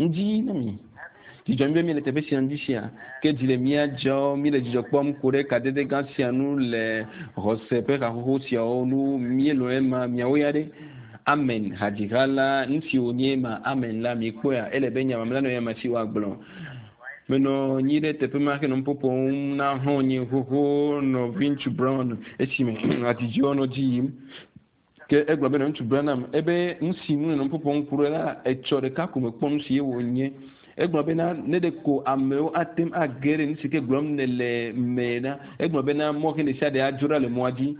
Ŋdi na mi. Dzidzɔ mi be mi le teƒe sia ŋdi sia. Ke dzi le mía dzɔ, mi le dzidzɔ kpɔm ku ɖe kadede gã sia nu le xɔse ƒe haxoxo siawo nu. Míelɔ̃ ema miawo ya ɖe. Amen. Hadziha la, nu si wònye ema, amen la, mikpɔea, ele be nya mamlɛ nɔ ya me si woagblɔ. Menɔ anyi ɖe teƒe ma henɔ nu ƒoƒom na xɔ̃nye xoxo nɔviŋutsu Brown esime hadzidziwo nɔ dzi yim. Ke egblɔ be nɔviŋutsu Branham ebe nu si ŋu nènɔ nu ƒoƒom ku ɖo la, etsɔ ɖeka ko mekpɔ nu si ye wònye. Egblɔ bena ne ɖeko amewo ate ŋu age ɖe nu si ke gblɔm nèle me la, egblɔ bena mɔxi ɖe sia ɖe adzo ɖa le mɔa dzi.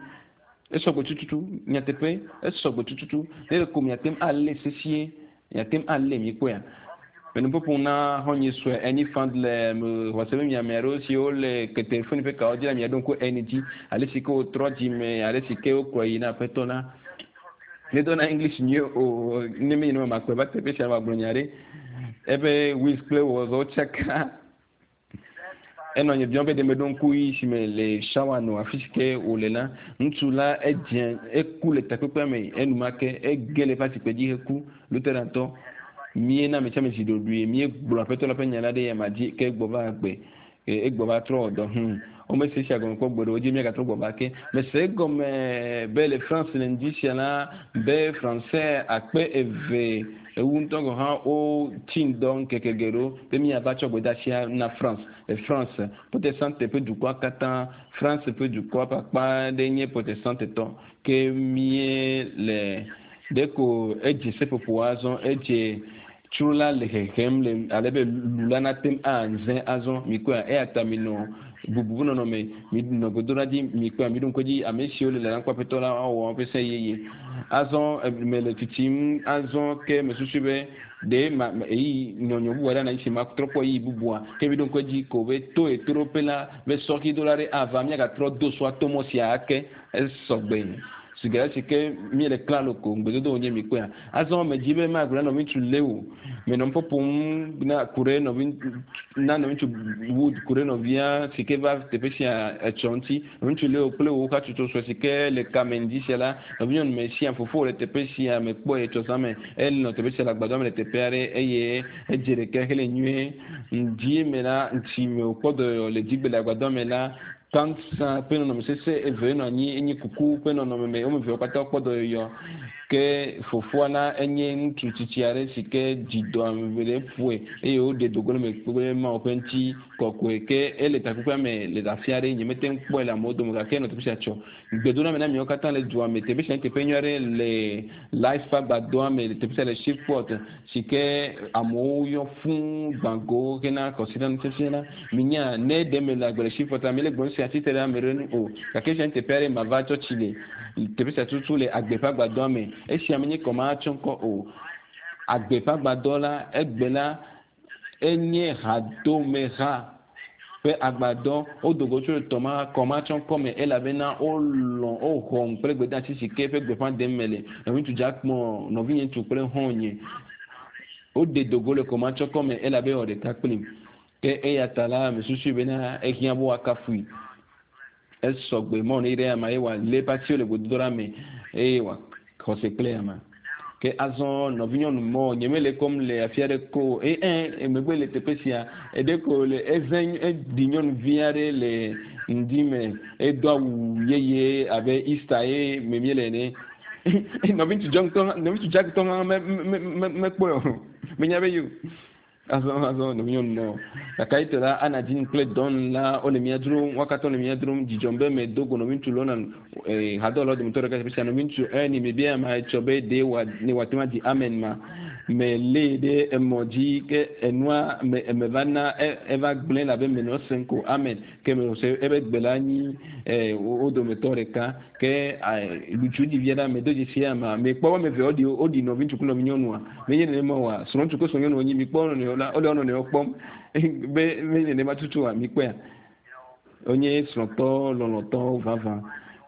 Esɔgbe tututu, nyateƒe, esɔgbe tututu. Ne ɖeko miate ŋu alé sesie, miate ŋu alé, mikpɔea? Menɔ nu ƒoƒom na xɔ̃nye sue Ernie Fand le xɔse be mi ame aɖewo siwo le telefoni ƒe kawo dzi la miaɖo ŋku Ernie dzi, ale si ke wòtrɔ dzime, ale si ke wokplɔe yi na Aƒetɔ la. Medona English nyuie o, ne menye nenema makplɔe va teƒe sia wòagblɔ nya ɖe. Eƒe Wiz kple wɔzɔwo tsaka. Enɔ nye biam be ɖe meɖo ŋku yi si me le shawa nɔ afi si ke wòle la. Ŋutsu la edze eku le takpekpea me enumake ege le eƒe asikpe dzi heku. Lutherantɔ míena ame sia ame zi ɖoɖoe míegblɔ Aƒetɔ la ƒe nya la ɖe eyama dzi ke egbɔ va agbe. Egbɔ va trɔ wɔ dɔ. Hum. Womese esia gɔme kpɔ gbeɖe o dzi míagatrɔ gbɔ va ke. Mese egɔme be le France le ŋdi sia la be Français akpe eve ewu ŋutɔ gɔ̃ hã wotsi ŋdɔ ŋkeke geɖewo be míava tsɔ gbedeasia na France. Le France, Protestante ƒe dukɔa katã, France ƒe dukɔa ƒe akpa aɖe nye Protestante tɔ. Ke míele ɖeko edze seƒoƒo azɔ, edze tsro la le hehem le ale be lu la nate ŋu aze azɔ. Mikpɔea? Eya ta minɔ bubu ƒe nɔnɔme, minɔ gbedoɖa dzi, mikpɔea? Miɖo ŋku edzi, ame siwo le lalam kpɔ Aƒetɔ la woawɔ woƒe se yeye. Azɔ mele tsitsim azɔ ke mesusui be ɖe ma ɣeyiɣi nyɔnyɔ bubu aɖe anɔ anyi si matrɔ kpɔ ɣeyiɣi bubua. Ke miɖo ŋku edzi ko be to ɣetoɖoƒe la be sɔxidola aɖe ava, míagatrɔ do sɔa to mɔ sia ake. Esɔgbe. Sigara si ke míele klalo ko ŋugbedodo wònye mikpɔea? Azɔ medzi be magblɔ na nɔviŋutsu Leo. Menɔ nu ƒoƒom na ku ɖe nɔvi na nɔviŋutsu Wood ku ɖe nɔvia si ke va teƒe sia etsɔ ŋuti. Nɔviŋutsu Leo kple wò hatsotso sue si ke le kame ŋdi sia la, nɔvinyɔnu Mesia fofowò le teƒe sia mekpɔe etsɔ zã me. Enɔ teƒe sia le agbadɔa me le teƒe aɖe eye edze ɖeke hele nyuie. Ŋdi me la, ŋtsi me wòkpɔ dɔyɔyɔ le dzigbe le agbadɔa me la, Kansa ƒe nɔnɔme sesẽ eve nɔ anyi enye kuku ƒe nɔnɔme me. Wo ame eveawo katã wokpɔ dɔyɔyɔ. Ke fofoa la enye ŋutsu tsitsi aɖe si ke dzi dɔ ame ɖe ƒoe eye woɖe do go le eme kple Mawu ƒe ŋuti kɔkɔe. Ke ele takpekpea me le afi aɖe. Nyemete ŋu kpɔe le amewo dome o gake enɔ teƒe sia tsɔ. Gbedoname na miawo katã le dua me. Teƒe sia nye teƒe nyui aɖe le Life ƒe agbadɔa me le teƒe sia le Shreveport si ke amewo yɔ fũu gbã go hena kɔsiɖanufiafia la. Minya, ne ɖe mele agbe le Shreveport la, mele gblɔm sia tsitre ɖe ame ɖe nu o. Gake esia nye teƒe aɖe mava tsɔtsi le. Teƒe sia tutu le agbe ƒe agbadɔa me. Esia menye kɔmahatsɔŋkɔ o. Agbe ƒe agbadɔ la, egbe la, enye hadomeha ƒe agbadɔ. Wodo go tso tɔma kɔmatsɔŋkɔ me elabena wolɔ̃ woxɔm kple gbedeasi si ke ƒe gbeƒã ɖem mele. Nɔviŋutsu Jackmore, nɔvinye ŋutsu kple xɔ̃nye, woɖe do go le kɔmatsɔŋkɔ me elabe ewɔ ɖeka kplim. Ke eya ta la, mesusui bena ehiã be woakafui. Esɔgbe mɔ ne ɖe ama ye wòalé eƒe asiwo le gododoɖa me eye wòaxɔ se kple ama. Ke azɔ nɔvinyɔnu mɔ nyemele kɔm le afi aɖe ko eye ẽ emegbe le teƒe sia eɖe ko le eze eɖi nyɔnuvi aɖe le ŋdi me edo awu yeye abe Easter ye me míele ene. Nɔviŋutsu John tɔ nɔviŋutsu Jack tɔ hã me me me mekpɔe o. Menya be yo. Azɔ azɔ nɔvinyɔnu nɔ gake ayitɔ la ana dzi kple Don la wole mía dzrom wo katã wole mía dzrom dzidzɔm be medo go nɔviŋutsu Lona eh, hadɔwɔlawo dometɔ ɖeka teƒe sia nɔviŋutsu Ernie mebia ma etsɔ be ɖe wa ne wòate ŋu adzi amen ma melée ɖe emɔ dzi ke enua me eme va na e, eva gblẽ labe menɔ esem ko amen ke mese ebe gbe la nyi eh, wo dometɔ ɖeka ke lutsu ɖi via ɖa medo dzesi ama mekpɔ wo ame eve woɖi woɖi nɔviŋutsu kple nɔvinyɔnua menye nenema oa srɔ̃ŋutsu kple srɔ̃nyɔnu wonyi mikpɔ nɔnɔewo la wole wo nɔnɔewo kpɔm be menye nenema tutu oa mikpɔea wonye srɔ̃tɔ lɔlɔ̃tɔwo vavã.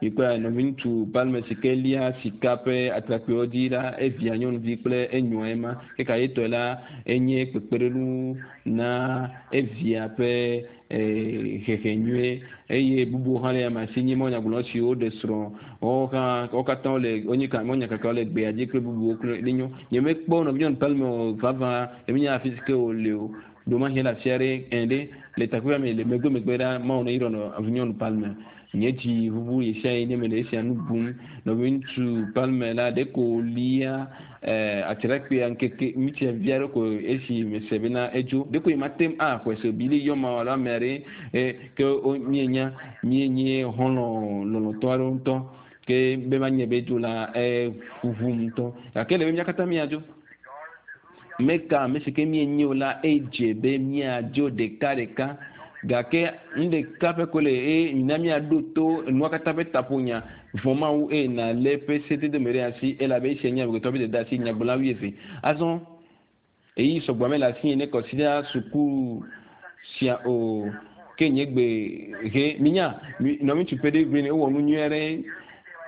Mikpɔe nɔviŋutsu Palmer si ke lia sika ƒe atrakpuiwo dzi la, evia nyɔnuvi kple enyoa ema. Ke kayetɔe la, enye kpekpeɖeŋu na evia ƒe hehe nyuie eye bubuwo hã le ame si nye mɔnyagblɔ siwo ɖe srɔ̃ woawo hã wo katã wole wonye ka mɔnyakakawo le gbea dzi kple bubuwo kple ɖe nyo. Nyemekpɔ nɔvinyɔnu Palmer o vavã emenya afi si ke wòle o. Ɖewomahi ele afi aɖe ẽ ɖe le takpekpea me le megbe megbe ɖa Mawu ne yrɔ nɔvinyɔnu Palmer. Nye dzi ʋuʋu ɣesiaɣi ne mele esia nu bum. Nɔviŋutsu Palmer la ɖeko wòlia atrakpuia ŋkeke ŋutia vi aɖe ko esi mese bena edzo. Ɖeko nye mate ŋu axɔe se o. Billy yɔ ma alo ame aɖe ke míenya míenye xɔlɔ̃ lɔlɔ̃tɔ aɖewo ŋutɔ ke be manye be edzo la eʋuʋum ŋutɔ. Gake ele be mía katã míadzo. Meka ame si ke míenye o la edze be míadzo ɖekaɖeka. Gake nu ɖeka ƒe ko le eye mina míaɖo to enua katã ƒe taƒonya vɔ̃ Mawu eye nàlé eƒe sedede me ɖe asi elabe esia nye amegbetɔ ƒe dɔdeasi nyagblɔla wuieve. Azɔ ɣeyiɣi sɔgbɔ mele asinye ne kɔsiɖa suku sia o ke nye gbe he. Minya, nɔviŋutsu Peɖe Green ewɔ nu nyui aɖe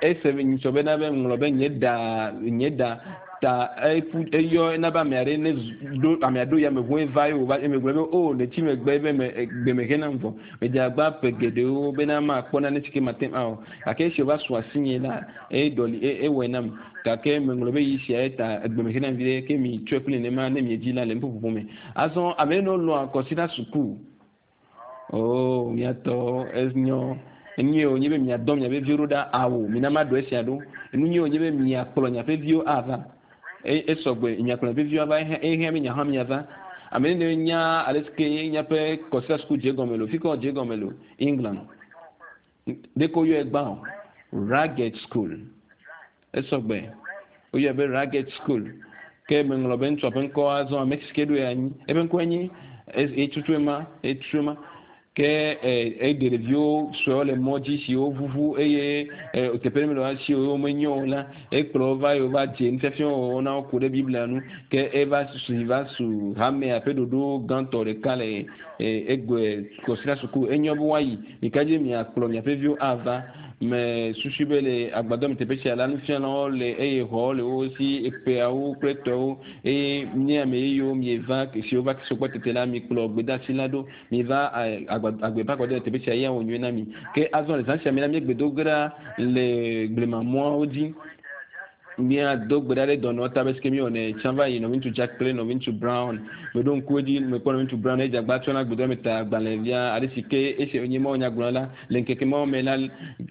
ese nyitsɔ bena be ŋlɔ be nye ɖa nye ɖa ta eƒu eyɔ ena be ame aɖe ne ɖo amea ɖo yameʋu eva ye wòva eme gblɔ be o le tsi megbe be me gbe me henam vɔ. Medze agbagba ƒe geɖewo bena makpɔ nane si ke mate ŋu awɔ. Gake esi wòva su asinye la, eɖɔli ewɔe nam. Gake meŋlɔ be yi sia eta egbe me henam viɖe ke mi tsɔe kple nenema ne miedzi la le nuƒoƒoƒo me. Azɔ ame yiwo lɔ̃a kɔsiɖa suku. Oo, miatɔ enyɔ. Enyuie wònye be miadɔ miaƒe viwo ɖo ɖa awo. Mina maɖo esia ɖo. Enu nyuie wònye be miakplɔ miaƒe viwo ava. Esɔgbe miakplɔ miaƒe viwo ava ehiã be miahã miava. Ame ɖe nya ale si ke miaƒe kɔsiɖa suku dze egɔme lo. Fi ka wòdze egɔme lo? England. Ɖeko woyɔe gbã o. Ragged School. Esɔgbe. Woyɔe be Ragged School. Ke meŋlɔ be ŋutsua ƒe ŋkɔ azɔ ame si ke ɖoe anyi. Eƒe ŋkɔe nye etutue ma, etutue ma. Ke eɖe ɖeviwo suewo le mɔ dzi siwo ʋuʋu eye teƒe ɖe mele wo si o, womenyo o la, ekplɔ wo va eye wova dze nufiafia wɔwɔ na wo ku ɖe Biblia ŋu. Ke eva si va su hamea ƒe ɖoɖo gãtɔ ɖeka le egbe kɔsiɖa suku. Enyo be woayi. Mika dzi miakplɔ miaƒe viwo ava. Me susui be le agbadɔ me teƒe sia la, nufialawo le eye xɔwo le wo si, eƒeawo kple tɔwo eye nye ame yeyewo mieva siwo va sɔgbɔ tete la, mikplɔ gbedeasi la ɖo. Miva agbe ƒe agbadɔ le teƒe sia eye awɔ nyuie na mi. Ke azɔ le zã sia me la, míegbe do ge ɖa le blemamɔawo dzi. Míado gbe ɖa ɖe dɔnɔ ta be si ke míewɔnɛ tsã va yi nɔviŋutsu Jack kple nɔviŋutsu Brown. Meɖo ŋku edzi mekpɔ nɔviŋutsu Brown edze agba tsɔna gbedɔ me ta agbalẽvia aɖe si ke esi nye Mawu nyagblɔla la le ŋkeke mawo me la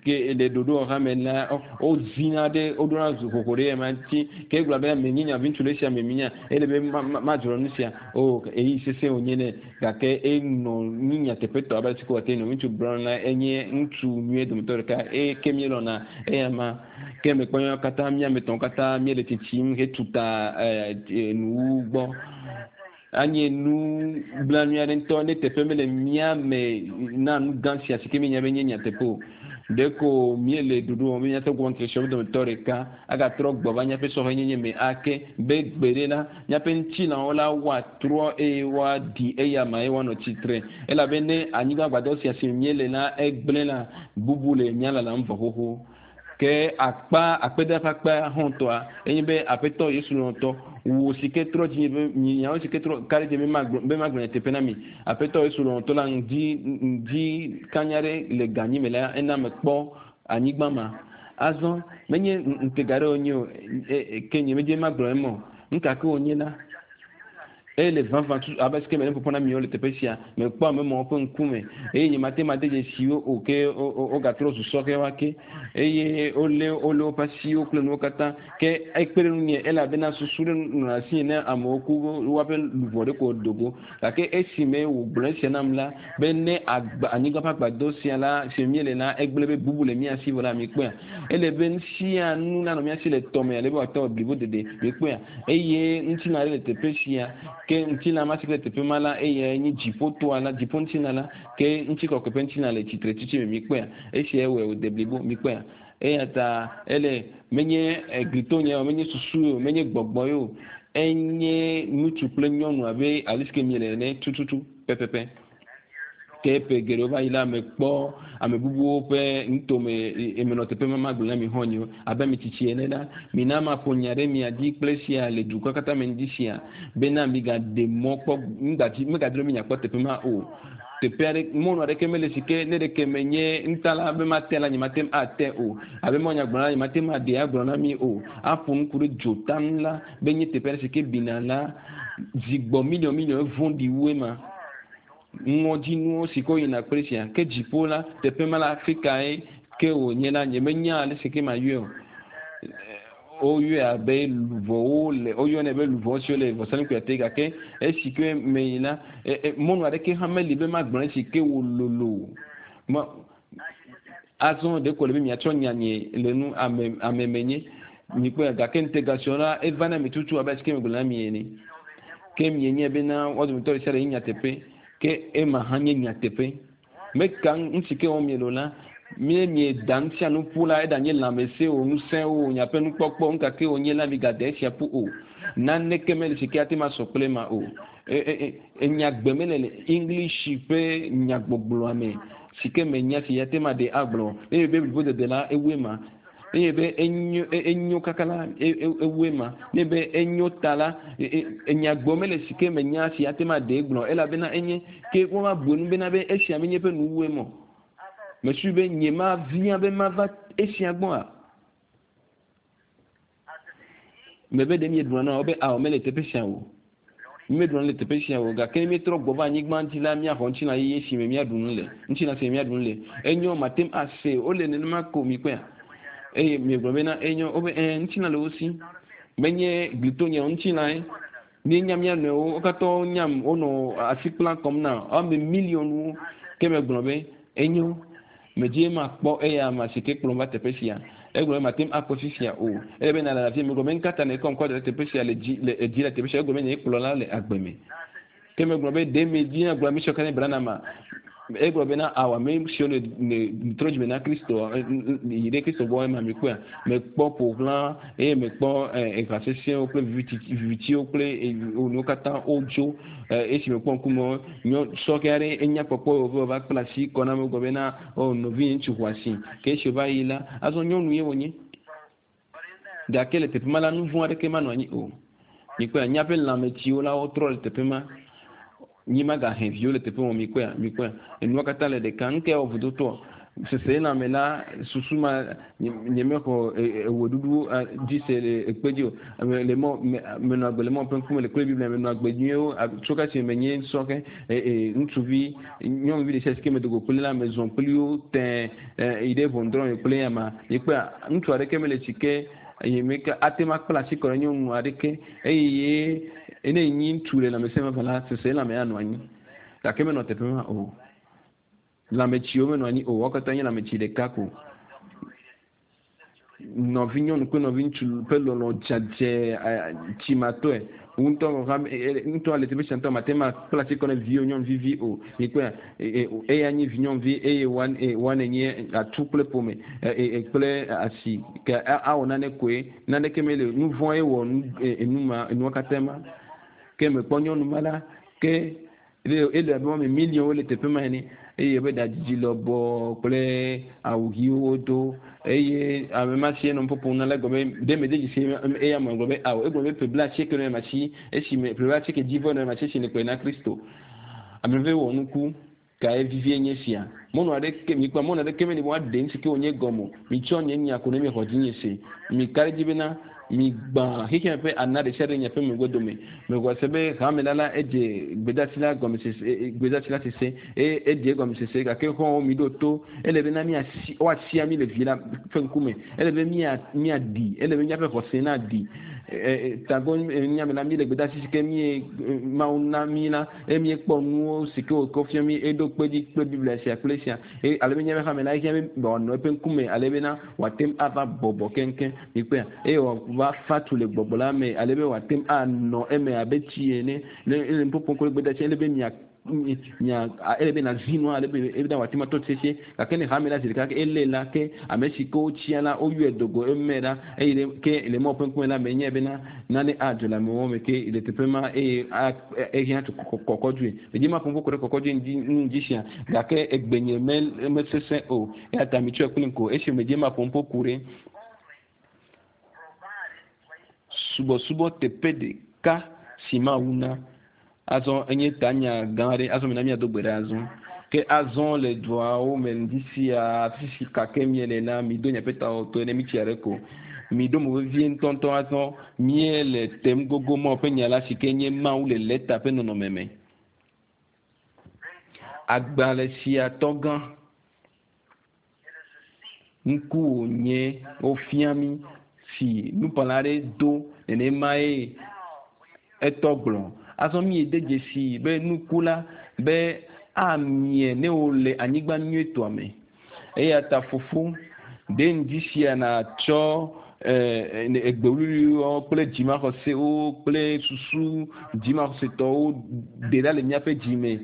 ke le ɖoɖowɔha me la wozina ɖe woɖona zu xoxo ɖe ema ŋuti ke egblɔ be menye nyaviŋutsu le esia me minya ele be madzro nu sia o eyi sesẽ wònye nɛ gake enɔ nyi nyateƒetɔ abe ale si ko wòate nɔviŋutsu Brown la enye ŋutsu nyuie dometɔ ɖeka eye ke míelɔ̃na eya ma. Ke mekpɔ míawo katã mía ame etɔ̃wo katã míele tsitsim hetu ta nuwuwu gbɔ. Anye nu blanui aɖe ŋutɔ ne teƒe mele mía me na nu gã sia si ke míenya be nye nyateƒe o. Ɖeko míele ɖoɖo wɔm be míate ŋu akpɔ dometɔ ɖeka agatrɔ gbɔ va míaƒe sɔhɛnyenye me ake be gbe ɖe la, míaƒe ŋutilãwo la woatrɔ eye woaɖi eyama eye woanɔ tsitre. Elabe ne anyigba gbadɔ sia si me míele la egblẽ la, bubu le mía lalam vɔ xoxo. Ke akpa akpeda ƒe akpa hɔ̃tɔa enye be Aƒetɔ Yesu lɔlɔ̃tɔ, wò si ke trɔ dzinye be miawo si ke trɔ ka ɖe dzi be magblɔ be magblɔ nyateƒe na mi. Aƒetɔ Yesu lɔlɔ̃tɔ la ŋdi ŋdi kanya ɖe le ganyi me la ena mekpɔ anyigba ma. Azɔ menye ŋutega ɖe wònye o ke nye medze magblɔ eme o. Nu ka ke wònye la, Eye le vavã tutu abe sike mele ƒoƒo na miwo le teƒe sia, mekpɔ ame mawo ƒe ŋkume, eye nyemate ŋu ade dzesi wo o, ke wogatrɔ zu sɔhɛwo ake, eye wolé wolé woƒe asiwo kple nuwo katã. Ke ekpe ɖe ŋunye elabena susu ɖe nɔna asinye ne amewo ku woaƒe luʋɔ ɖe ko do go. Gake esime wògblɔ esia nam la, be ne agba, anyigba ƒe agbadɔ sia la, si me míele la, egblẽ be bubu le mía si vɔ la, mikpɔea? Ele be nu sia nu nanɔ mía si le tɔme ale be wòate ŋu blibo dede. Mikpɔea? Eye ŋutilã aɖe le teƒe sia, ke ŋutilã ma si ke le teƒe ma la, eyae nye dziƒotoa la, dziƒoŋutilã la, ke ŋutikɔkɔe ƒe ŋutilã le tsitretsitsi me. Mikpɔea? Esiae wɔe wòde blibo. Mikpɔea? Eya ta ele, menye glitonyae o, menye susue o, menye gbɔgbɔe o, enye ŋutsu kple nyɔnu abe ale si ke miele ene tututu pɛpɛpɛ. Ke ƒe geɖewo va yi la, mekpɔ ame bubuwo ƒe nutome emenɔ teƒe ma magblɔ na mi xɔ̃nyewo abe ame tsitsi ene la, mina maƒo nya ɖe mia dzi kple sia le dukɔ katã me ŋdi sia bena migaɖe mɔ kpɔ ŋgadzi megadro mi nyakpɔ teƒe ma o. Teƒe aɖe mɔnu aɖeke mele si ke ne ɖeke menye ŋutala be mate la nyemate ŋu ate o abe mɔ nyagblɔ la nyemate ŋu aɖe agblɔ na mi o aƒo nu ku ɖe dzota ŋu la be nye teƒe aɖe si ke bina la zi gbɔ miliɔn miliɔn vɔ̃ɖi wu ema ŋɔdzinuwo si ke woyina kple sia ke dziƒo la teƒe ma la afi kae ke wònye la nyemenya ale si ke mayɔe o woyɔe abe luʋɔwo le woyɔnɛ be luʋɔ siwo le vɔsamlekpuia te gake esi ke me yi la mɔnu aɖeke hã meli be magblɔ esi ke wòlolo ma azɔ ɖeko le be miatsɔ nya nye le nu ame ame menye mikpɔe gake ŋutega siwo la eva na mi tutu abe esi ke megblɔ na mi ene ke mienye bena wo dometɔ ɖe sia ɖe nye nyateƒe ke ema hã nye nyateƒe meka ŋuti ke wɔm miele o la mie mieda nu sia nu ƒu la eɖanye lãmesẽ o ŋusẽ o miaƒe nukpɔkpɔ nu gake wònye la migade esia ƒu o naneke mele si ke ate ma sɔ kple ema o enyagbe mele le english ƒe nyagbɔgblɔa me si ke menya si ate ma ɖe agblɔ eye be blibo dede la ewu ema eye be enyo enyo kaka la ewu ema ne be enyo ta la enyagbɔ mele si ke menya si ate ma ɖe gblɔ elabena enye ke woma bu enu bena be esia menye ƒe nuwue mɔ mesui be nye ma via be mava esia gbɔa mebe ɖe mieɖuna na wo be awɔ mele teƒe sia o míeɖuna le teƒe sia o gake míetrɔ gbɔ va anyigba dzi la míaxɔ ŋutilã yeye si me míaɖu nu le ŋutilã si me míaɖu nu le enyo mate ŋu ase wole nenema ko mi kpɔea eye miegblɔ bena enyo wobe ɛ ŋutilã le wo si menye glitonye ŋutilãe míenya mía nɔewo wo katã wonyam wonɔ asi kpla kɔm na ame miliɔnwo ke megblɔ be enyo medzi makpɔ eya ma si ke kplɔm va teƒe sia egblɔ be mate ŋu akpɔ fifia o ele be nala afi megblɔ be nkata ne kɔm kɔ da teƒe sia le dzi le edzi le teƒe sia egblɔ be nye kplɔla le agbe me ke megblɔ be ɖe medzi na gblɔ ame siwo katã brana ma egblɔ bena awa ame siwo ne ne trɔ dzime na kristo yi ɖe kristo gbɔ ema mi kpɔa mekpɔ ƒoʋla eye mekpɔ eha sesẽwo kple vivitiwo kple nuwo katã wodzo esi mekpɔ ŋkume nyɔ sɔkɛ aɖe enya kpɔkpɔ wòve va kpla asi kɔ na me gblɔ bena o nɔvi ŋutsu xɔ asi ke esi wòva yi la azɔ nyɔnu ye wònye gake le teƒe ma la nu vɔ̃ aɖeke manɔ anyi o mikpɔa míaƒe lãmetsiwo la wotrɔ le teƒe ma nyi magahe viwo le teƒe wɔm mikpɔa mikpɔa enua katã le ɖeka nu ke wɔ vodotɔ sese lãme la susu ma nye mexɔ eweɖuɖu dzi se le ekpe dzi o le mɔ menɔ agbe le mɔ ƒe ŋkume le kple biblia menɔ agbe nyuiwo tso kasi menye sɔhɛ ŋutsuvi nyɔnuvi ɖe sia si ke medogo kple la mezɔ kpli wo tɛ yi ɖe ʋɔnudrɔ̃ kple ama mikpɔa ŋutsu aɖeke mele tsi ke eye meke ate ma kpla asi kɔ ɖe nyɔnu aɖeke eye ne nyi ŋutsu le lãmesẽ vavã la sese lãme anɔ anyi gake menɔ teƒe ma o lãmetsiwo menɔ anyi o wo katã nye lãmetsi ɖeka ko nɔvi nyɔnu kple nɔvi ŋutsu ƒe lɔlɔ dzadze tsimatɔe ŋutɔ ŋutɔ le teƒe sia ŋutɔ mate ma kpla asi kɔ ne viwo nyɔnuvi vi o mikpɔe eya nye vi nyɔnuvi eye wane nye atu kple ƒome kple asi ke awɔ nane koe naneke mele nu vɔ̃ ye wɔ enu ma enua katã ma ke mekpɔ nyɔnu ma la ke ele abe wɔme miliɔnwo le teƒe ma ene eye be ɖadzidzi lɔbɔ kple awu ɣiwo do eye ame ma si enɔ ƒoƒom na la gblɔ be ɖe mede dzesi eya me gblɔ be awo egblɔ be ƒe 90 nɔ ema si esi me ƒe 90 dzi vɔ nɔ ema si esi ne kplɔe na Kristo ame ve wɔ nuku kae vivie nye sia mɔnu aɖeke mikpɔ mɔnu aɖeke meli be woaɖe nu si ke wònye gɔme o mitsɔ nye nya ko ne miexɔ dzinye se mika ɖe dzi bena migbã xexea ƒe ana ɖe sia ɖe miaƒe megbe dome mexɔ se be hame la la edze gbedasi la gɔmesese gbedasi la sese eye edze egɔmesese gake xɔwo mi ɖo to ele bena miasi woasia mi le vi la ƒe ŋkume ele be mia miaɖi ele be miaƒe xɔse naɖi tagbɔ nyame la mi le gbedasi si ke mi mawu na mi la eye miekpɔ nuwo si ke wòkɔ fia mi eɖo kpe dzi kple biblia sia kple sia eye ale be miaƒe hame la ehiã be wòanɔ eƒe ŋkume ale bena wòate ŋu ava bɔbɔ keŋkeŋ mikpɔa eye wòava fa tu le gbɔgbɔ la me ale be wòate ŋu anɔ eme abe tsi ene ne ele nuƒoƒom kple gbedasi ele be mia. nya ele be nazi nua ale be ebe wòate ŋu atɔ sesĩe gake ne hame la zi ɖeka ke elé la ke ame si ke wotsia la woyɔe do go eme ɖa eye ɖe ke le Mawu ƒe ŋkume la menyae bena nane adzɔ le amewo me ke le teƒe ma eye ehiã tso kɔkɔdzoe. Medzi ma ƒo ƒo ɖe kɔkɔdzoe ŋu dzi sia gake egbenye me mesesẽ o eya ta mitsɔe kplim ko esi medzi ma ƒo ƒo ku ɖe subɔsubɔ teƒe ɖeka si Mawu na. Azɔ enye tanya gã aɖe azɔ mina míado gbe ɖa azɔ. Ke azɔ le duawo me ŋdi sia afi si kake miele la mido miaƒe tawo to ne mitsi aɖe ko. Miɖo mo vevie ŋutɔŋutɔ azɔ míele tem gogo Mawu ƒe nya la si ke nye Mawu le lɛta ƒe nɔnɔme me. Agbalẽ sia tɔgã ŋku wònye wofia mí si nukpɔla aɖe do nenemae etɔ gblɔ. Azɔ míede dzesi be nuku la be amie ne wòle anyigba nyuietɔa me. Eya ta fofo ɖe ŋdi sia natsɔ egbewluiwo kple dzimaxɔsewo kple susu dzimaxɔsetɔwo ɖe ɖa le míaƒe dzi me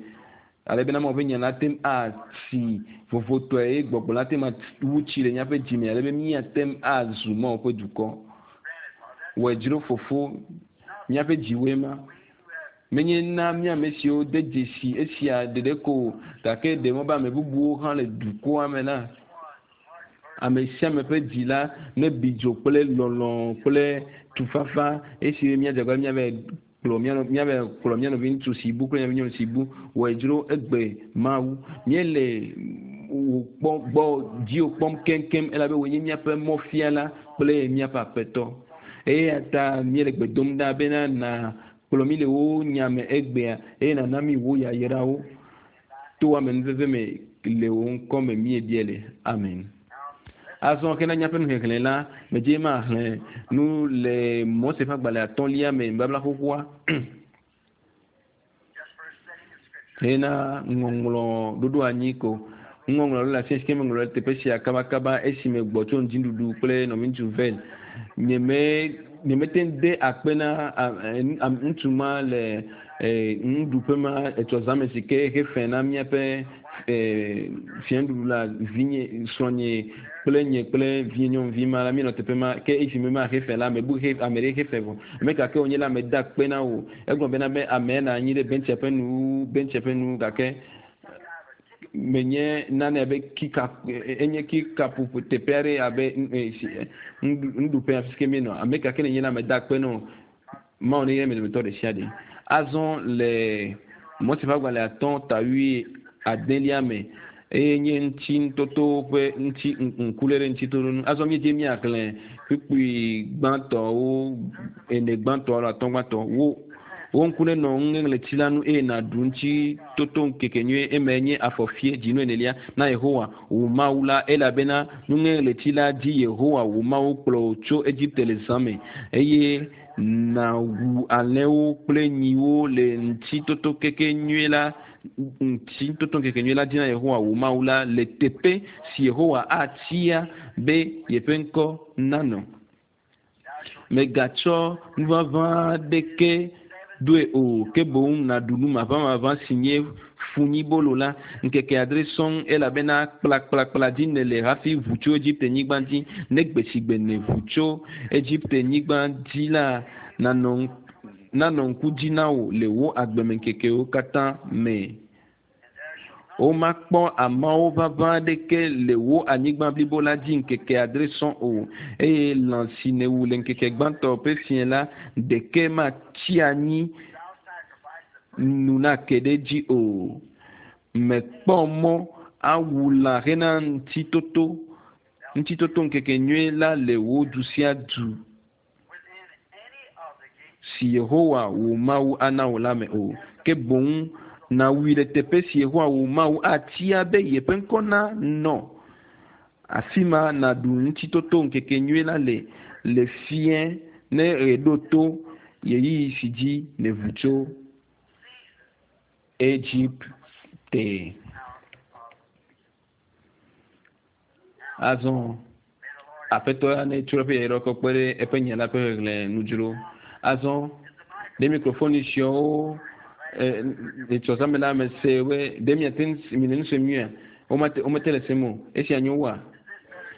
ale bena Mawu ƒe nya la te ŋu atsi vovotɔe eye gbɔgbɔ la te ŋu awu tsi le míaƒe dzi me ale be míate ŋu azu Mawu ƒe dukɔ. Wɔe dzro fofo míaƒe dziwoe ma. Menye na mía ame siwo de dzesi esia ɖeɖe ko o gake ɖe mɔ be ame bubuwo hã le dukɔa me la ame sia ame ƒe dzi la nebi dzo kple lɔlɔ̃ kple tufafa esi míadze agbagba míave kplɔ míave kplɔ mía nɔvi ŋutsu si bu kple mía nɔvi nyɔnu si bu wɔe dzro egbe Mawu. Míele wò kpɔ gbɔ dziwò kpɔm keŋkeŋ elabe wòe nye míaƒe mɔfiala kple míaƒe aƒetɔ. Eya ta míele gbe dom ɖa bena na kplɔ mí le wò nya me egbea eye nana mí wò yayrawo to amenuveve me le wò ŋkɔ me míebia le. Amen. Azɔ ke na míaƒe nuxexlẽ la, medze maxlẽ nu le Mose ƒe agbalẽ atɔ̃lia me nubabla xoxoa hena ŋɔŋlɔ ɖoɖo anyi ko. Ŋɔŋlɔ ɖo le afi si ke meŋlɔ ɖe teƒe sia kabakaba esime gbɔ tso ŋdziɖuɖu kple nɔviŋutsu Vel. Nyeme nyemete ŋu de akpe na ŋutsu ma le nuɖuƒe ma etsɔ zãme si ke hefe na míaƒe fiaɖuɖu la vinye srɔ̃nye kple nye kple vinye nyɔnuvi ma la míenɔ teƒe ma ke esi me ma hefe la mebu he ame ɖe hefe vɔ ame ka ke wònye la meda akpe na wò egblɔ bena be amea nɔ anyi ɖe bentsia ƒe nu bentsia ƒe nu gake menye nane abe kika enye kikaƒoƒo teƒe aɖe abe nuɖuƒe afi si ke míenɔ ame ka ke nenye la meda akpe na wò Mawu ne yra mi dometɔ ɖe sia ɖe. Azɔ le Mose ƒe agbalẽ atɔ̃ ta wui adelia me eye nye ŋuti ŋutoto ƒe ŋuti ŋkuléle ɖe ŋutitoto nu. Azɔ míedze míaxlẽ kpukpui gbãtɔwo ene gbãtɔ alo atɔ̃ gbãtɔ wo wo ŋku nenɔ nuŋeŋleti la nu eye nàɖu ŋutitoto ŋkeke nyuie eme nye afɔfie dzinu enelia na Yehowa wò Mawu la elabena nuŋeŋleti la dzi Yehowa wò Mawu kplɔ wò tso Egipte le zã me eye nàwu alẽwo kple nyiwo le ŋutitoto keke nyuie la ŋutitoto ŋkeke nyuie la dzi na Yehowa wò Mawu la le teƒe si Yehowa atia be yeƒe ŋkɔ nanɔ. Mègatsɔ nuʋaʋã aɖeke doe o ke boŋ nàɖu nu maʋamaʋã si nye funyibolo la ŋkeke adre sɔŋ elabena kplakplakpla dzi nèle hafi ʋu tso Egipte nyigba dzi. Ne gbe si gbe nèʋu tso Egipte nyigba dzi la nanɔ nanɔ ŋku dzi na wò le wò agbemeŋkekewo katã me. Womakpɔ ameawo ʋaʋã aɖeke le wò anyigba blibo la dzi ŋkeke adre sɔŋ o eye lã si nèwu le ŋkeke gbãtɔ ƒe fiẽ la ɖeke matsi anyi nu nake ɖe edzi o. Mèkpɔ mɔ awu lã hena ŋutitoto ŋutitoto ŋkeke nyuie la le wò du sia du si Yehowa wò Mawu ana wò la me o. Ke boŋ nàwui le teƒe si Yehowa wò Mawu atia be yeƒe ŋkɔ nanɔ. Afi ma nàɖu ŋutitoto ŋkeke nyuie la le le fiẽ ne ɣe ɖo to ɣeyiɣi si dzi nèʋu tso Egipte. Azɔ aƒetɔ ya netsɔ eƒe yayra kɔ kpe ɖe eƒe nya la ƒe xexlẽ nu dzro. Azɔ ɖe mikrofoni siawo Etsɔ zã me la mese be ɖe miate ŋu mi le nu sem nyuia? Womate womete le sem o. Esia nyo wua?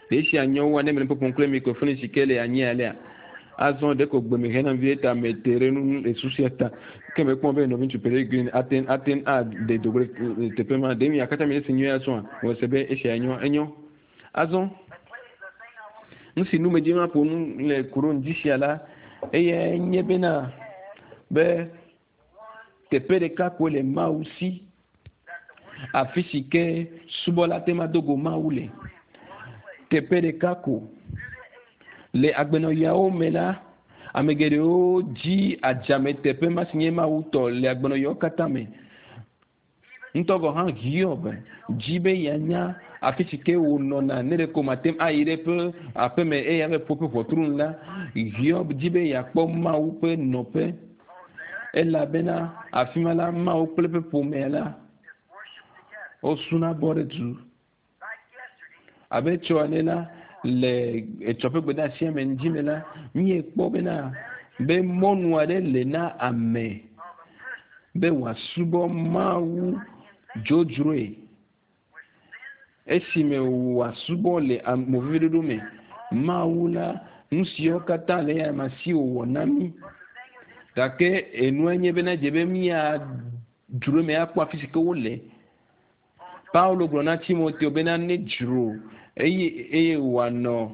Ɖe esia nyo wua ne mele nu ƒoƒom kple mikrofoni si ke le anyi alea? Azɔ ɖeko gbe me hena vie ta mete ɖe nu le susu ta. Ke mekpɔ be nɔviŋutsu Peregrine ate ate ŋu aɖe do go ɖe teƒe ma. Ɖe mia katã miele se nyuie azɔa? Mese be esia nyo enyo. Azɔ nu si nu medzi maƒo nu le ku ɖo ŋdi sia la, eyae nye bena be teƒe ɖeka koe le Mawu si, afi si ke subɔla te ma do go Mawu le. Teƒe ɖeka ko. Le agbenɔɣiawo me la, ame geɖewo dzi adzame teƒe ma si nye Mawu tɔ le agbenɔɣiawo katã me. Ŋutɔ gɔ̃ hã Hiob dzi be yeanya afi si ke wònɔna ne ɖeko mate ŋu ayi ɖe eƒe aƒeme eye ava ƒo eƒe ʋɔtru nu la. Hiob di be yeakpɔ Mawu ƒe nɔƒe elabena afi ma la, Mawu kple eƒe ƒomea la wosuna bɔ ɖe du. Abe etsɔ ene la, le etsɔ ƒe gbedeasia me ŋdi me la, míekpɔ bena be mɔnu aɖe le na ame be wòasubɔ Mawu dzodzroe esime wòasubɔ le moveviɖoɖo me. Mawu la, nu siwo katã le eya ma si wòwɔ na mí. Gake enue nye bena edze be míadzro eme akpɔ afi si ke wole. Paulo gblɔ na Timoteo bena nedzro eye eye wòanɔ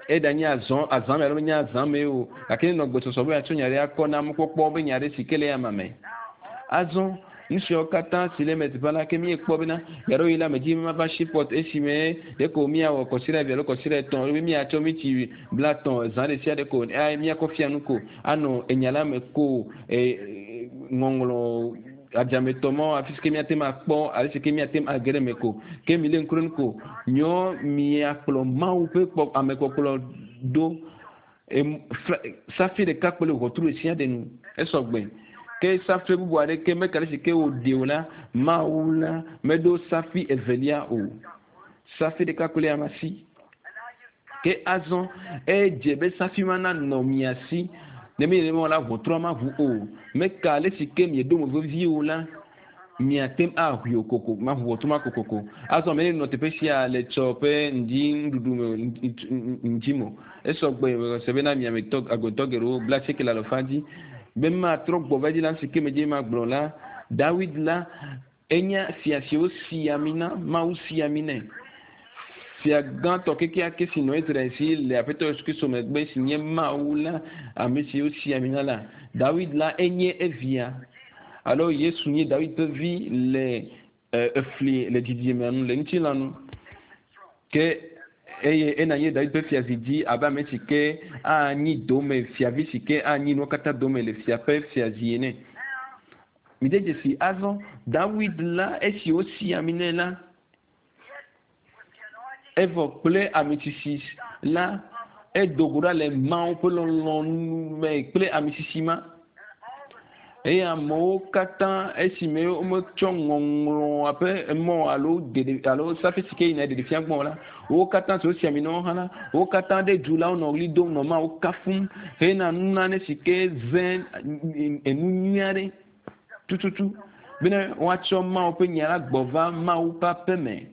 eɖanye azɔ azã me alo menye azã me o, gake nenɔ gbesɔsɔ be yeatsɔ nya ɖe akɔ na mɔkpɔkpɔ be nya ɖe si ke le ama me. Azɔ nu siawo katã si le eme teƒe la ke míekpɔ bena ɣeaɖewoɣi la medzi be mava Shipot esime ɖeko míawɔ kɔsiɖa eve alo kɔsiɖa etɔ̃ be míatsɔ miti blatɔ̃ zã ɖe sia ɖe ko míakɔ fia nu ko anɔ enya la me ko e, ŋɔŋlɔ adzametɔ mawo afi si ke míate ŋu akpɔ ale si ke míate ŋu age ɖe eme ko. Ke milé ŋku ɖe enu ko. Nyɔ miakplɔ Mawu ƒe kpɔ amekpɔkplɔ ɖo. Em, safi ɖeka kple ʋɔtru ɖe sia ɖe nu. Esɔ gbe. Ke safi bubu aɖeke meka ɖe si ke wòɖe o la, Mawu la meɖo safi evelia o. Safi ɖeka kple ama si. Ke azɔ edze be safi ma nanɔ mia si. Ne menye nenema o la, ʋɔtrua maʋu o. Meka ale si ke mieɖo mo vevie o la, miate ŋu aʋui o koko, maʋu ʋɔtru ma kokoko. Azɔ ame ɖe nɔ teƒe sia le tsɔ ƒe ŋdi nuɖuɖu me ŋdi me o. Esɔ gbe se bena mia me tɔ agbetɔ geɖewo bla asieke le alɔfa dzi. Be matrɔ gbɔ va edzi la, nu si ke medze magblɔ la, Dawid la, Enye fia si wosi ami na, Mawu si ami nɛ. Fia gãtɔ kekeake si nɔ Israel si le Aƒetɔ Yesu Kristo megbe si nye Mawu la, ame si wosi ami na la. Dawid la enye evia alo Yesu nye Dawid ƒe vi le efli le dzidzimea nu le ŋutilã nu. Ke eye ena nye Dawid ƒe fiazi dzi abe ame si ke anyi dome fiavi si ke anyi nuwo katã dome le fia ƒe fiazi ene. Mide dzesi azɔ, Dawid la, esi wosi ami nɛ la, evɔ kple amisisi la, edo go ɖa le Mawu ƒe lɔlɔ̃nu me kple amisisi ma. Eye amewo katã esime wometsɔ ŋɔŋlɔa ƒe mɔ alo ɖeɖe alo safi si ke yina ɖeɖefia gbɔ la, wo katã si wosi ami na wo hã la, wo katã ɖe du la wonɔ ɣli dom nɔ Mawu kafum hena nunane si ke ze enu nyui aɖe tututu bene woatsɔ Mawu ƒe nya la gbɔ va Mawu ƒe aƒe me.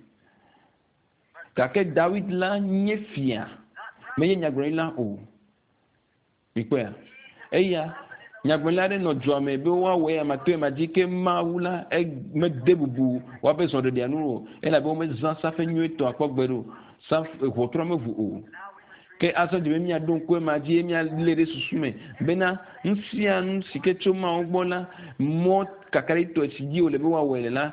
Gake Dawid la nye fia, menye nyagblɔɖila o. Mikpɔea? Eya, nyagblɔɖila aɖe nɔ dua me be woawɔ eya ma to ema dzi ke Mawu la mede bubu woaƒe zɔɖeɖea nu o elabe womezã safe nyuietɔ akpɔ gbe ɖo. Safe ʋɔtrua meʋu o. Ke azɔ dze be míaɖo ŋku ema dzi eye míalé ɖe susu me bena nu sia nu si ke tso Mawu gbɔ la, mɔ kakaɖitɔe si dzi wòle be woawɔe le la,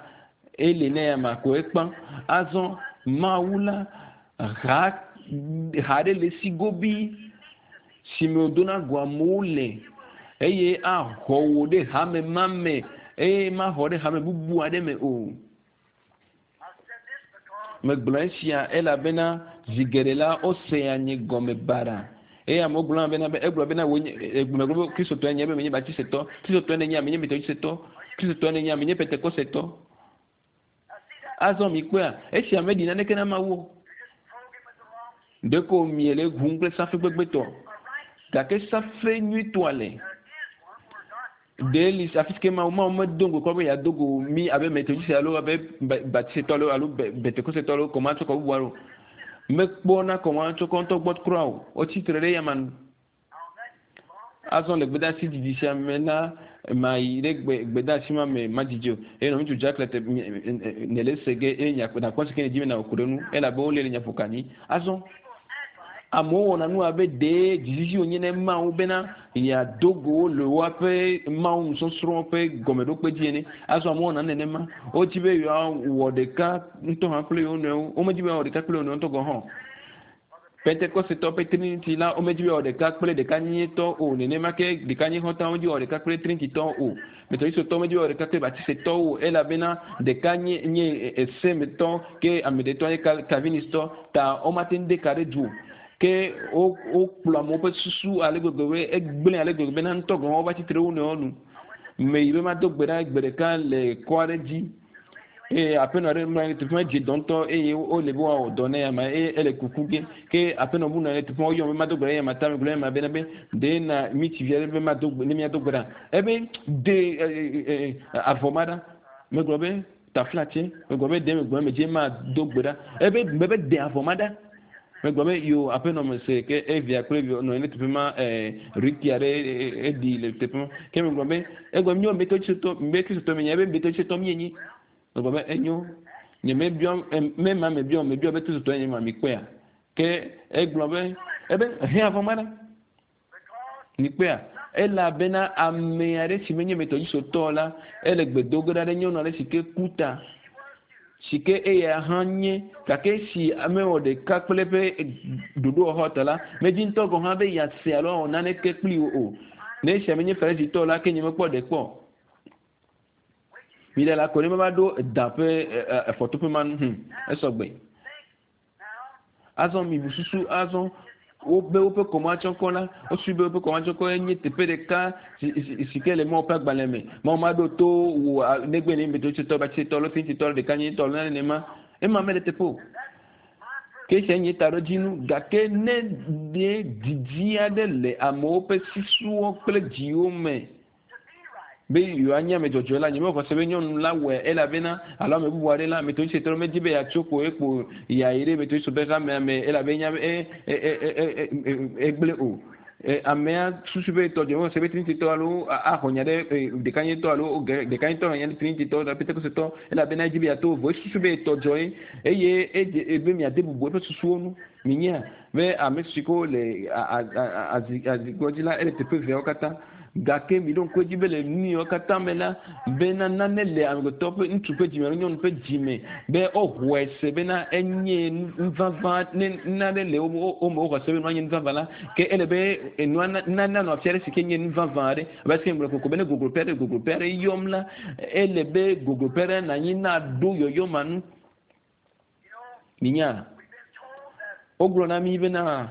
ele na eya ko ekpã. Azɔ Mawu la ha ha ɖe le esi gobii si me wòdona go amewo le eye axɔ wò ɖe hame ma me eye maxɔ ɖe hame bubu aɖe me o. Megblɔ esia elabena zi geɖe la wosea nye gɔme baɖa eye amewo gblɔna bena be egblɔ bena wò nye megblɔ be Kristotɔe nye be menye Baptistetɔ, Kristotɔe nenye menye Methodistetɔ, Kristotɔe nenye menye Pentekostetɔ. Azɔ mikpɔea, esia meɖi naneke na Mawu o. Ɖeko miele ʋum kple safe gbegblẽtɔ. Gake safe nyuitɔa le. Ɖe li afi si ke Mawu Mawu medo ŋgɔ kpɔ be yeado go mí abe Metodiste alo abe Baptistetɔ alo alo Pentekostetɔ alo kɔmatsɔkɔ bubu alo mekpɔna kɔmatsɔkɔ ŋutɔ gbɔ kura o. Wotsi tre ɖe eyama nu. Azɔ le gbedeasi didi sia me la, mayi ɖe gbe gbedeasi ma me madzidzi o. Eye nɔviŋutsu Jack le te nèle ese ge eye nàkpɔ si ke nèdi be nàwɔ ku ɖe eŋu elabe wole le nya ƒo ka anyi. Azɔ amewo wɔna nu abe ɖee dzizizi wònye ne Mawu bena yeado go wo le woaƒe Mawu nusɔsrɔ̃ ƒe gɔmeɖokpe dzi ene. Azɔ amewo wɔna nu nenema. Wodi be yewoawɔ ɖeka ŋutɔ hã kple yewo nɔewo. Womedi be yewoawɔ ɖeka kple yewo nɔewo ŋutɔ gɔ̃ hã o. Pentekostetɔ ƒe Trinity la, womedi be yewoawɔ ɖeka kple ɖekanyenyetɔ o. Nenema ke ɖekanyexɔtɔwo medi be yewoawɔ ɖeka kple Trinititɔwo o. Metodistetɔwo medi be yewoawɔ ɖeka kple Baptistetɔwo o elabena ɖeka nye nye esemetɔ ke ame ɖetɔ nye Calvinistɔ ta womate ŋu de ka ɖe du o. Ke wo wokplɔ amewo ƒe susu ale gbegbe be egblẽ ale gbegbe bena ŋutɔ gɔ̃ hã wova tsi tre ɖe wo nɔewo nu. Meyi be mado gbe ɖa gbe ɖeka le kɔ aɖe dzi eye aƒenɔ aɖe mlɔ anyi ɖe teƒe ma dze dɔ ŋutɔ eye wole be woawɔ dɔ nɛ ama eye ele kuku ge ke aƒenɔ bu nɔ anyi ɖe teƒe ma woyɔm be mado gbe ɖa eye ama ta megblɔ ema bena be ɖe na miti vi aɖe be mado gbe ne míado gbe ɖa ebe de avɔ ma ɖa megblɔ be taflatse megblɔ be ɖe megblɔ medze mado gbe ɖa ebe mebe de avɔ ma ɖa megblɔ be yo aƒenɔ me se ke evia kple evia nɔ anyi ɖe teƒe ma riti aɖe eɖi le teƒe ma ke megblɔ be egblɔ míɔ metɔtsitɔ metɔtsitɔ mi nya be metɔtsitɔ mi nyi megblɔ be enyo nye mebiɔ mema mebiɔ mebiɔ be tɔtsitɔ nye ma mi kpɔea ke egblɔ be ebe he avɔ ma ɖa mi kpɔea elabena ame aɖe si menye metɔtsitɔ la ele gbe do ge ɖa ɖe nyɔnu aɖe si ke ku ta si ke eya hã nye gake esi mewɔ ɖeka kple eƒe ɖoɖowɔxɔ ta la, medi ŋutɔ gɔ̃ hã be yease alo awɔ naneke kpli wo o. Ne esia menye Farisitɔ o la, ke nyemekpɔ ɖe kpɔ o. Miɖe la ko ne meva ɖo da ƒe efɔtoƒe ma nu, hum, esɔgbe. Azɔ mibu susu azɔ wobe woƒe kɔmatsɔkɔ la, wosusui be woƒe kɔmatsɔkɔ nye teƒe ɖeka si, si, si ke le Mawu ƒe agbalẽ me. Mawu maɖo to wò negbe ne metotsetɔ, batsitɔ, alo fintitɔ, alo ɖekanyitɔ, alo nane nenema. Ema mele teƒe o. Ke esia nye taɖodzinu. Gake ne ɖe didi aɖe le amewo ƒe susuwo kple dziwo me be yewoanye ame dzɔdzɔe la, nyemexɔ se be nyɔnu la wɔe elabena alo ame bubu aɖe la, Metodistetɔ ɖe medi be yeatso kpo ekpo yeayi ɖe Metodist ƒe hamea me elabe enya be e, e, e, e, egblẽ o. Amea susu be etɔ dzɔ, mexɔ se be Trinititɔ alo axɔ nya ɖe ɖekanyetɔ alo ɖekanyetɔ xɔ nya ɖe Trinititɔ alo Pentekostetɔ elabena edzi be yeato vovo. Esusu be etɔ dzɔ ye eye edze be miade bubu eƒe susuwo ŋu. Minyea be ame siwo le azikpɔ dzi la, ele teƒe eveawo katã. Gake miɖo ŋku edzi be le nu yiwo katã me la, bena nane le amegbetɔ ƒe ŋutsu ƒe dzime alo nyɔnu ƒe dzime be woxɔe se bena enye nu vavã. Ne nane le wo me woxɔ se be nua nye nu vavã la, ke ele be enua nane nanɔ afi aɖe si ke nye nu vavã aɖe. Abe ale si megblɔ kokoko be ne gogloƒe aɖe gogloƒe aɖe yɔm la, ele be gogloƒe aɖe nanyi naɖo yɔyɔ ma nu. Minya, wogblɔ na mí bena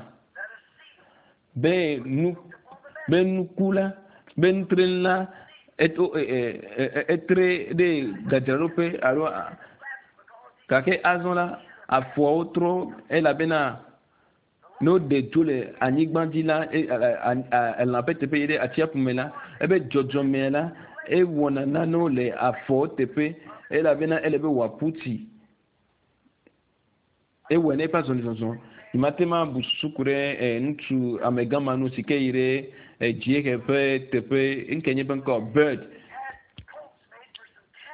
be nu be nuku la be nutre la eto e, e, e, etre ɖe gadzraɖoƒe alo gake azɔ la afɔawo trɔ elabena ne woɖe dzo le anyigba dzi la elã ƒe teƒe yi ɖe atsiaƒu me la ebe dzɔdzɔmea la ewɔna nanewo le afɔwo teƒe elabena ele be wòaƒu tsi Ewɔe ne eƒe azɔlizɔzɔ. Nyemate ŋu abu susu ku ɖe ŋutsu amegã ma nu si ke yi ɖe dziehe ƒe teƒe, ŋke nye eƒe ŋkɔ Bird.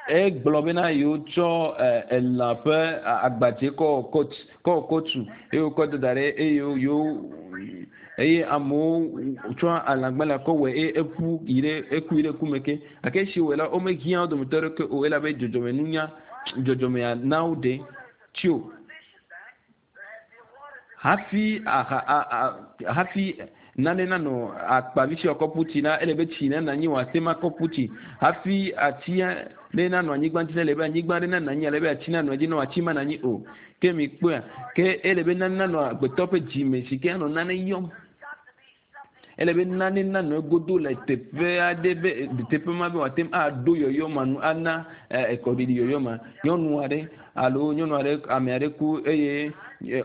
Egblɔ bena yewotsɔ elã ƒe agbadze kɔ wɔ kot, kɔ wɔ kotu eye wokɔ do da ɖe eye yewo eye amewo tsɔ alãgbalẽa kɔ wɔe eye eƒu yi ɖe eku yi ɖe ku me ke. Gake esi wowɔe la, womehiã wo dometɔ aɖeke o elabe dzɔdzɔmenunya dzɔdzɔmea na woɖe tsi o. Hafi aha a, a, hafi nane nanɔ akpavi si wòakɔ ƒu tsi la, ele be tsi nanɔ anyi wòate ŋu akɔ ƒu tsi. Hafi ati ɖe nanɔ anyigba dzi la, ele be anyigba ɖe nanɔ anyi ale be ati nanɔ edzi ne wòatsi manɔ anyi o. Ke mikpɔea, ke ele be nane nanɔ agbetɔ ƒe dzime si ke anɔ nane yɔm. Ele be nane nanɔ egodo le teƒe aɖe be teƒe ma be wòate ŋu aɖo yɔyɔ ma nu ana ekɔɖiɖi yɔyɔ ma. Nyɔnu aɖe alo nyɔnu aɖe ame aɖe ku eye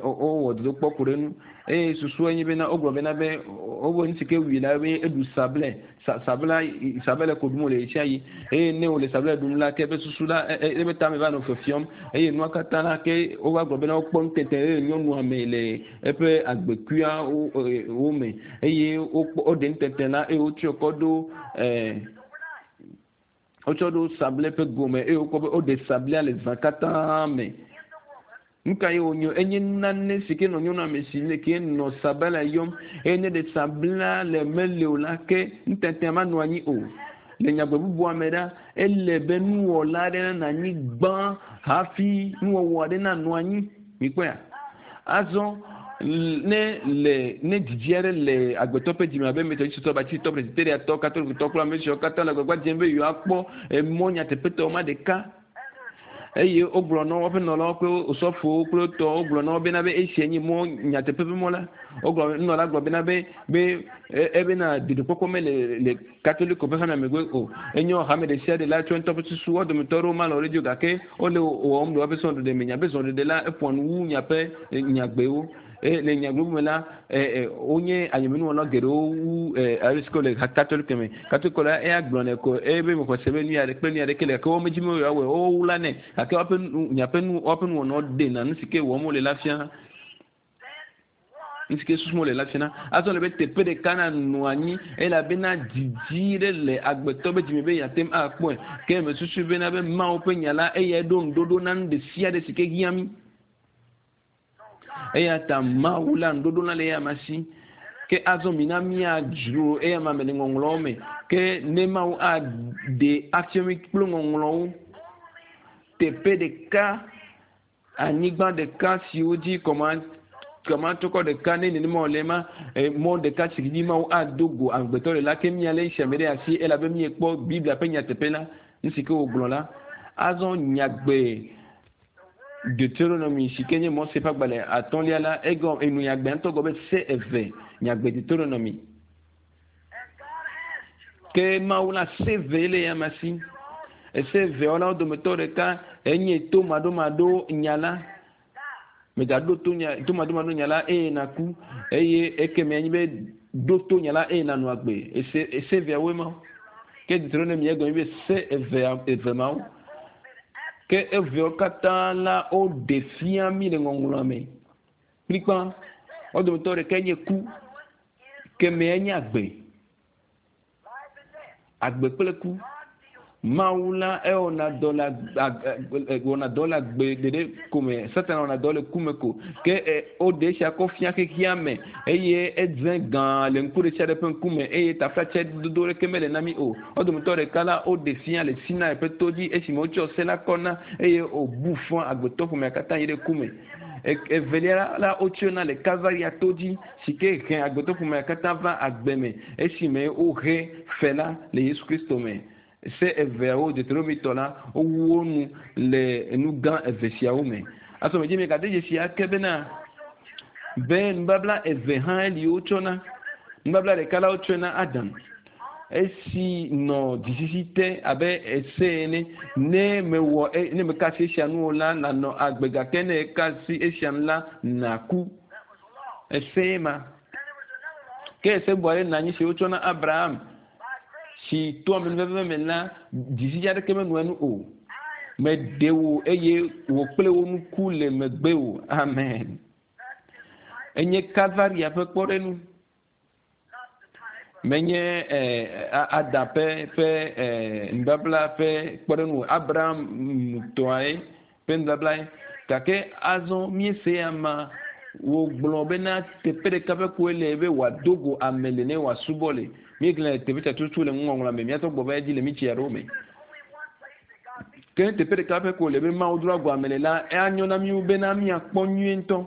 wowɔ dodokpɔ ku ɖe nu eye susua nye bena wogblɔ bena be wobe nu si ke wui la be eɖu sablɛ sabla sabɛlɛ ko ɖum wòle ɣe sia ɣi eye ne wòle sabɛlɛ ɖum la ke eƒe susu la eƒe tame va nɔ fiɔfiɔm eye nua katã la ke wova gblɔ bena wokpɔ nutete ɖe nyɔnua me le eƒe agbekuia wo me eye wokpɔ woɖe nutete la eye wotsɔe kɔ ɖo wotsɔ ɖo sablɛ ƒe gome eye wokpɔ be woɖe sablɛa le zã katã me. Nu ka ye wònye? Enye nane si ke nɔ nyɔnua me si le ke nɔ sabala yɔm eye ne ɖe sabla le mele o la ke nutetea manɔ anyi o. Le nyagbe bubua me ɖa, ele be nuwɔla aɖe nanɔ anyi gbã hafi nuwɔwɔ aɖe nanɔ anyi. Mikpɔea? Azɔ ne le ne didi aɖe le agbetɔ ƒe dzime abe metɔdisitɔ, batitɔ, presbyteriatɔ, katolikotɔ kple ame siwo katã le agbagba dzem be yewoakpɔ emɔ nyateƒetɔ ma ɖeka eye wogblɔ na woƒe nɔlawo kple osɔfowo kple tɔwo wogblɔ na wo bena be esia nye mɔ nyateƒe ƒe mɔ la wogblɔ nunɔla gblɔ bena be be ebena ɖeɖekpɔkpɔ mele le katoliko ƒe hamea megbe o enyo hame ɖe sia ɖe la tsɔ ŋutɔ ƒe susu wo dometɔ aɖewo malɔ̃ ɖe edzi o gake wole wɔwɔm le woƒe srɔ̃ɖeɖe me nyaƒe srɔ̃ɖeɖe la eƒoa nu wu miaƒe nyagbewo eye le nyagbe bubu me la wonye ayemenuwɔla geɖewo wu ale si ke wole katoliko me. Katoliko la eya gblɔnɛ ko eye be mexɔ se be nu ya ɖe kple nu ya ɖeke le gake woawo medzi be yewoawɔe o wowla nɛ gake woaƒe nu miaƒe nu woaƒe nuwɔnawo ɖena nu si ke wɔm wole la fia. Nu si ke susum wole la fiana. Azɔ le be teƒe ɖeka nanɔ anyi elabena didi ɖe le agbetɔ be dzime be yeate ŋu akpɔe. Ke mesusu bena be Mawu ƒe nya la eyae ɖo ŋuɖoɖo na nu ɖe sia ɖe si ke hiã mí. Eya ta Mawu la ŋuɖoɖo na le eyama si. Ke azɔ mina míadzro eyama me le ŋɔŋlɔwo me. Ke ne Mawu aɖe afia mí kple ŋɔŋlɔwo teƒe ɖeka, anyigba ɖeka siwo dzi kɔma kɔmatɔkɔ ɖeka ne nenema wòle ma mɔ ɖeka si dzi Mawu ado go amegbetɔ le la ke míalé esia me ɖe asi elabe míekpɔ Biblia ƒe nyateƒe la, nu si ke wògblɔ la. Azɔ nyagbe Deuteronomy si ke nye Mose ƒe agbalẽ atɔ̃lia la, egɔ enu nyagbe ŋutɔ gɔ be se eve nyagbe Deuteronomy. Ke Mawu la se eve le ya ma si. Ese eveawo la wo dometɔ ɖeka enye to maɖomaɖo nya la. Megaɖo to nya to maɖomaɖo nya la eye naku eye ekeme anyi be ɖo to nya la eye nanɔ agbe. Ese ese eveawoe ma. Ke Deuteronomy egɔme be se eve eve mawo. Ke eveawo katã la woɖe fia mí le ŋɔŋlɔa me. Kplikpa wo dometɔ ɖeka nye ku, kemɛa nye agbe. Agbe kple ku. Mawu la ewɔna dɔ le wɔna dɔ le agbe ɖeɖe ko me. Satana wɔna dɔ le ku me ko. Ke woɖe esia kɔ fia xexea me eye edze gã le ŋku ɖe sia ɖe ƒe ŋkume eye taflatse dodo ɖeke mele na mí o. Wo dometɔ ɖeka la woɖe fia le Sinai ƒe to dzi esime wotsɔ se la kɔ na eye wòbu fɔ agbetɔ ƒomea katã yi ɖe ku me. Evelia la wotsɔe na le Kalvaria to dzi si ke he agbetɔ ƒomea katã va agbe me esime wohe fe la le Yesu Kristo me. Se eveawo Deuteronomitɔ la wowu wo nu le nu gã eve siawo me. Azɔ medzi miegade dzesi ake bena be nubabla eve hã li wotsɔna. Nubabla ɖeka la wotsɔe na Adam esi nɔ dzisisi te abe ese ene. Ne mewɔ ne meka asi esia nu o la, nànɔ agbe gake ne eka asi esia nu la, nàku. Ese ma. Ke ese bubu aɖe nɔ anyi si wotsɔ na Abraham si to amenuveve me la, dzisisi aɖeke menɔ enu o. Meɖe wò eye wò kple wò nuku le megbewò. Amen. Enye Kalvaria ƒe kpɔɖeŋu. Menye Adam ƒe ƒe nubabla ƒe kpɔɖeŋu o. Abraham tɔae ƒe nubablae. Gake azɔ míese ama wògblɔ bena teƒe ɖeka ƒe koe le be wòado go ame le ne wòasubɔ le. Míexlẽ teƒe sia tututu le nuŋɔŋlɔa me. Míatɔ gbɔ va edzi le mí tsi aɖewo me. Ke ne teƒe ɖeka ƒe ko le be Mawu doa go ame le la, anyo na mí wu bena míakpɔ nyuie ŋutɔ.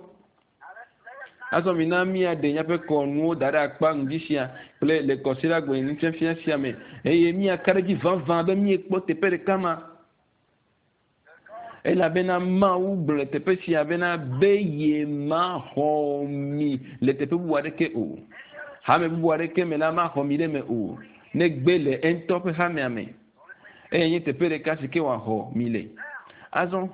Azɔ mina míaɖe míaƒe kɔnuwo da ɖe akpa ŋdi sia kple le kɔsiɖagbe nufiafia sia me eye míaka ɖe edzi vavã be míekpɔ teƒe ɖeka ma. Elabena Mawu gblɔ le teƒe sia bena be yemaxɔ mi le teƒe bubu aɖeke o. Hame bubu aɖeke me la maxɔ mi ɖe eme o, negbe le eŋutɔ ƒe hamea me. Eye nye teƒe ɖeka si ke wòaxɔ mi le. Azɔ.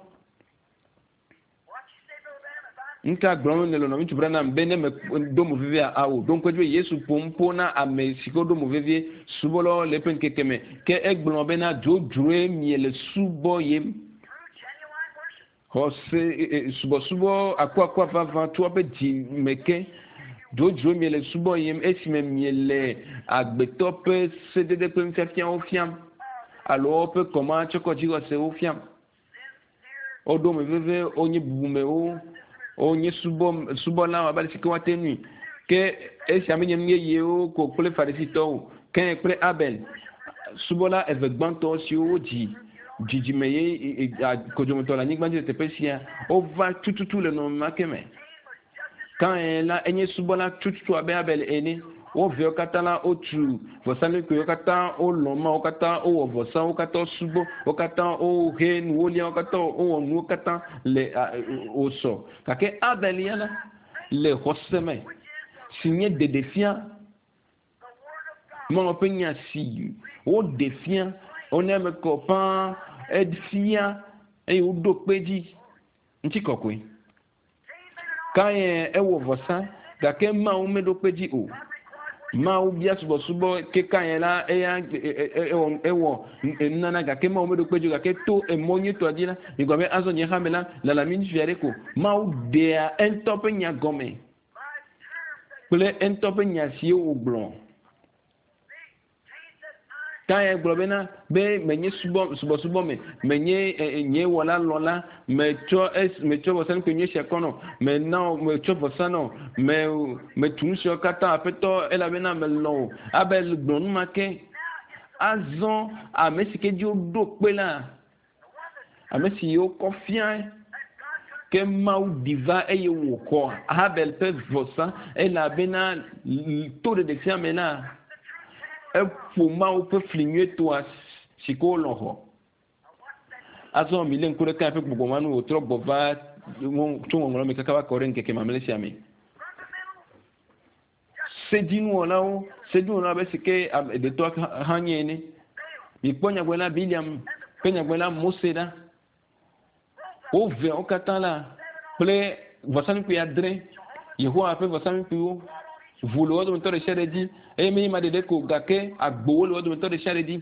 Nuka gblɔm nèle nɔviŋutsu Branham be ne medo mo vevia awo ɖo ŋku edzi be Yesu ƒo nu ƒo na ame si ke woɖo mo vevie subɔlawo le eƒe ŋkeke me. Ke egblɔ bena dzodzroe miele subɔ yem. Xɔse subɔsubɔ akuakua vavã tso woƒe dzi me ke. Dzodzroe miele subɔ yem esime miele agbetɔ ƒe sedede kple nufiafiawo fiam alo woƒe kɔmatsɔkɔdzixɔsewo fiam. Woɖo me veve, wonye bubumewo, wonye subɔ subɔlawo abe ale si ke woate ŋui. Ke esia menye nu yeyewo ko kple Farisitɔwo, Kain kple Abel, subɔla eve gbãtɔ siwo wodzi dzidzime ye kodzometɔ le anyigba dzi le teƒe sia, wova tututu le nɔnɔme ma ke me. Kain la enye subɔla tututu abe Abel ene. Wo viawo katã la wotu vɔsamlekpui, wo katã wolɔ̃ Mawu, wo katã wowɔ vɔsa, wo katã wosubɔ, wo katã wohe nuwo lia, wo katã wowɔ nuwo katã le wòsɔ. Gake Abel ya la le xɔse me si nye ɖeɖefia Mawu ƒe nya si woɖe fia, wona eme kɔ ƒãa, efia eye woɖo kpe edzi. Ŋutikɔkɔe. Kain ewɔ vɔsa gake Mawu meɖo kpe dzi o. Mawu bia subɔsubɔ ke Kain la eya ewɔ ewɔ nunana gake Mawu meɖo kpe dzi o gake to emɔ nyuitɔa dzi la migblɔ be azɔ nye hame la lala mi ŋutsuvi aɖe ko. Mawu ɖea eŋutɔ ƒe nya gɔme kple eŋutɔ ƒe nya siwo wògblɔ. Kain gblɔ bena, be menye subɔ, subɔsubɔ me, menye nye wɔla lɔla, metsɔ es, metsɔ vɔsamlekpui nyui sia kɔ nɔ, mena wò, metsɔ vɔsa nɔ, me, metu nu siawo katã, Aƒetɔ, elabena melɔ̃ wò. Abel gblɔ nu ma ke. Azɔ ame si ke dzi woɖo kpe la, ame si wokɔ fiae, ke Mawu ɖi va eye wòxɔ Habel ƒe vɔsa elabena to ɖeɖefia me la, eƒo Mawu ƒe fli nyuietɔa si ke wolɔ̃ xɔ. Azɔ milé ŋku ɖe Kain ƒe gbɔgbɔ ma nu wòtrɔ gbɔ va tso ŋɔŋlɔ me kaka va kɔ ɖe ŋkeke mamlɛ sia me. Sedzinuwɔlawo, sedzinuwɔlawo abe si ke ɖetɔa hã nye ene. Mikpɔ nyagblɔɖila Biliam kple nyagblɔɖila Mose ɖa. Wo veawo katã la kple vɔsamlekpui adre, Yehowa ƒe vɔsamlekpuiwo, ʋu le wo dometɔ ɖe sia ɖe dzi eye menye ema ɖeɖe ko gake agbowo le wo dometɔ ɖe sia ɖe dzi.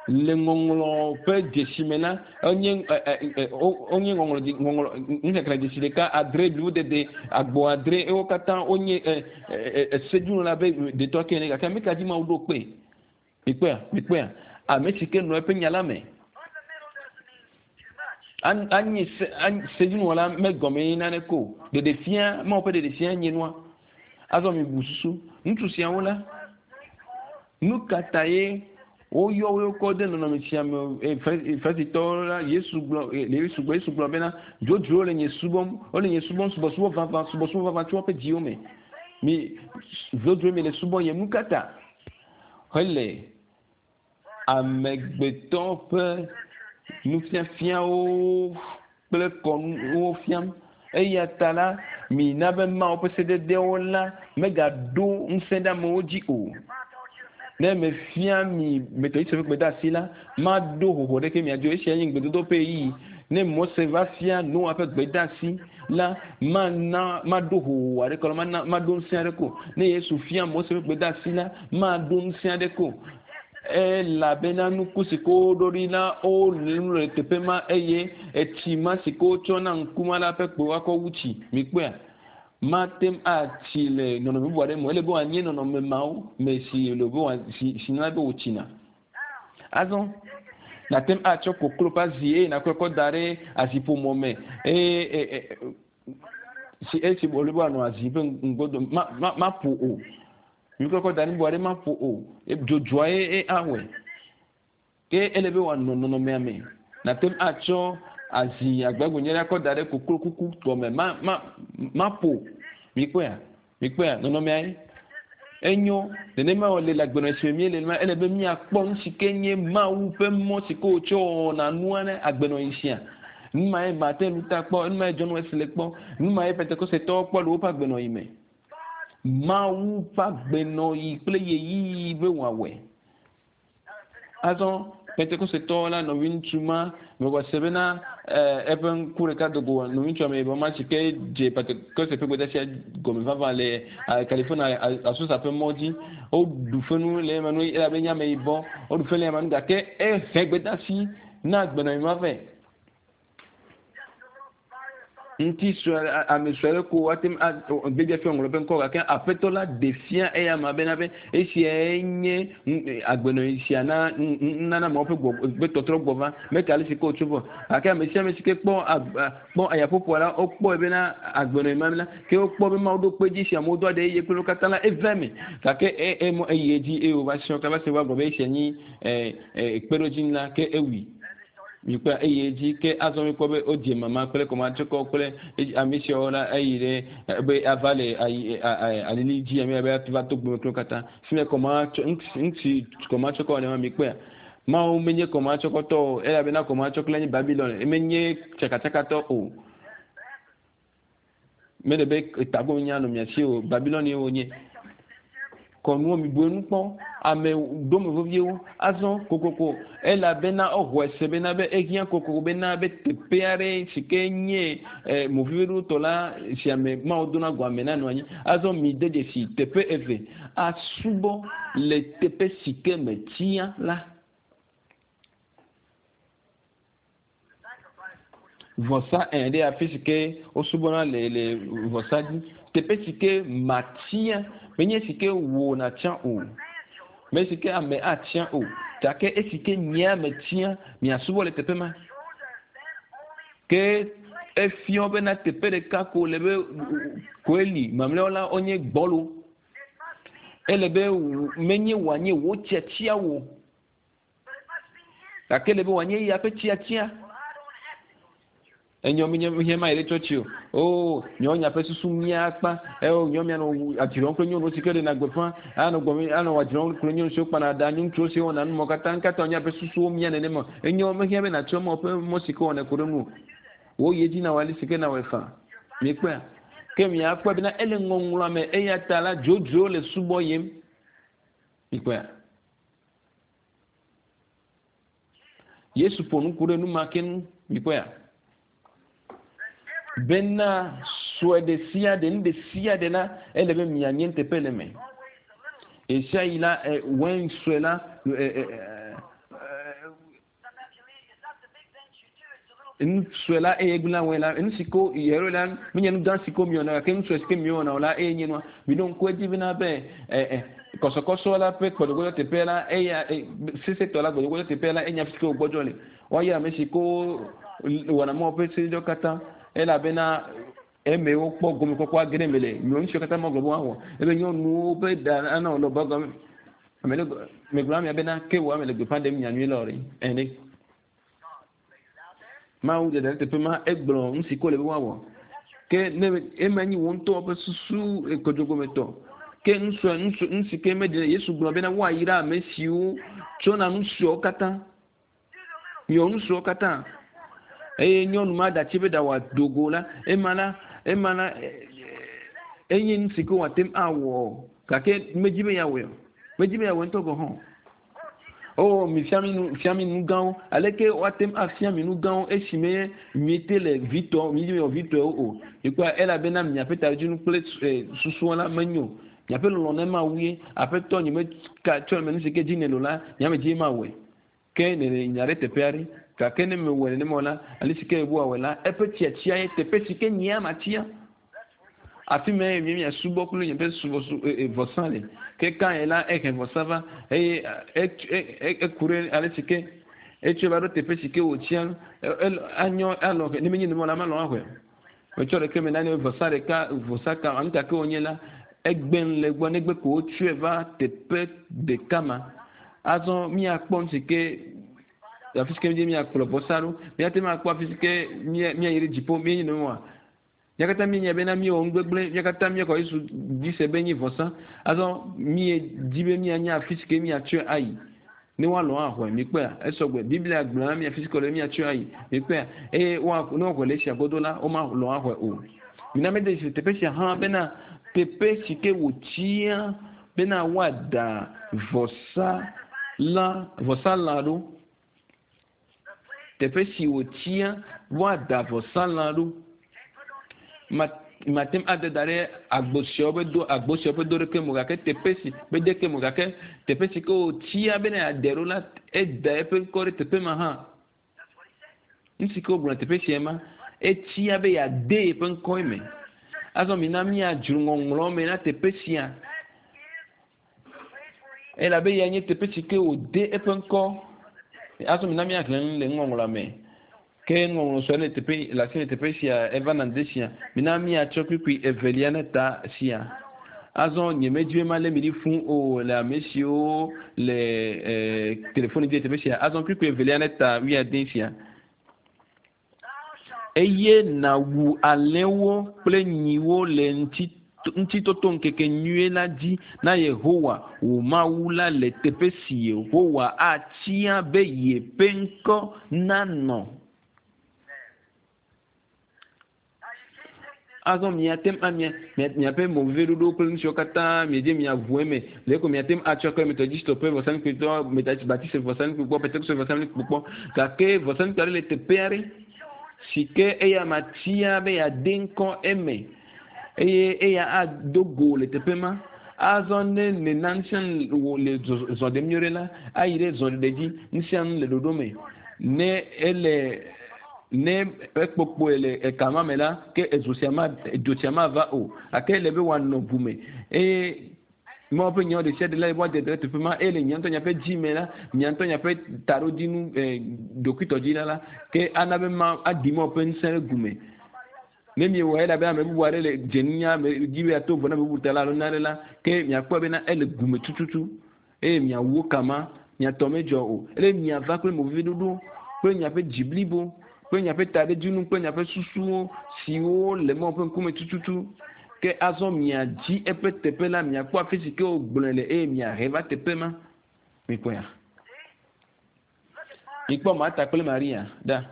Le ŋɔŋlɔ ƒe dzesi me la, enye wonye ŋɔŋlɔ ŋɔŋlɔ nuxexlẽ dzesi ɖeka adre blibo dede agbo adre wo katã wonye esedzinu la be detɔ ke ene gake ame ka dzi Mawu ɖo kpe? Mikpɔea? Mikpɔea? Ame si ke nɔ eƒe nya la me. Anyi se sedzinuwɔla megɔme yi nane ko. Ɖeɖefia Mawu ƒe ɖeɖefia nye nua. Azɔ mibu susu. Ŋutsu siawo la, nu ka ta ye woyɔ wo kɔ de nɔnɔme sia me? Farisitɔwo la, Yesu gblɔ, Yesu gblɔ, Yesu gblɔ bena, dzodzro le nye subɔm, wole nye subɔm subɔsubɔ vavã, subɔsubɔ vavã tso woƒe dziwo me. Mi dzodzro mi le subɔ yem. Nu ka ta? Hele amegbetɔ ƒe nufiafiawo kple kɔnuwo fiam. Eya ta la, mina be Mawu ƒe sededewo la megaɖo ŋusẽ ɖe amewo dzi o. Ne mefia mi Metodist ƒe gbedeasi la, maɖo hoho ɖeke mia dzi o. Esia nye ŋugbedodo ƒe ɣeyiɣi. Ne Mose va fia Noa ƒe gbedeasi la, mana maɖo hoho aɖeke alo mana maɖo ŋusẽ aɖeke o. Ne Yesu fia Mose ƒe gbedeasi la, maɖo ŋusẽ aɖeke o. Elabena nuku si ke woɖo ɖi la, wole nu le teƒe ma eye etsi ma si ke wotsɔ na ŋku ma la ƒe kpe woakɔ wu tsi. Mikpɔea? Mate ŋu atsi le nɔnɔme bubu aɖe me o. Ele be wòanye nɔnɔme mawo me si le be wòa si si nana be wòtsina. Azɔ nàte ŋu atsɔ koklo ƒe azi eye nàkɔe kɔ da ɖe aziƒomɔ me eye si esi wòle be wòanɔ azi ƒe ŋgodo ma ma maƒo o. Nukɔkɔ da ɖi bubu aɖe maƒo o. Dzodzoa ye awɔe. Ke ele be wòanɔ nɔnɔmea me. Nàte ŋu atsɔ azi agbagbe nyui aɖe akɔ da ɖe koklo kuku gɔme. Ma ma maƒo. Mikpɔea? Mikpɔea? Nɔnɔmea ye. Enyo. Nenema wòle le agbenɔɣi si me míele la, ele be míakpɔ nu si ke nye Mawu ƒe mɔ si ke wòtsɔ wɔna nua ne agbenɔɣi sia. Nu mae Martin Luther kpɔ, nu mae John Wesley kpɔ, nu mae Pentekostetɔwo kpɔ le woƒe agbenɔɣi me. Mawu ƒe agbenɔɣi kple ɣeyiɣi be wòawɔe. Azɔ Pentekostetɔwo la nɔviŋutsu ma mexɔ se bena eƒe ŋku ɖeka do go nɔviŋutsu ameyibɔ ma si ke dze Pentekoste ƒe gbedeasia gɔme vavã le California Azusa ƒe mɔ dzi. Woɖu fenu le ema nu elabe enye ameyibɔ. Woɖu fe le ema nu gake ehe gbedeasi na agbenɔɣi ma vɛ. Ŋuti sue ame sue aɖe ko woate ŋu a Biblia fia ŋlɔ eƒe ŋkɔ gake Aƒetɔ la ɖe fia eya ma bena be esiae nye agbenɔɣi sia na nunana mawo ƒe gbɔ ƒe tɔtrɔ gbɔ va. Meke ale si ke wòtso vɔ. Gake ame sia ame si ke kpɔ kpɔ ayaƒoƒoa la, wokpɔe bena agbenɔɣi ma la, ke wokpɔ be Mawu ɖo kpe edzi si amewo do aɖe eye kple wo katã la, eva eme. Gake e e eyi edzi eye wòva srɔ̃ kaba se wova gblɔ be esia nyi e e kpeɖodzinu la, ke ewui. Mikpɔe eyi edzi ke azɔ mikpɔ be wodze mama kple kɔmatsɔkɔ kple ame siawo la eyi ɖe be ava le ayi alili dzi ame be va to gbome kple katã. Fi me kɔmatsɔ ŋuti kɔmatsɔkɔ ne ma mikpɔea. Mawu menye kɔmatsɔkɔtɔ o elabena kɔmatsɔkɔ nye Babilon menye tsakatsakatɔ o. Mele be tago nya nɔ mia si o. Babilon ye wonye. Kɔnuwo mi bu enu kpɔ. Ame dome veviewo. Azɔ kokoko elabena exɔe se bena be ehiã kokoko bena be teƒe aɖe si ke nye eh, moviveɖotɔ la si ame Mawu dona go ame nanɔ anyi. Azɔ mi de dzesi teƒe eve asubɔ le teƒe si ke metia la. Vɔsa ẽ ɖe afi si ke wosubɔna le le vɔsa dzi. Teƒe si ke matia menye si ke wò nàtia o, me si ke ame atia o, gake esi ke nyea metia miasubɔ le teƒe ma. Ke efiɔ bena teƒe ɖeka ko le be koe li, mamlɛawo la wonye gbɔlo. Ele be menye wòanye wò tiatia wò. Gake ele be wòanye eya ƒe tiatia. Enyɔ mi nye hiã ma yi ɖe tsɔtsi o. Oo, nyɔ nya ƒe susu mía akpa. Eo, nyɔ mia nɔ adzrɔm kple nyɔnuwo si ke ɖena gbeƒã. Anɔ gbɔ anɔ adzrɔm kple nyɔnu siwo kpana ɖa, ŋutsuwo siwo wɔna numɔ katã. Ŋkata nya ƒe susuwo mía nenema. Enyɔ mehiã be nàtrɔ mɔ ƒe mɔ si ke wɔnɛ ku ɖe ŋu o. Wò yi edzi nawɔ ale si ke nawɔe faa. Mikpɔea? Ke miakpɔe bena ele ŋɔŋlɔa me eya ta la dzodzro le subɔ yim. Mikpɔea? Yesu ƒo nu ku ɖe nu ma ke ŋu. Mikpɔea? Bena sue ɖe sia ɖe, nu ɖe sia ɖe la, ele be mianye nuteƒe le eme. Ɣesiaɣi la, wein sue la, nu sue la eye gblẽa wein la. Nu si ko yɛrɛ la, menye nu gã si ko miewɔna gake nu sue si ke miewɔna o la eye nye nua. Miɖo ŋku edzi bena be kɔsɔkɔsɔ la ƒe gbɔdzɔgbɔdzɔ teƒe la eya sesẽtɔ la gbɔdzɔgbɔdzɔ teƒe la enye afi si ke wògbɔdzɔ le. Woayra ame si ko wɔna Mawu ƒe sededewo katã elabena eme wokpɔ gomekpɔkpɔ age ɖe eme le. Nyɔnu siwo katã magblɔ be woawɔ ebe nyɔnuwo ƒe ɖa ana wòlɔ gɔme. Ame ɖe megblɔ amea bena ke wò ame le gbeƒã ɖem nyanyui la o ɖe. Ene. Mawu ɖeɖe ɖe teƒe ma egblɔ nu si ke wòle be woawɔ. Ke ne ema nyi wò ŋutɔ ƒe susu kodzogometɔ. Ke nusue nusu nu si ke meɖe Yesu gblɔ bena woayra ame siwo tsɔna nu suewo katã. Miwɔ nu suewo katã. Eye nyɔnu ma ɖatsi be ɖa wòado go la, ema la, ema la enye nu si ke wòate ŋu awɔ gake medzi be yeawɔe o. Medzi be yeawɔe ŋutɔ gɔ̃ hã o. Oh, mi fia mi nu, fia mi nu gãwo. Aleke woate ŋu afia mi nu gãwo esime miete le vitɔ, mi miwɔ vitɔewo o? Mikpɔa, elabena miaƒe taɖodzinu kple susuwo la menyo o. Miaƒe lɔlɔ̃ ne Mawu ye. Aƒetɔ, nyemeka tsɔ eme nu si ke dzi nèle o la, nye ame dzie mawɔe. Ke nèle nya ɖe teƒe aɖe. Gake ne mewɔe nenema o la, ale si ke Yehowa wɔe la, eƒe tiatia ye teƒe si ke nyea matia. Afi mae mi miasubɔ kple miaƒe subɔsu e, e, vɔsa le. Ke Kain la ehe vɔsa va eye eku ɖe ale si ke etsɔe va ɖo teƒe si ke wòtsia anyɔ alɔ ne menye nenema la malɔ axɔe o. Metsɔ ɖeke me nane vɔsa ɖeka vɔsa ka anu ka ke wònye la egbe le gbɔ negbe ko wotsɔe va teƒe ɖeka ma. Azɔ míakpɔ nu si ke afi si ke míakplɔ vɔsa ɖo. Míate ŋu akpɔ afi si ke míayi ɖe dziƒo míenye nenema. Mía katã míenya bena míewɔ nu gbegblẽ, mía katã míexɔ Yesu dzi se be enye vɔsa. Azɔ míedi be míanya afi si ke míatsɔe ayi ne woalɔ̃ axɔe. Mikpɔea? Esɔgbe. Biblia gblɔ na mí afi si ke wòle be míatsɔe ayi. Mikpɔea? Eye woa, ne woxɔe le esia godo la, womalɔ̃ axɔe o. Mina míade dzesi teƒe sia hã bena teƒe si ke wòtia bena woada vɔsa la, vɔsalã ɖo. Teƒe si wòtia woada vɔsalã ɖo. Mate ŋu ade da ɖe agbo siawo ƒe do agbo siawo ƒe do ɖeke me o gake teƒe si ƒe ɖeke me o gake teƒe si ke wòtia bena yeade ɖo la, eda eƒe ŋkɔ ɖe teƒe ma hã. Nu si ke wogblɔ le teƒe sia ma, etia be yeade yeƒe ŋkɔ eme. Azɔ mina míadzro ŋɔŋlɔ me na teƒe sia. Elabe eya nye teƒe si ke wòde eƒe ŋkɔ. Azɔ mina míaxlẽ nu le nuŋɔŋlɔa me. Ke nuŋɔŋlɔ sue le teƒe le asi le teƒe sia eva na ŋde sia. Mina míatsɔ kpukpui evelia ne ta sia. Azɔ nyemedi be malé mi ɖi fũ o le ame siwo le e, telefoni dzi le teƒe sia. Azɔ kpukpui evelia ne ta wuiade sia. Eye nàwu alẽwo kple nyiwo le Ŋutitotoŋkeke nyui la dzi na Yehowa, wò Mawu la le teƒe si Yehowa atia be yeƒe ŋkɔ nanɔ. Azɔ miate ŋu amia miaƒe moveviɖoɖowo kple nu siwo katã miedze miaʋu eme le eko miate ŋu atsɔ kple Metodistɔ ƒe vɔsamlekpuitɔ, Batiste vɔsamlekpui kpɔ, Pentekoste vɔsamlekpui kpɔ. Gake vɔsamlekpui aɖe le teƒe aɖe si ke eya matia be yeade ŋkɔ eme eye eya ado go le teƒe ma. Azɔ ne nèna nu sia nu wò le zɔ ɖem nyuie ɖe la, ayi ɖe zɔɖeɖe dzi. Nu sia nu le ɖoɖo me. Ne ele Ne ekpokpoe le eka ma me la, ke ezo sia ma, dzo sia mava o. Gake ele be wòanɔ ʋu me. Eye Mawu ƒe nyawo ɖesiaɖe la, woade ɖe teƒe ma. Eye le mia ŋutɔ miaƒe dzi me la, mia ŋutɔ miaƒe taɖodzinu, e, ɖokuitɔdzi la, ke ana be ma aɖi Mawu ƒe ŋusẽ ɖe gu me. Ne miewɔe elabe ame bubu aɖe le dze nunya me dzi be yeato vo na ame bubu ta la alo nane la, ke miakpɔe bena ele gu me tututu. Eye miawu wo kama, mia tɔ medzɔ o. Ele miava kple moveviɖoɖo, kple miaƒe dzi blibo, kple miaƒe taɖodzinu kple miaƒe susuwo, siwo le Mawu ƒe ŋkume tututu. Ke azɔ miadzi eƒe teƒe la, miakpɔ afi si ke wògblɔe le eye miahe va teƒe ma. Mikpɔea? Mikpɔ Marta kple Maria ɖa.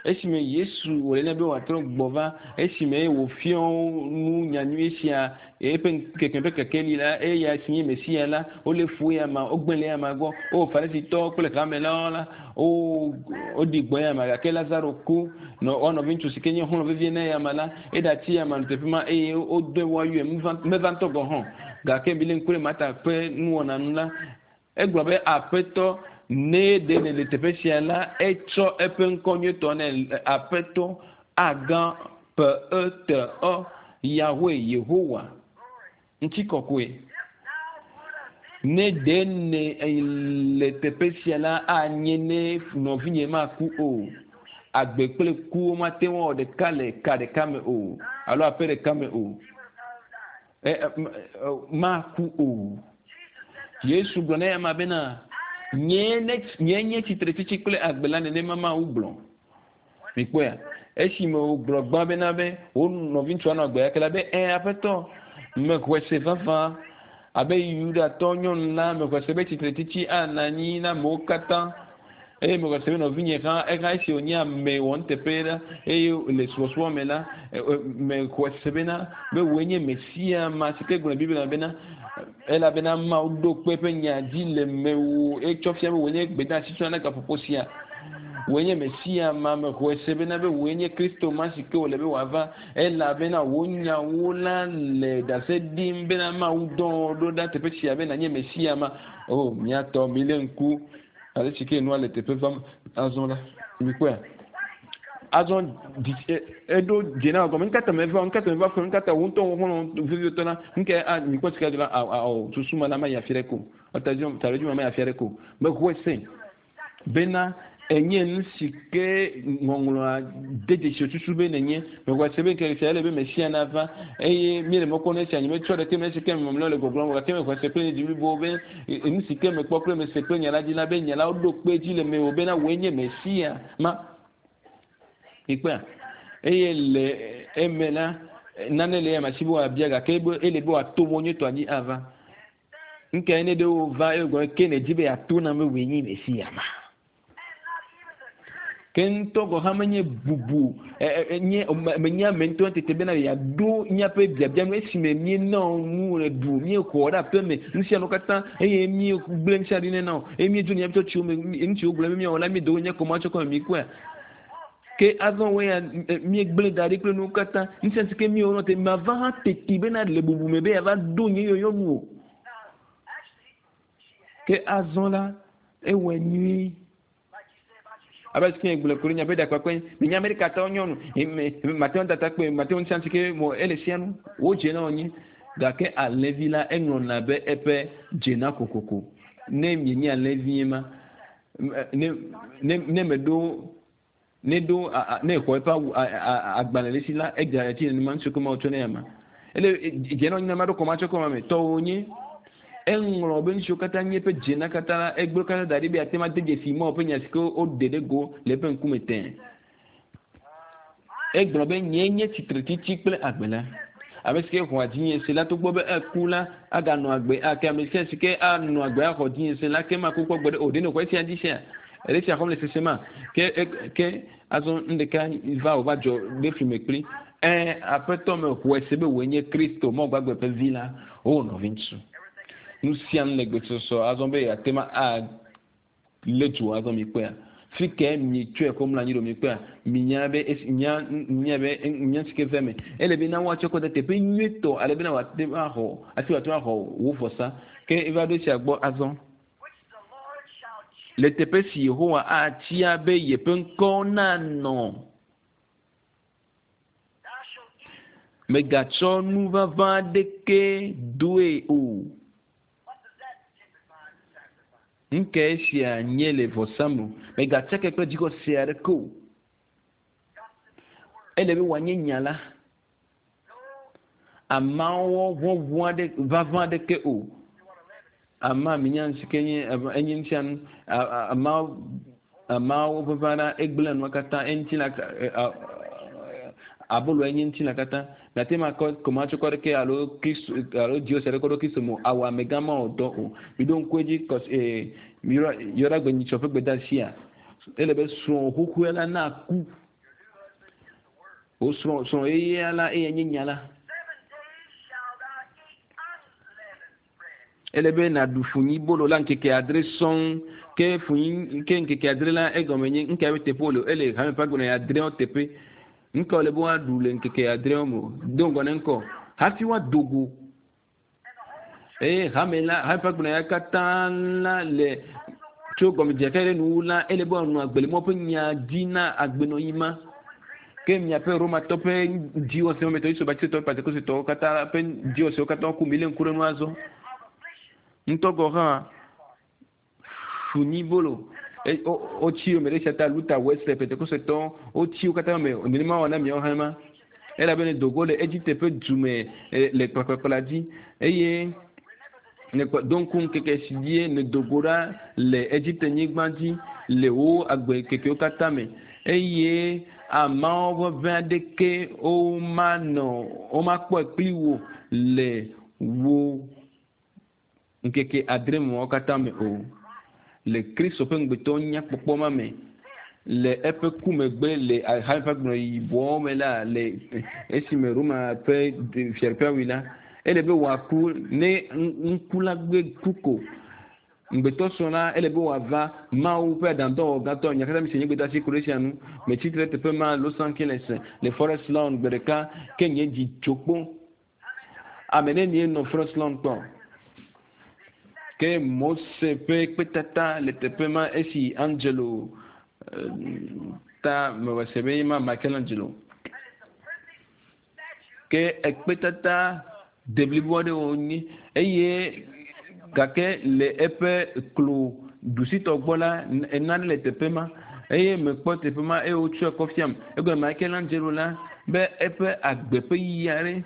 Esime Yesu wòle nɛ be wòatrɔ gbɔ va, esime wòfiɔ nu nyanyui sia eƒe ŋkeke ƒe kekeli la, eya si nye Mesia la, wolé fu eya ma, wogblẽ le eya ma gbɔ. O Farisitɔwo kple hamelawo la, wo woɖi gbɔ eya ma gake Lazaro ku. Nɔ woa nɔviŋutsu si ke nye xɔlɔ̃ vevie na eya ma la, eɖatsi eya ma le teƒe ma eye wodɔe woayɔe meva ŋutɔ gɔ̃ hã o. Gake milé ŋku ɖe Marta ƒe nuwɔna nu la, Egblɔ be, Aƒetɔ, ne ɖe nèle teƒe sia la, etsɔ eƒe ŋkɔ nyuietɔ nɛ, Aƒetɔ, Agã, P-E-T-Ɔ, Yahweh, Yehowa, ŋutikɔkɔe. Ne ɖe nèle teƒe sia la, anye ne nɔvinye maku o. Agbe kple ku womate ŋu awɔ ɖeka le ka ɖeka me o, alo aƒe ɖeka me o. Maku o. Yesu gblɔ na eyama bena, Nyee ne, nyee nye tsitretsitsi kple agbe la, nenema Mawu gblɔ. Mikpɔea? Esime wògblɔ gbã bena be wo nɔviŋutsua nɔ agbe gake la be, Ẽ, Aƒetɔ, mexɔe se vavã. Abe Yudatɔ nyɔnu la, mexɔe se be tsitretsitsi anɔ anyi na amewo katã. Eye mexɔe se be nɔvinye hã, eha esi wònye ame wɔnuteƒe la, eye le subɔsubɔ me la, mexɔe se bena be wòe nye Mesia ma si ke gblɔ le Biblia me bena, elabena Mawu ɖo kpe eƒe nya dzi le mewò etsɔ fia be wòe nye gbedeasi tsɔna na gaƒoƒo sia. Wòe nye Mesia ma, mexɔe se bena be wòe nye Kristo ma si ke wòle be wòava, elabena wò nyawo la le ɖase ɖim bena Mawu dɔ wò ɖo ɖa teƒe sia be nànye Mesia ma. O, mía tɔ, milé ŋku Ale si ke nua le teƒe vam azɔ la, mikpɔea? Azɔ dzi eɖo dze na gɔme. Nukata meva? Nukata meva fɔ? Nukata wò ŋutɔ wò xɔlɔ̃ vevietɔ la? Nuka a mikpɔ sika dzi la awɔ susu ma la ma yi afi ɖe ko. Taɖodzi ma ma yi afi ɖe ko. Mexɔe se bena enye nu si ke ŋɔŋlɔa de dzesi susu be nenye. Mexɔe se be ŋkeke sia ele be Mesia nava eye míele mɔ kpɔm na esia. Nyemetsɔ ɖeke me esi ke mamlɛawo le gbɔgblɔm o gake mexɔe se kple nye dzi blibo be Nu si ke mekpɔ kple mese kple nya la dzi la be nya la woɖo kpe edzi le mewò bena wòe nye Mesia ma. Mikpɔea? Eye le eme la, nane le eya si be wòabia gake ele be wòato mɔ nyuietɔa dzi ava. Nu kae ne ɖe wova eye wògblɔ ke nèdi be yeato nam be wòe nye Mesia ma? Ke ŋutɔ gɔ̃ hã menye bubu nye menye ame ŋutɔ tete bena yeaɖo míaƒe biabia nu esime míena nu le ɖu, míexɔ ɖe aƒe me, nu sia nu katã eye míegblẽ nu sia ɖi nɛ na o eye míedzo le míaƒe tsɔtsiwo me, nu siwo gblɔm be míawɔ la míedo nye kɔma tsɔ kɔ me míkpɔea. Ke azɔ wɔ ya míegblẽ da ɖi kple nuwo katã. Nu sia si ke míewɔ nɔ te mava hã teti bena le bubu me be yeava ɖo nye yɔyɔ nu o. Ke azɔ la ewɔe nyuie. Abe si gblɔ ku ɖe miaƒe ɖakpakpe minya Amerikatɔwo nyɔnu mate ŋu tata kpe mate ŋu sia si ke mo ele sia nu wodze na wonye gake alẽvi la eŋlɔna be eƒe dzena kokoko ne mienye alẽvi ma ne ne ne meɖo ne ɖo ne xɔ eƒe awu agbalẽ le si la edze etsi nenema ŋutsu ke ma wotsɔ ne ama ele dzena wonye ma ɖo kɔmatsɔ kɔma me tɔwo nye Eŋlɔ be nu siwo katã nye eƒe dzena katã la, egblɔ katã da ɖi be yeate ŋu ade dzesi Mawu ƒe nya si ke woɖe ɖe go le eƒe ŋkume tẽe. Egblɔ be, Nyee nye tsitretsitsi kple agbe la. Ame si ke xɔa dzinye se la, togbɔ be eku la, aganɔ agbe ake. Ame sia si ke anɔ agbe axɔ dzinye se la, ke maku kpɔ gbeɖe o. Ɖe nèxɔ esia dzi sea? Èle esia xɔm le sesema? Ke, ke azɔ nu ɖeka va wòva dzɔ ɖe fli me kpli. Ẽ, Aƒetɔ, mexɔe se be wòe nye Kristo, Mawu gbagbe ƒe Vi la. O, nɔviŋutsu, nu sia nu le gbesɔsɔ azɔ be yeate ŋu alé dzo azɔ. Mikpɔea? Fi kae mietsɔe kɔ mlɔ anyi ɖo? Mikpɔea? Minya be esi, nya, nya be nya si ke ve eme. Ele be na woatsɔ kɔ ɖe teƒe nyuietɔ ale bena wòate ŋu axɔ, hafi wòate ŋu axɔ wò vɔsa. Ke eva ɖo esia gbɔ azɔ. Le teƒe si Yehowa atia be yeƒe ŋkɔ nanɔ. Mègatsɔ nu ʋaʋã aɖeke doe o. Nu kae esia nye le vɔsa me? Mègatsake kple dzixɔse aɖeke o. Ele be wòanye nya la. Amawɔ ʋɔʋɔ aɖe ʋaʋã aɖeke o. Ama minya si ke nye enye nusianu. Ama amawo ʋaʋã la egblẽa nua katã eŋuti la abolo enye ŋuti la katã. Miate ŋu akɔ kɔmatsɔkɔ aɖeke alo kristo alo dziwɔse aɖeke ɖo kristo me o. Awɔ amegã mawɔ dɔ o. Miɖo ŋku edzi kɔs ee yɔɖa yɔɖagbe nyitsɔ ƒe gbedeasia. Ele be srɔ̃ xoxoe la naku. Wò srɔ̃ srɔ̃ yeyea la eya nye nya la. Ele be nàɖu funyibolo la ŋkeke adre sɔŋ. Ke funyi ke ŋkeke adre la egɔme nye ŋka be teƒe wòle o. Ele hame ƒe agbenɔɣi adreawo teƒe. Ŋka wòle be woaɖu le ŋkeke adreawo me o. Do ŋgɔ ne ŋkɔ hafi woado go. Eye hame la, hame ƒe agbenɔɣia katã la le tso gɔmedzedzea ke ɖe nuwuwu la, ele be woanɔ agbe le Mawu ƒe nya dzi na agbenɔɣi ma. Ke miaƒe Romatɔ ƒe dziwɔsewo me tɔ, Yesu Batistɔwo, Pentekostetɔwo katã ƒe dziwɔsewo katã ku milé ŋku ɖe nu azɔ. Ŋutɔ gɔ̃ hã funyibolo wotsi yome ɖe sia ta Luther, Wesley, Pentekostetɔwo wotsi wo katã yome nenema wɔ na miawo hã ma. Elabena dogo le Egipte ƒe du me le kplakplakpla dzi eye nèkpɔ do ŋku ŋkeke si dzie nèdo go ɖa le Egipte nyigba dzi le wò agbe kekewo katã me eye ameawo ƒe ʋe aɖeke womanɔ womakpɔe kpli wò le wò ŋkeke adre mɔwo katã me o. Le Kristo ƒe ŋugbetɔ nyakpɔkpɔ ma me, le eƒe ku megbe le hame ƒe agbenɔɣi yibɔwo me la, le esime Roma ƒe fiaɖuƒea wui la, ele be wòaku ne ŋku la gbe ku ko. Ŋugbetɔ srɔ̃ la, ele be wòava Mawu ƒe aɖaŋudɔwɔwɔ gãtɔ. Nya katã mi se nye gbedeasi ku ɖe esia ŋu. Metsi tre ɖe teƒe ma, Los Angeles, le Forest Lawn gbe ɖeka, ke nye dzi tso kpo. Ame nenie nɔ Forest Lawn kpɔ? Ke Mose ƒe kpetata le teƒe ma esi Angelo eh, ta mewɔ se be ma Michelangelo. Ke ekpetata deblibo aɖe wònye eye gake le eƒe klo ɖusitɔ gbɔ la nane le teƒe ma eye mekpɔ teƒe ma eye wotsɔe kɔ fiam. Egɔme Michelangelo la be eƒe agbe ƒe yiyi aɖe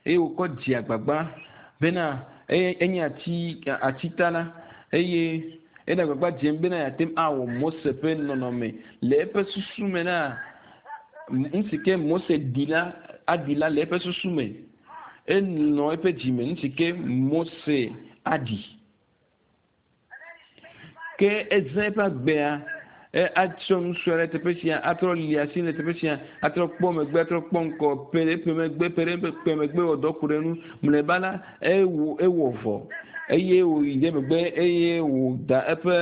eye wòkɔ dze agbagba bena eye enye ati atitala eye ele agbagba dzem bena yeate ŋu awɔ Mose ƒe nɔnɔme le eƒe susu me la nu si ke Mose ɖi la aɖi la le eƒe susu me. Enɔ eƒe dzi me nu si ke Mose aɖi. Ke ezã eƒe agbea. E atsɔ nusue ɖe teƒe sia, atrɔ li asi le teƒe sia, atrɔ kpɔ megbe, atrɔ kpɔ ŋkɔ, pe ɖe eƒe megbe, pe ɖe eƒe megbe wɔ dɔ ku ɖe nu. Mlɔeba la, ewɔ ewɔ vɔ eye wòyi ɖe megbe eye wòda eƒe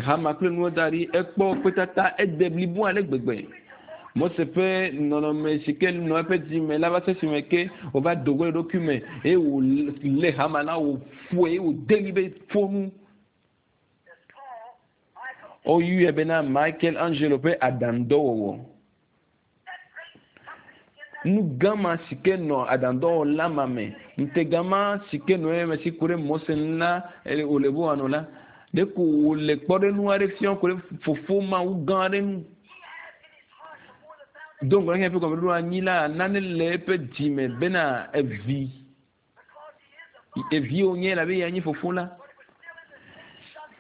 hama kple nuwo da ɖi. Ekpɔ kpetata ede blibo ale gbegbe. Mose ƒe nɔnɔme si ke nɔ eƒe dzime la va se esime ke wòva do go le eɖokui me eye wòlé hama la wòƒoe eye wòde ɣli be ƒo nu. Woyɔe bena Michael Angelo ƒe aɖaŋudɔwɔwɔ. Nu gã ma si ke nɔ aɖaŋudɔwɔla ma me, ŋutega ma si ke nɔ eme si ku ɖe Mose ŋu la wòle be wòanɔ la, ɖeko wòle kpɔɖeŋu aɖe fiam ku ɖe fofo Mawu gã aɖe ŋu. Do ŋgɔ na eƒe gɔmeɖoɖo anyi la, nane le eƒe dzi me bena evi Evi wònye elabe eyae nye fofo la.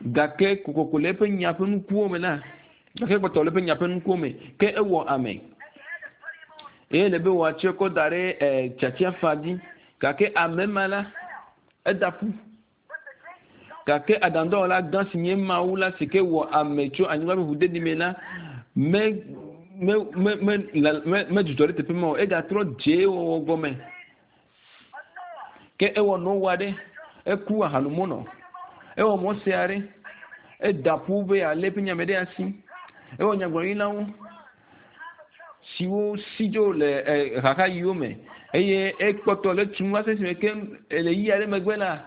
Gake kokoko le eƒe nya ƒe nukuwo me la, gake kpɔtɔ le eƒe nya ƒe nukuwo me, ke ewɔ ame. Eye le be wòatsɔe kɔ da ɖe eh, tiatiafa dzi. Gake ame ma la, eda ƒu. Gake aɖaŋudɔwɔla gã si nye Mawu la si ke wɔ ame tso anyigba ƒe ʋudeɖi me la, me me me me me medzudzɔ ɖe teƒe ma o. Egatrɔ dze ewɔwɔ gɔme. Ke ewɔ Noa ɖe, eku ahanumonɔ. Ewɔ Mose aɖe, eda ƒu be yealé eƒe nya me ɖe asi. Ewɔ nyagblɔɖilawo siwo si dzo le xaxaɣiwo me eye ekpɔtɔ le tum va se esime ke le ɣeyiɣi aɖe megbe la,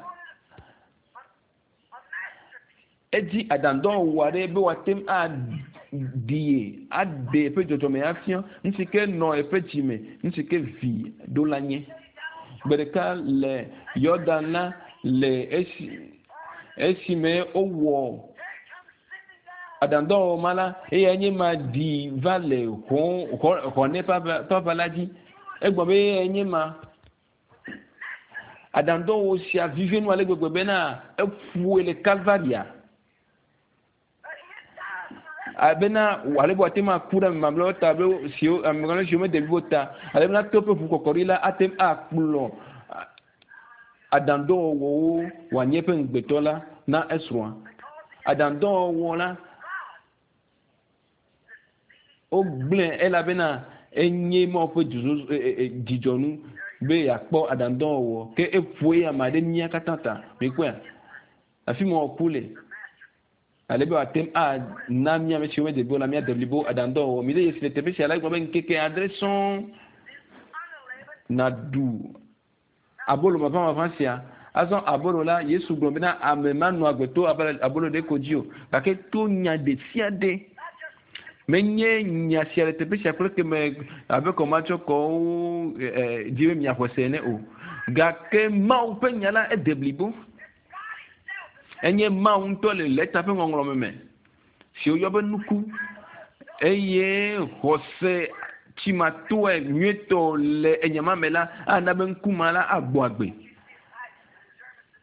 Edi aɖaŋudɔwɔwɔ aɖe be wòate ŋu aɖi ye, aɖe eƒe dzɔdzɔme afia, nu si ke nɔ eƒe dzi me, nu si ke vi ɖo la nye. Gbe ɖeka le Yɔdan la, le esi esime wowɔ aɖaŋudɔwɔwɔ ma la, eyae nye ma ɖi va le xɔ xɔ xɔnɛ ƒe aʋa la dzi. Egblɔ be eyae nye ma. Aɖaŋudɔwɔwɔ sia vivi nu ale gbegbe bena eƒoe le Kalvaria. Bena ale be wòate ŋu aku ɖe ame mamlɛawo ta be siwo ame mamlɛ siwo mede blibo ta ale bena to eƒe ʋu kɔkɔɖi la ate ŋu akplɔ aɖaŋudɔwɔwɔwo wòanye eƒe ŋugbetɔ la na esrɔ̃a. Aɖaŋudɔwɔwɔ la Wogblẽe elabena enye Mawu ƒe dzidzɔnu be yeakpɔ aɖaŋudɔwɔwɔ. Ke eƒo eya ame aɖe mía katã ta. Mikpɔea? Afi ma wòku le. Ale be wòate ŋu ana mía ame siwo mede blibo la míade blibo aɖaŋudɔwɔwɔ. Mide dzesi le teƒe sia la, egblɔ be ŋkeke adre sɔŋ nàɖu Abolo maʋãmaʋã sia. Azɔ abolo la, Yesu gblɔ bena ame manɔ agbe to abolo ɖe ko dzi o, gake to nya ɖesiaɖe. Menye nya sia le teƒe sia kple keme abe kɔmatsɔkɔwo dzi be miaxɔe se ene o. Gake Mawu ƒe nya la ede blibo. Enye Mawu ŋutɔ le lɛta ƒe ŋɔŋlɔme me. Si woyɔ be nuku, eye xɔse tsimatoe nyuietɔ le enya ma me la, ana be ŋku ma la agbɔ agbe.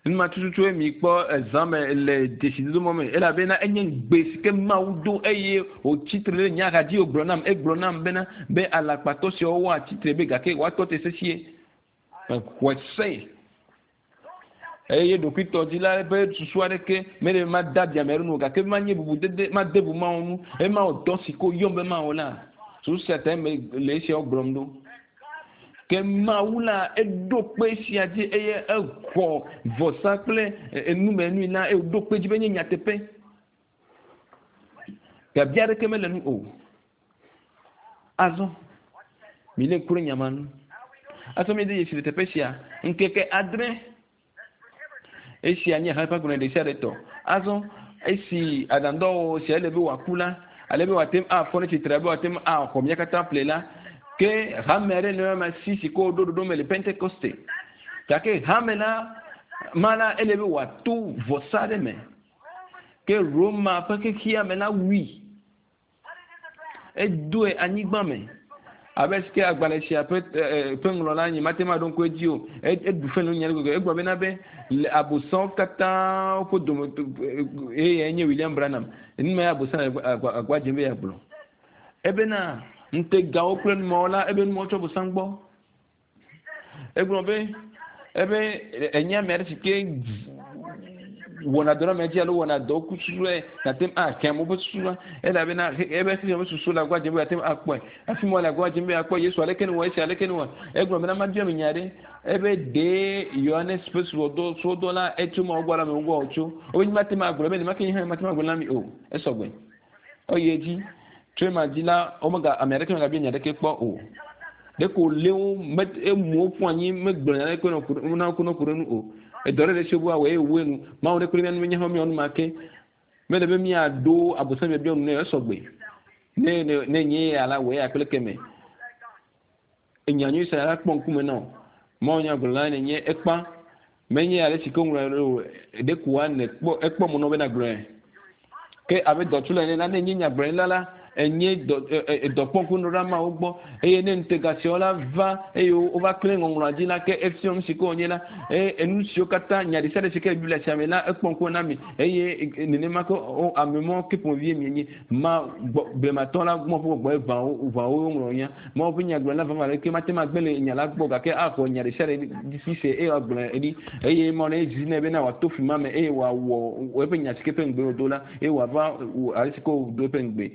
Nu ma tututue mikpɔ ezã me le dzesidodo mɔ me, elabena enye ŋugbe si ke Mawu do eye wòtsi tre ɖe nye axa dzi wògblɔ nam, egblɔ nam bena, be alakpatɔ siawo woatsi tre be gake woatɔ te sesĩe. Mexɔe se. Eye ɖokuitɔdila ƒe susu aɖeke mele be made abi ame aɖe nu o, gake be manye bubudede, made bu Mawu ŋu, eye mawɔ dɔ si ke woyɔm be mawɔ la, susu sia tae mele esiawo gblɔm ɖo. Ke Mawu la, eɖo kpe esia dzi eye exɔ vɔsa kple enumenui la, eye wòɖo kpe edzi be enye nyateƒe. Biabia aɖeke mele enu o. Azɔ, milé ŋku ɖe nya ma ŋu. Azɔ míede dzesi le teƒe sia, ŋkeke adre. Esia nye hame ƒe agbalẽ ɖesiaɖe tɔ. Azɔ, esi aɖaŋudɔwɔwɔ sia ele be wòaku la, ale be wòate ŋu afɔ ɖe tsitre, ale be wòate ŋu axɔ mía katã ƒle la, ke hame aɖe nɔ ema si si ke woɖo ɖoɖo me le Pentekoste. Gake hame la, ma la, ele be wòato vɔsa aɖe me. Ke Roma ƒe xexea me la wui. Edoe anyigba me. Abe si ke agbalẽ sia ƒe ƒe ŋlɔla nye mate ŋu aɖo ŋku edzi o. Eɖu fe le nya gbegbe. Egblɔ bena be le abosãwo katã ƒe dome eye nye William Branham. Nu ma abosã le agba dzem be yeagblɔ. Ebena ŋutegawo kple numawo la ebe numawo tsɔ abosã gbɔ. Egblɔ be ebe enye ame aɖe si ke Wɔna dɔ ɖe ame dzi alo wɔna dɔ ku susue nate ŋu ahe amewo ƒe susu va elabena ebe xexea ƒe susu le agba dzem be yeate ŋu akpɔe. Hafi mɔ le agba dzem be yeakpɔ Yesu aleke newɔ esia aleke newɔ. Egblɔ bena mabia mi nya ɖe ebe ɖe Yohanes ƒe subɔdɔ subɔdɔ la etso Mawu gbɔ alo amewo gbɔ wòtso. Wobe nyemate ŋu agblɔe be nenema ke nye hã nyemate ŋu agblɔe na mi o. Esɔgbe. Eyi edzi. Tso ema dzi la, womega ame aɖeke megabia nya aɖeke kpɔ o. Ɖeko wòlé wo, me emu wo ƒu anyi, megblɔ nya aɖeke na ku na ku ɖe nu o. Edɔ ɖe ɖe si wobe woawɔ eye wòwɔe nu. Mawu ɖe kple mía nu menya hã míawɔ nu ma ke. Mele be míaɖo Abosam biabia nu nɛ esɔgbe. Ne ne ne nye ya la, wòe ya kple keme. Enya nyui sia la kpɔ ŋkume na wò. Mawu nya gblɔ la nenye ekpa. Menye ale si ke woŋlɔe ɖo o, ɖeko woane kpɔ ekpɔ mɔ na wò be nàgblɔe. Ke abe dɔtula ene la, ne ènye nyagblɔɖila la, ènye dɔ e dɔkpɔŋkunuɖola Mawu gbɔ. Eye ne ŋutega siawo la va eye wova klẽ ŋɔŋlɔa dzi la, ke efia nu si ke wònye la. Eye enu siwo katã, nya ɖesiaɖe si ke le Biblia sia me la, ekpɔ ŋkume na mi. Eye nenema ke ame mawo ke ƒomevie mienye. Ma gbɔ blematɔ la gbɔ ƒe gbɔgbɔe ʋã wo ʋã wo woŋlɔ nya. Mawu ƒe nyagblɔɖila vavã aɖeke mate ŋu agbe le nya la gbɔ o gake axɔ nya ɖesiaɖe dzi se eye wòagblɔe ɖi. Eye Mawu ne zi nɛ bena wòato fli ma me eye wòawɔ eƒe nya si ke ƒe ŋugbe wòdo la eye wòava ale si ke wòdo eƒe ŋugbe.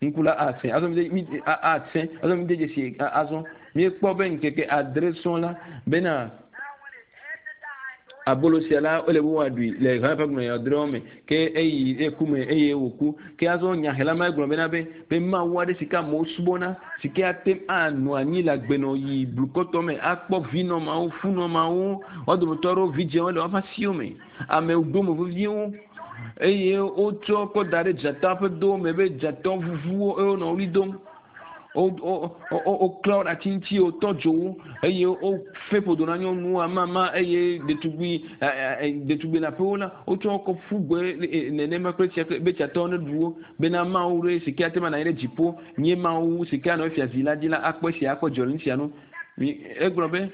Ŋku la asẽ. Azɔ mide, mi, asẽ. Azɔ mide dzesi azɔ. Míekpɔ be ŋkeke adre sɔŋ la bena abolo sia la ele be woaɖui le hame ƒe agbalẽ adreawo me ke eyi eku me eye wòku. Ke azɔ nyahela ma egblɔ bena be be Mawu aɖe si ke amewo subɔna si ke ate ŋu anɔ anyi le agbenɔɣi blukɔtɔ me akpɔ vinɔ mawo, funɔ mawo, woa dometɔ aɖewo vidzĩwo le woƒe asiwo me, ame dome veviewo eye wotsɔ kɔ da ɖe dzata ƒe do me be dzata vuvuwo eye wonɔ ɣli dom. Woklã wo ɖe ati ŋuti, wotɔ dzo wo eye wofe ƒodo na nyɔnuwo amama eye ɖetugbui ɖetugbui leaƒewo la, wotsɔ wo kɔ ƒu gbe nenema kple tsia be tsiatɔwo neɖu wo bena Mawu ɖe si ke ate ŋu anɔ anyi ɖe dziƒo nye Mawu si ke anɔ efia zi la dzi la akpɔ esia akpɔ dzidzɔ le nu sia nu. Egblɔ be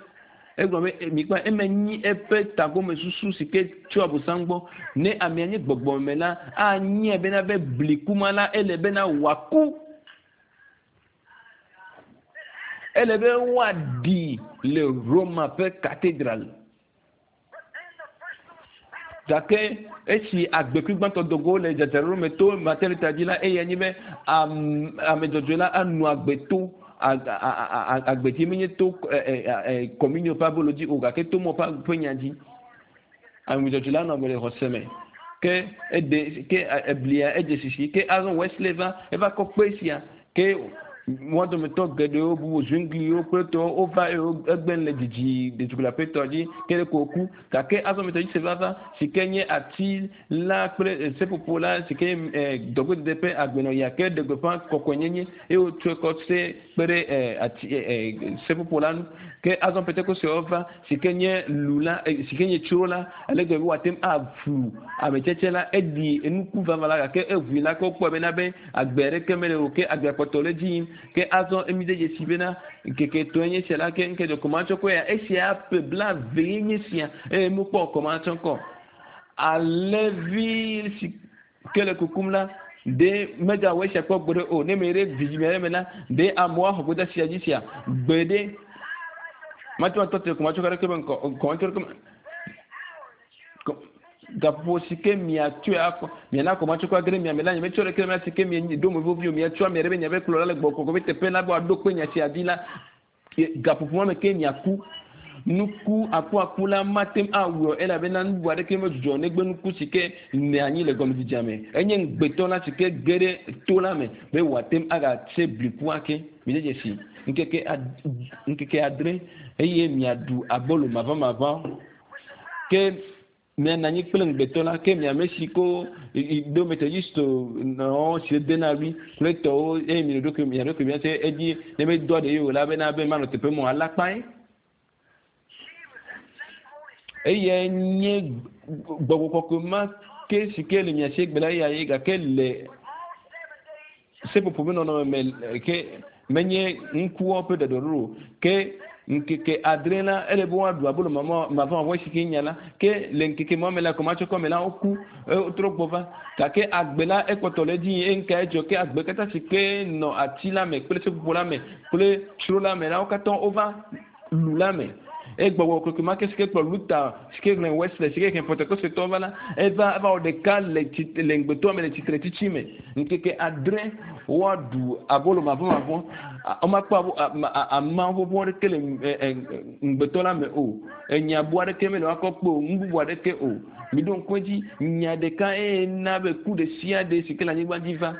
Egblɔ be, Mikpɔ, eme nyi eƒe tagomesusu si ke tso Abosam gbɔ. Ne amea nye gbɔgbɔme la, anyae bena be bli kuma la, ele bena wòaku. Ele be woaɖii le Roma ƒe katedral. Gake esi agbekui gbãtɔ do go le dzadzraɖo me to Martin Luther dzi la, eyae nye be ame dzɔdzɔe la anɔ agbe to agbe dzi, menye to kɔminio ƒe abolo dzi o, gake to mɔ ƒe nya dzi. Ame dzɔdzɔe la anɔ agbe le xɔse me. Ke eɖe ke eblia edze sisi. Ke azɔ Wesley va eva kɔ kpe sia. Ke wo dometɔ geɖewo bubu Zwingliwo kple tɔwo wova eye egbe le dzidzi ɖetugbui leaƒe tɔ dzi ke ɖeko wòku. Gake azɔ Methodiste va va si ke nye ati la kple seƒoƒo la si ke nye dɔgbedede ƒe agbenɔɣia ke ɖe gbeƒã kɔkɔenyenye eye wotsɔe kɔ se kpe ɖe ati seƒoƒo la ŋu. Ke azɔ Pentekostewo va si ke nye lu la, si ke nye tsro la, ale gbegbe be wòate ŋu aʋu ametsetse la. Eɖi nuku vavã la gake eʋui la ke wokpɔe bena be Agbe aɖeke mele o, ke agbea kpɔtɔ le edzi yim. Ke azɔ míde dzesi bena ŋkeke etɔ̃e nye esia la, ke ŋkeke kɔmatsɔkɔe ya, esia ƒe blaeve ye nye esia, eye míekpɔ kɔmatsɔkɔ. Alẽvi si ke le kukum la, ɖe megawɔ esia kpɔ gbeɖe o. Ne meyi ɖe vidzĩme aɖe me la, ɖe amewo axɔ gbedeasi dzi sia? Gbeɖe. Mate ŋu atɔ te kɔmatsɔkɔ aɖeke be ŋkɔ, kɔmatsɔkɔ Gaƒoƒo si ke miatsɔe akɔ, miana kɔmatsɔkɔ age ɖe mia me la, nyemetsɔ ɖeke le mia si ke mieɖo mo vevi o, miatsɔ ame aɖe be miaƒe kplɔla le gbɔgbɔ kɔkɔe ƒe teƒe la be wòaɖo kpe nya sia dzi la, gaƒoƒo ma me ke miaku. Nuku akuaku la mate ŋu awɔe o, elabena nu bubu aɖeke medzudzɔ o negbe nuku si ke le anyi le gɔmedzedzea me. Enye ŋugbetɔ la si ke ge ɖe to la me be wòate ŋu agatse bliku ake. Mide dzesi ŋkeke ad, ŋkeke adre eye miaɖu abolo maʋamaʋã. Ke mianɔ anyi kple ŋugbetɔ la, ke mi ame si ko do Methodist nɔ si dena ɣli kple tɔwo eye mi ɖokui mia ɖokui mia se edzi ne medoa ɖe ye o la bena be manɔ teƒe mɔ alakpae. Eyae nye gbɔgbɔ kɔkɔe ma ke si ke le mia si egbe la eya ye gake le Seƒoƒo ƒe nɔnɔme me ke menye ŋkuwo ƒe ɖɔɖɔɖo o. Ke ŋkeke adre la, ele be woaɖu abolo mavɔmavɔ si ke nya la. Ke le ŋkeke ma me la, kɔmatsɔkɔ me la, woku, wotrɔ gbɔ va. Gake agbe la, ekpɔtɔ le edzi yim eye nukae dzɔ? Ke agbe katã si ke nɔ ati la me kple seƒoƒo la me kple tsro la me la, wo katã wova lu la me. Egbɔgbɔ kɔkɔe ma ke si ke kplɔ Luther, si ke xlẽ Wesley, si ke xlẽ Pentekostetɔwo va la, eva eva wɔ ɖeka le tsi le ŋugbetɔa me le tsitretsitsi me. Ŋkeke adre woaɖu abolo mavɔmavɔ. Womakpɔ abo ama ƒoƒo aɖeke le ŋugbetɔ la me o. Enya bu aɖeke mele woakɔ kpe o, nu bubu aɖeke o. Miɖo ŋku edzi, nya ɖeka eye na be ku ɖe sia ɖe si ke le anyigba dzi va.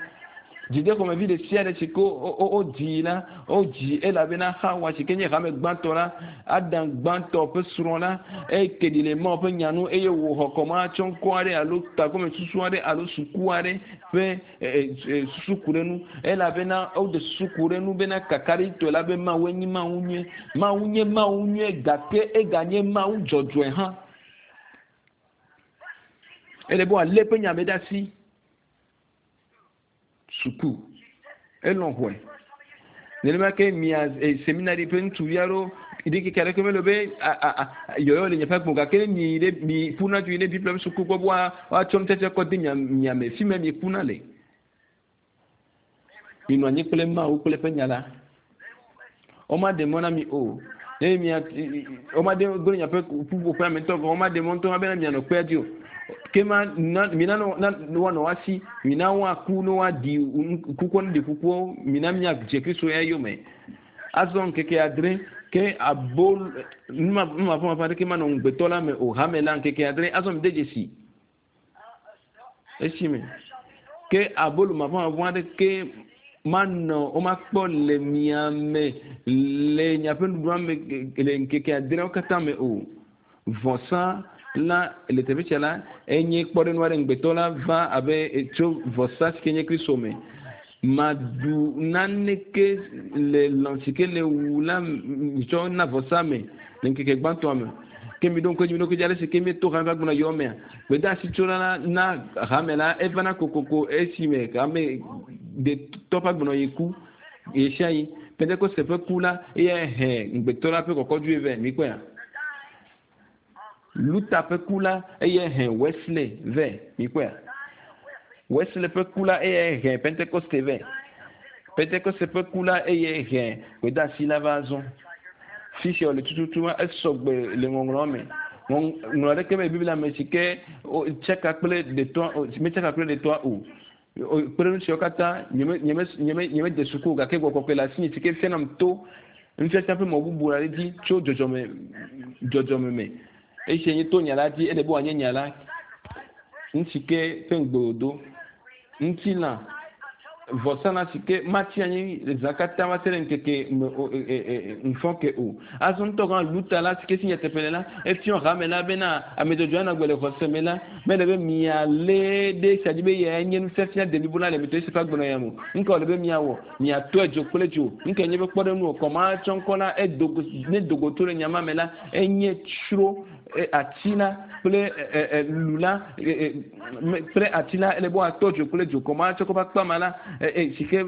Dzideƒomevi ɖe sia ɖe si ke wodzi la, wodzi elabena Xawa si ke nye hame gbãtɔ la, Adam gbãtɔ ƒe srɔ̃ la, eke ɖi le Mawu ƒe nya nu eye wòxɔ kɔmatsɔŋkɔ aɖe alo tagɔmesusu aɖe alo suku aɖe ƒe susu ku ɖe nu elabena woɖe susu ku ɖe nu bena kakaɖitɔe la be Mawu enye Mawu nyui. Mawu nye Mawu nyui gake eganye Mawu dzɔdzɔe hã. Ele be wòalé eƒe nya me ɖe asi. Suku. Elɔ̃ xɔe. Nenema ke mia seminari ƒe ŋutsuvi aɖewo ɖikeke aɖeke mele be yɔyɔ le miaƒe agbe gake ne mi ɖe mi ƒuna dzo yi ɖe Biblia ƒe suku gbɔ be woatsɔ nutsɛtsɛ kɔ de mia mia me fi ma miekuna le. Minɔ anyi kple Mawu kple eƒe nya la. Womaɖe mɔ na mi o. Ne mia womaɖe gblẽ miaƒe ƒuƒoƒea me ŋutɔ gɔ̃ womaɖe mɔ ŋutɔ bena mianɔ kpea dzi o. Ke ma na mina na woanɔ woasi, mina woaku ne woaɖi kukua ne ɖi kukuwo, mina miadze Kristo ya yome. Azɔ ŋkeke adre ke abo numavɔmavɔ aɖeke manɔ ŋugbetɔ la me o, hame la ŋkeke adre. Azɔ mide dzesi esime ke abolo mavɔmavɔ aɖeke manɔ womakpɔ le mia me le miaƒe nuɖuɖua me le ŋkeke adreawo katã me o. Vɔsa la le teƒe sia la enye kpɔɖeŋu aɖe ŋugbetɔ la va abe tso vɔsa si ke nye Kristo me. Maɖu naneke le lã si ke le wu la tsɔ na vɔsa me le ŋkeke gbãtɔa me. Ke miɖo ŋku edzi, miɖo ŋku edzi ale si ke míeto hame ƒe agbenɔ yɔ mea. Gbedeasi tsola la na hame la evana kokoko esime hame detɔ ƒe agbenɔɣi ku ɣesiaɣi. Pentekoste ƒe ku la eyae he ŋugbetɔ la ƒe kɔkɔdzoe vɛ. Mikpɔea? Luther ƒe ku la eyae he Wesley vɛ. Mikpɔea? Wesley ƒe ku la eyae he Pentekoste vɛ. Pentekoste ƒe ku la eyae he gbedeasi la va azɔ. Fi sia wòle tututu ma esɔgbe le ŋɔŋlɔa me. Ŋɔŋlɔ aɖeke mele Biblia me si ke tsaka kple ɖetɔa metsaka kple ɖetɔa o. Kpe ɖe nu siawo katã nyeme nyeme nyeme nyemede suku o gake gbɔgbɔ kɔkɔe le asinye si ke fianam to nufiafia ƒe mɔ bubu aɖe dzi tso dzɔdzɔme dzɔdzɔme me. Esia nye to nya la dzi ele be wòanye nya la nu si ke ƒe ŋugbe wòdo. Ŋutilã vɔsalã si ke matsi anyi le zã katã va se ɖe ŋkeke me o ŋfɔ ke o. Azɔ ŋutɔ gã Luther la si ke si nyateƒe le la, efiɔ hame la bena ame dzɔdzɔe anɔ agbe le xɔse me la, mele be mialé ɖe esia dzi be eyae nye nufiafia deblibo la le mi tɔ Yesu ƒe agbenɔɣia me o. Nuka wòle be miawɔ? Miatɔe dzo kple dzo. Nukae nye eƒe kpɔɖeŋu o? Kɔmatsɔŋkɔ la, edo go, ne do go to le nya ma me la, enye tsro ati la kple lu la kple ati la, ele be woatɔ dzo kple dzo. Kɔmatsɔŋkɔ ƒe akpa ma la, si ke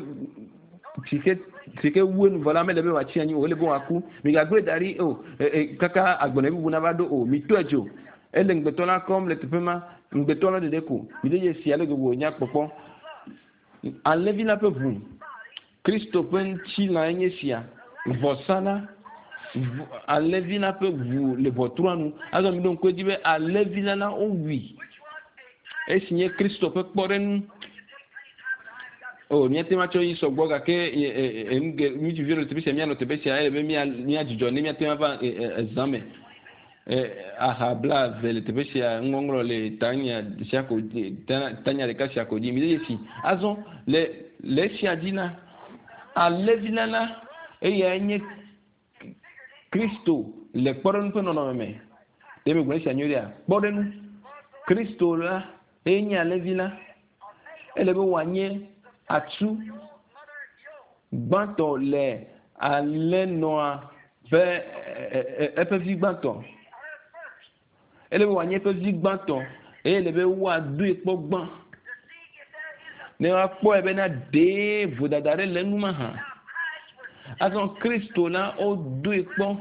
si ke si ke wu enu vɔ la mele be wòatsi anyi o, ele be wòaku. Migagblẽe da ɖi o, kaka agbenɔɣi bubu nava ɖo o. Mitɔe dzo. Ele ŋugbetɔ la kɔm le teƒe ma, ŋugbetɔ la ɖeɖe ko. Mide dzesi ale gbegbe wònya kpɔkpɔ. Alẽvi la ƒe ʋu, Kristo ƒe ŋutilãe nye esia, vɔsa la, alẽvi la ƒe ʋu le ʋɔtrua nu. Azɔ miɖo ŋku edzi be alẽvi la la wowui, esi nye Kristo ƒe kpɔɖeŋu. O, míate ŋu atsɔ yi sɔgbɔ gake ŋutsuviwo le teƒe sia, míanɔ teƒe sia, ele be míadzudzɔ ne míate ŋu ava zã me. Aha blaeve le teƒe sia, nuŋɔŋlɔ le tanya sia ko tanya ɖeka sia ko dzi. Mide dzesi. Azɔ le le esia dzi la, alẽvi la la, eyae nye Kristo le kpɔɖeŋu ƒe nɔnɔme me. Ɖe megblɔ esia nyuie ɖea? Kpɔɖeŋu. Kristo la, eye nye alẽvi la. Ele be wòanye atsu gbãtɔ le alẽnɔa ƒe eƒe vi gbãtɔ. Ele be wòanye eƒe vi gbãtɔ eye ele be woadoe kpɔ gbã ne woakpɔe bena ɖee vodada ɖe le enu mahã. Azɔ Kristo la wodoe kpɔ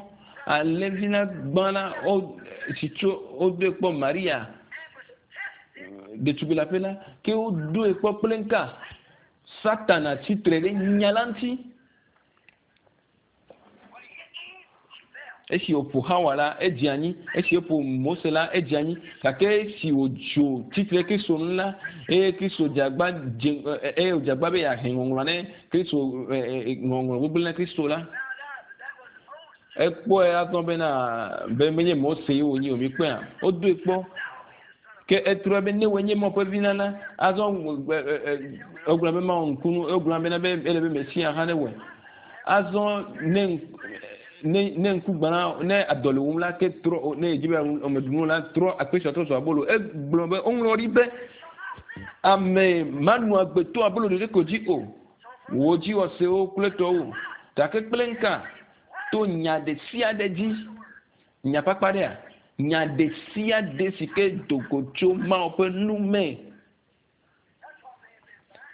alẽvi la gbã la wo si tso wodoe kpɔ Maria ɖetugbui leaƒe la ke wodoe kpɔ kple ŋka Satana tsitre ɖe nya la ŋuti. Esi wòƒo Xawa la, edze anyi. Esi woƒo Mose la, edze anyi. Gake esi wòdzo tsitre Kristo ŋu la, eye Kristo dze agba dze eye wòdze agba be yeahe ŋɔŋlɔa ne Kristo ŋɔŋlɔ gbegblẽ na Kristo la, ekpɔe azɔ bena be menye Mose ye wònye o. Mikpɔea? Wodoe kpɔ. Ke etrɔe be ne wòe nye Mawu ƒe vi la la, azɔ egblɔ be Mawu ŋkunu, egblɔ bena be ele be Mesia hã newɔe. Azɔ ne ne ne ŋku gbã ne adɔ le wum la ke trɔ ne edzi be ame ɖu nu la trɔ akpesua trɔ zu abolo. Egblɔ be woŋlɔ ɖi be ame manu agbe to abolo ɖeɖe ko dzi o. Wò dziwɔsewo kple tɔwo. Gake kple ŋka to nya ɖe sia ɖe dzi. Nya kpakpa ɖea? Nya ɖe sia ɖe si ke do go tso Mawu ƒe nu me.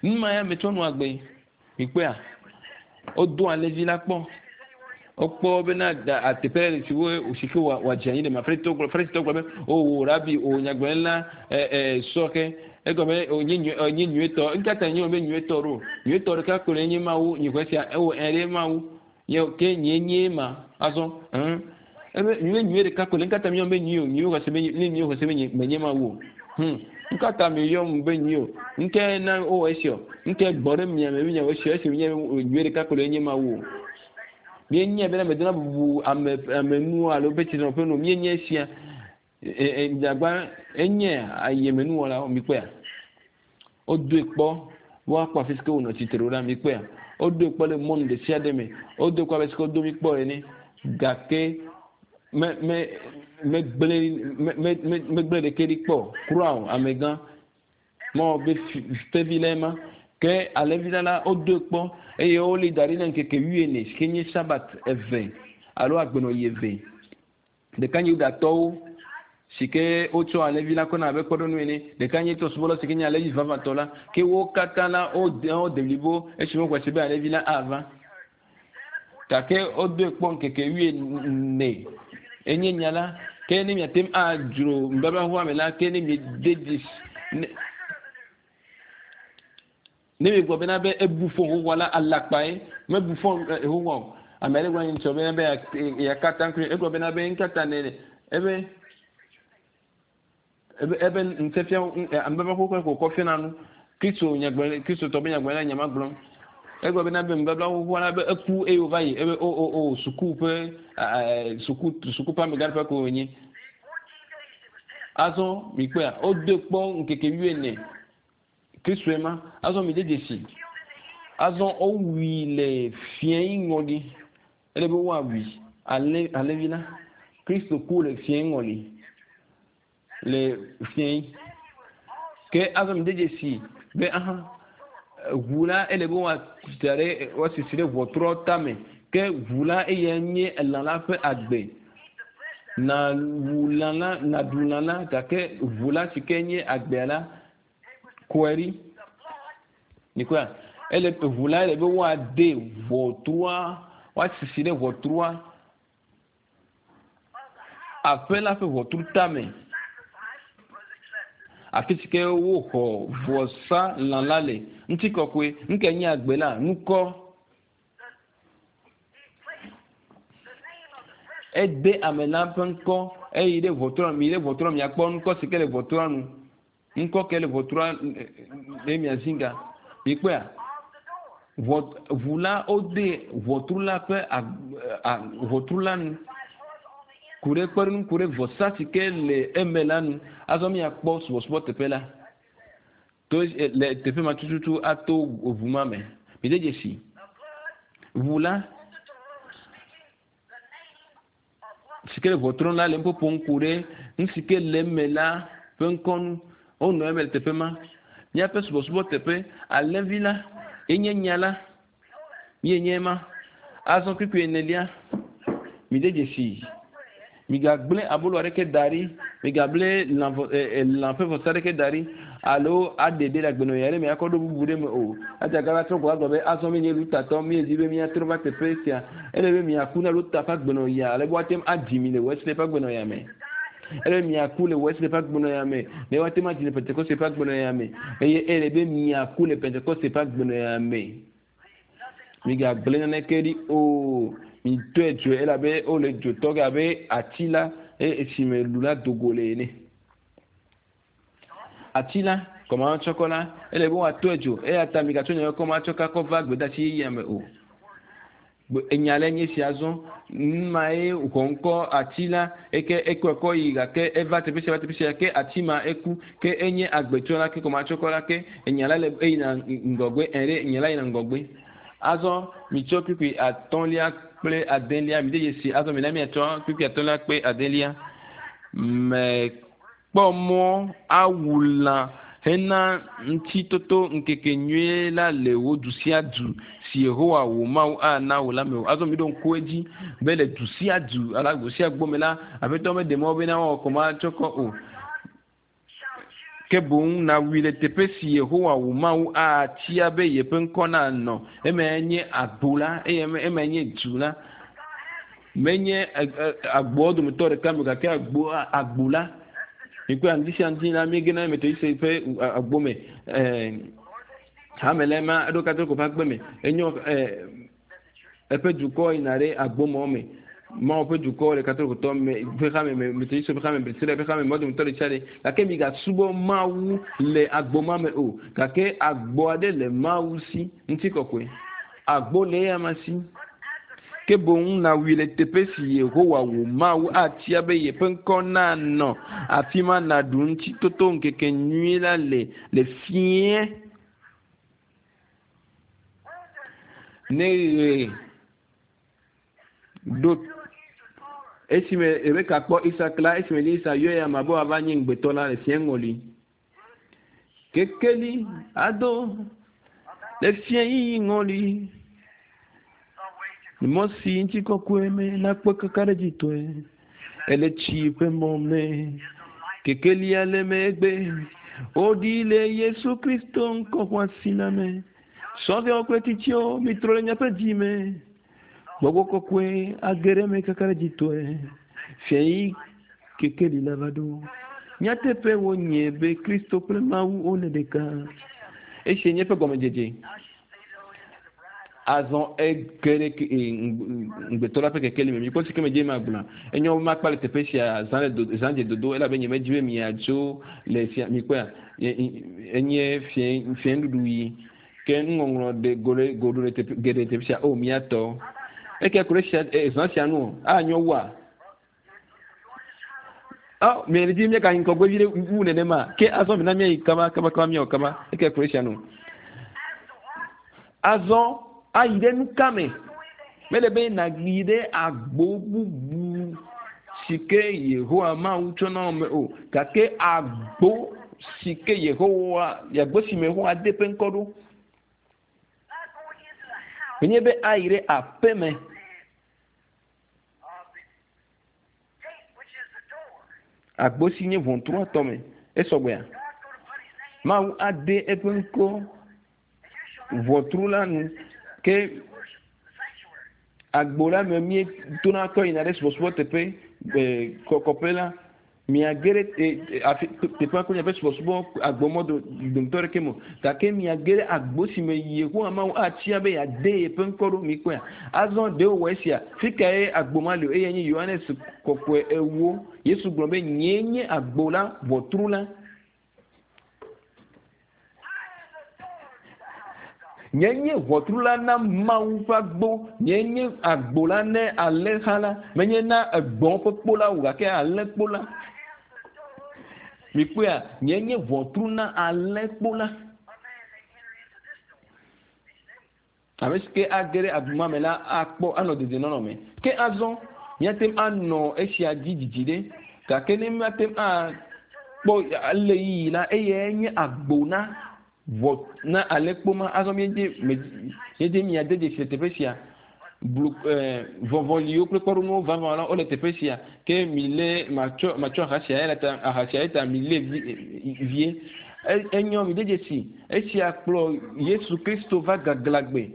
Nu ma ya metsɔ nu agbe. Mikpɔea? Wodo alẽvi la kpɔ. Wokpɔ bena ateƒe ɖe si wo si ke wòadze anyi ɖe ma. Farisitɔwo gblɔ Farisitɔwo gblɔ be, o wò rabi, o nyagblɔɖila, ɛ ɛ sɔ ke. Egɔme be, o nye nyui, nye nyuietɔ. Ŋka ta nye be nyuietɔ ɖo? Nyuietɔ ɖeka ko le nye Mawu. Nye xɔe sia, ewɔ ɛ ɖe Mawu. Nye ke nye nye ma. Azɔ, ɛn. Ebe nyuie nyuie ɖeka ko le. Ŋka ta mi yɔm be nyui o? Nyui xɔse be ne nyui xɔse be nye menye Mawu o. Hm. Ŋka ta mi yɔm be nyui o? Ŋke na wowɔ esia o. Ŋke gbɔ ɖe mia me miawɔ esia esi menye nyuie ɖeka ko le nye Mawu o. Míenyae bena medona bubu ame ame nu alo ƒe tsinɔƒe nu o. Míenye esia. E, e, dzagba enye ayemenuwɔlawo mikpɔea? Wodoe kpɔ be woakpɔ afi si ke wònɔ tsitre ɖo ɖa mikpɔea? Wodoe kpɔ le mɔnu ɖe sia ɖe me. Wodoe kpɔ abe si ke wodo mi kpɔ ene. Gake me me megblẽ me me me megblẽ ɖeke ɖi kpɔ o. Kura o, amegã. Mawɔ be tevi lae ma. Ke alẽvi la la, wodoe kpɔ eye woli da ɖi na ŋkeke wuiene si ke nye Sabat eve alo agbenɔɣi eve. Ɖeka nye Yudatɔwo, si ke wotsɔ alẽvi la kɔna abe kpɔɖeŋu ene. Ɖeka nye trɔ̃subɔlawo, si ke nye alẽvi vavãtɔ la. Ke wo katã la, wode wo deblibo esime woxɔe se be alẽvi la ava. Gake wodoe kpɔ ŋkeke wuiene. Enye nya la. Ke ne miate ŋu adzro nubabla xoxoa me la, ke ne miede dzesi ne, Ne miegblɔ bena be ebu fɔ xoxoa la, alakpae. Mebu fɔ xoxoa o. Ame aɖe gblɔ ŋutɔ bena be yeaka atam kple egblɔ bena be ŋkata ne ebe ebe ebe ŋusẽfia ame ƒe xoxoe ko kɔ fiana nu. Kristo nyagblɔ Kristotɔ be nyagblɔɖila nya ma gblɔm. Egblɔ bena be nubabla xoxoa la be eku eye wòva yi ebe o o o suku ƒe suku suku ƒe amegã ƒe ko wònye. Azɔ mikpɔea wodoe kpɔ ŋkeke wuiene. Kristoe ma. Azɔ mide dzesi. Azɔ wowui le fiẽ ŋɔli. Ele be woawui ale alẽvi la. Kristo ku le fiẽ ŋɔli. Le fiẽ. Ke azɔ mide dzesi be aha ʋu la ele be woada ɖe woasisi ɖe ʋɔtrɔ tame. Ke ʋu la eya nye elã la ƒe agbe. Na wu lã la, naɖu lã la gake ʋu la si ke nye agbea la kɔe ɖi. Mikpɔa? Ele ʋu la ele be woade ʋɔtrua, woasisi ɖe ʋɔtrua, aƒe la ƒe ʋɔtru tame. Afi si ke woxɔ vɔsa lã la le. Ŋutikɔkɔe, nu nye agbe la, nukɔ. Ede ame la ƒe ŋkɔ eyi ɖe ʋɔtrua nu. Mi yi ɖe ʋɔtrua nu miakpɔ ŋkɔ si ke le ʋɔtrua nu. Ŋkɔ ke le ʋɔtrua ne miazi ga. Mikpɔea? Ʋɔ ʋu la wode ʋɔtru la ƒe ʋɔtru la nu. Ku ɖe kpeɖeŋu ku ɖe vɔsa si ke le eme la nu. Azɔ miakpɔ subɔsubɔ teƒe la. To le teƒe ma tututu ato ʋu ma me. Mide dzesi. Ʋu la si ke le ʋɔtru la le nuƒoƒom ku ɖe nu si ke le eme la ƒe ŋkɔ nu. Wonɔ eme le teƒe ma. Míaƒe subɔsubɔ teƒe, alẽvi la enye nya la. Míenye ema. Azɔ kpukpui enelia, mide dzesi. Migagblẽ abolo aɖeke da ɖi, migable lã vɔ lã ƒe vɔsa aɖeke da ɖi alo aɖe ɖe le agbenɔɣi aɖe me akɔ ɖo bubu ɖe me o. Eya ta trɔ gbɔ agblɔ be azɔ míenye Lutatɔ, míedi be míatrɔ va teƒe sia. Ele be miaku na Luta ƒe agbenɔɣia ale be woate ŋu adzi mi le Wesley ƒe agbenɔɣia me. Ele be miaku le Wesley ƒe agbenɔɣia me ne woate ŋu adzi le Pentekoste ƒe agbenɔɣia me. Eye ele be miaku le Pentekoste ƒe agbenɔɣia me. Migagblẽ naneke ɖi o. Mitɔe dzoe elabe wole dzo tɔ ge abe ati la eye esime lu la do go le ene. Ati la, kɔmatsɔkɔ la, ele be woatɔe dzo eya ta migatsɔ nye kɔmatsɔka kɔ va gbedeasi yeyea me o. Enya le nye sia azɔ numae xɔ ŋkɔ ati la eke ekɔe kɔ yi gake eva teƒe sia va teƒe sia ke ati ma eku ke enye agbetsɔ la ke kɔmatsɔkɔ la ke enya la le eyina ŋgɔgbe ɛɖe enya la yina ŋgɔgbe. Azɔ mitsɔ kpukpui atɔ̃lia kple adelia mi de dzesi azɔ mina miatsɔ kpukpui atɔ̃lia kple adelia mekpɔ mɔ awu lã hena ŋutitoto ŋkeke nyui la le wò du sia du si Yehowa wò Mawu ana wò la me o. Azɔ miɖo ŋku edzi be le du sia du alo agbo sia agbo me la, Aƒetɔ meɖe mɔ bena woawɔ kɔmatsɔkɔ o. Ke boŋ nàwui le teƒe si Yehowa wò Mawu atia be yeƒe ŋkɔ nanɔ. Emae nye agbo la, eye emae nye du la. Menye agboawo dometɔ ɖeka me o, gake agbo, agbo la. Mikpɔe, ŋdi sia ŋdi la, míegena ɖe Metodiste ƒe agbo me. Hame la ema eɖo Katoliko ƒe agbe me. Enyo, eƒe dukɔ yina ɖe agbomɔ me. Mawu ƒe dukɔ le Katolikotɔ me ƒe hame me, Metodistwo ƒe hame, Presbyterian ƒe hame, mɔ dometɔ ɖe sia ɖe. Gake migasubɔ Mawu le agbo ma me o. Gake agbo aɖe le Mawu si, ŋutikɔkɔe. Agbo le eyama si. Ke boŋ nàwui le teƒe si Yehowa wò Mawu atia be yeƒe ŋkɔ nanɔ, afi ma nàɖu Ŋutitotoŋkekenyui la le le fiẽ. Ne ɣe ɖo esime Rebeka kpɔ Isak la, esime Elisa yɔe ama be wòava nye ŋugbetɔ la le fiẽ ŋɔli. Kekeli ado le fiẽ yiyi ŋɔli. Mɔ si ŋutikɔkɔe me nakpɔ kakaɖedzitɔe. Ele tsi ƒe mɔ me. Kekelia le megbe. Woɖi le Yesu Kristo ŋkɔ xɔasi la me. Sɔhɛwo kple tsitsiwo, mitrɔ le miaƒe dzi me. Gbɔgbɔ kɔkɔe age ɖe eme kakaɖedzitɔe. Fiayi kekeli la va ɖo. Nyateƒe wonye be Kristo kple Mawu wole ɖeka. Esia nye eƒe gɔmedzedze. Azɔ ege ɖe ŋugbetɔ la ƒe kekeli me. Mikpɔ si ke medze magblɔa. Enyo be makpa le teƒe sia zã le do, zã dze dodo elabe nyemedi be miadzo le fia mikpɔea enye fiẽ fiẽnuɖuɖu ɣi. Ke nuŋɔŋlɔ ɖe go ɖe go ɖo ɖe teƒe geɖe teƒe sia. O mía tɔ. Eke ku ɖe sia zã sia nu o. Anyo wua? Ɔ mi di míagayi ŋgɔgbe vi ɖe wu nenema ke azɔ mina míayi kaba kaba kaba míawɔ kaba eke ku ɖe sia nu. Azɔ ayi ɖe nuka me? Mele be nàyi ɖe agbo bubu si ke Yehowa Mawu tsɔ na wò me o, gake agbo si ke Yehowa, agbo si me Yehowa de eƒe ŋkɔ ɖo. Menye be ayi ɖe aƒe me. Agbo si nye ʋɔtrua tɔ me. Esɔgbea? Mawu ade eƒe ŋkɔ ʋɔtru la nu ke agbo la me míetona kɔ yina ɖe subɔsubɔ teƒe kɔkɔƒe la. Miage ɖe afi teƒea kple miaƒe subɔsubɔ agbomɔ dometɔ ɖeke me o. Gake miage ɖe agbo si me Yehowa Mawu atia be yeade yeƒe ŋkɔ ɖo. Mikpɔea? Azɔ ɖe wòwɔ esia? Fi kae agbo ma li o? Eyae nye Yohanes Kɔkɔe ewo. Yesu gblɔ be, Nyee nye agbo la, ʋɔtru la. Nye nye ʋɔtru la na Mawu ƒe agbo, nye nye agbo la ne alẽha la, menye na egbɔ̃ ƒe kpo la o, gake alẽkpo la. Mikpɔea, nye nye ʋɔtru na alẽkpo la. Ame si ke age ɖe agbo ma me la akpɔ anɔ dedienɔnɔ me. Ke azɔ míate ŋu anɔ esia dzi didi ɖe, gake ne míate ŋu akpɔ ale yiyi la, eyae nye agbo na ʋɔ na alẽkpo ma. Azɔ míedze míedze míade dzesi le teƒe sia. Blu eh, vɔvɔliwo kple kpɔɖeŋuwo vavã la wole teƒe sia. Ke milé matsɔ matsɔ aha sia eya ta aha sia eta milé vi vie. Enyɔ mi de dzesi esia kplɔ Yesu Kristo va gaglãgbe.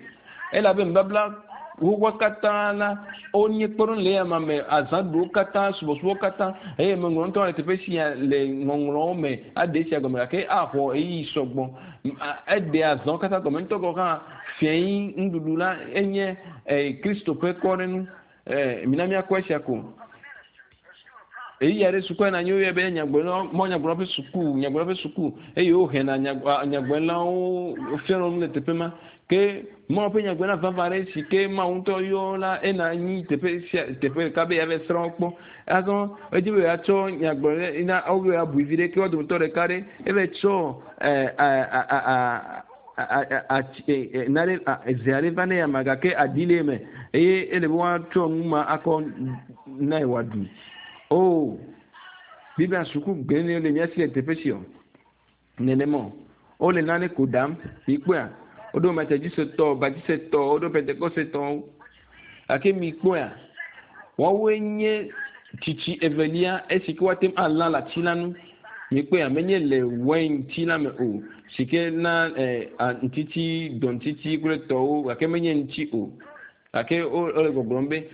Elabe nubabla xoxoa katã la wonye kpɔɖeŋu le eyama me, azãɖuɖuwo katã, subɔsubɔ katã eye meŋlɔ ŋutɔ le teƒe sia le ŋɔŋlɔwo me aɖe esia gɔme gake axɔ ɣeyiɣi sɔgbɔ. Eɖe azãwo katã gɔme ŋutɔ gɔ̃ hã. Fiẽyi nuɖuɖu la enye Kristo ƒe kpɔɖeŋu. Mina míakpɔ esia ko. Ɣeyiɣi aɖe sukua na anyi woyɔe be nyagblɔɖilawo, mawunyagblɔla ƒe suku, nyagblɔɖila ƒe suku eye wohena nyagblɔɖilawo wofiana nu le teƒe ma. Ke Mawu ƒe nyagblɔɖila vavã aɖe si ke Mawu ŋutɔ yɔ la ena anyi teƒe sia teƒe ɖeka be yeava srɔ̃ wo kpɔ. Azɔ edzi be yeatsɔ nyagblɔɖi na wo be yeabui viɖe ke wo dometɔ ɖeka ɖe eva tsɔ nane ze aɖe va ne ama gake aɖi le eme eye ele be woatsɔ nu ma akɔ nae wòaɖu. O, Biblia suku gbe le mía si le teƒe sia o. Nenema o. Wole nane ko ɖam. Mikpɔea? Woɖo Methodistetɔwo, Baptistetɔwo, woɖo Pentecostetɔwo. Gake mikpɔea? Woawoe nye tsitsi evelia esi ke woate ŋu alã le ati la nu. Mikpɔea? Menye le wainti la me o, si ke na ŋutiti, dɔŋutiti kple tɔwo, gake menye ŋuti o. Gake wole gbɔgblɔm be,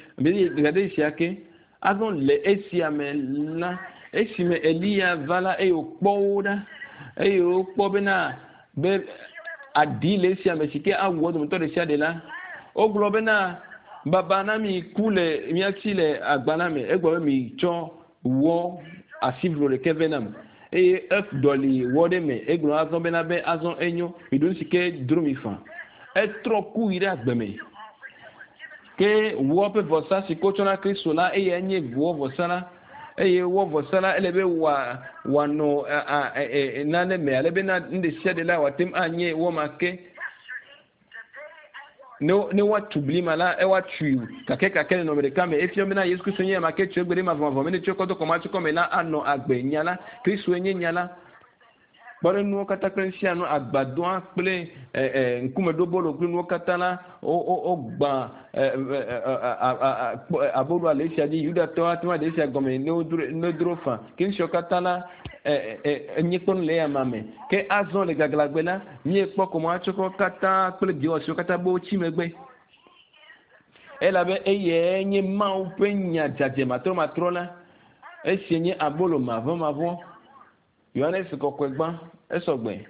gade sia ke, azɔ le esia me la, esime Eliya va la, eye wòkpɔ wo ɖa, eye wokpɔ bena be aɖi le esia me si ke awu wo dometɔ ɖe sia ɖe la, wogblɔ bena, Baba na mi ku le mía si le agba la me. Egblɔ be mitsɔ wɔ asivlo ɖeke vɛ nam. Eye eɖɔli wɔ ɖe eme. Egblɔ azɔ bena be azɔ enyo, miɖo nu si ke dro mi faa. Etrɔ ku yi ɖe agbe me. Ke wɔ ƒe vɔsa si ke wotsɔ na Kristo la, eyae nye wɔ vɔsa la. Eye wɔ vɔsa la, ele be wòa wòanɔ nane me ale bena nu ɖe sia ɖe la wòate ŋu anye wɔ ma ke. Ne ne woatu bli ma la, woatui kakɛkakɛ le nɔnɔme ɖeka me. Efia bena Yesu Kristo nye ame ke tso egbe ɖe mavɔmavɔ me ne tsɔe kɔ do kɔmatsikɔ me la anɔ agbe. Nya la, Kristoe nye nya la. Kpɔɖeŋunuwo katã kple nu sia nu, agbadɔa kple ŋkumeɖobolo kple nuwo katã la, wogbã aboloa le esia dzi. Yudatɔwo ate ŋu aɖe esia gɔme ne wodro fã. Ke nu siawo katã la, enye kpɔnu le eyama me. Ke azɔ le gaglãgbe la, míekpɔ kɔmatsɔkɔ katã kple dɔwɔsiwo katã be wotsi megbe. Elabe eyae nye Mawu ƒe nya dzadzɛ matrɔmatrɔ la. Esia nye abolo mavɔmavɔ. Yohanes kɔkɔe gbã, esɔgbe.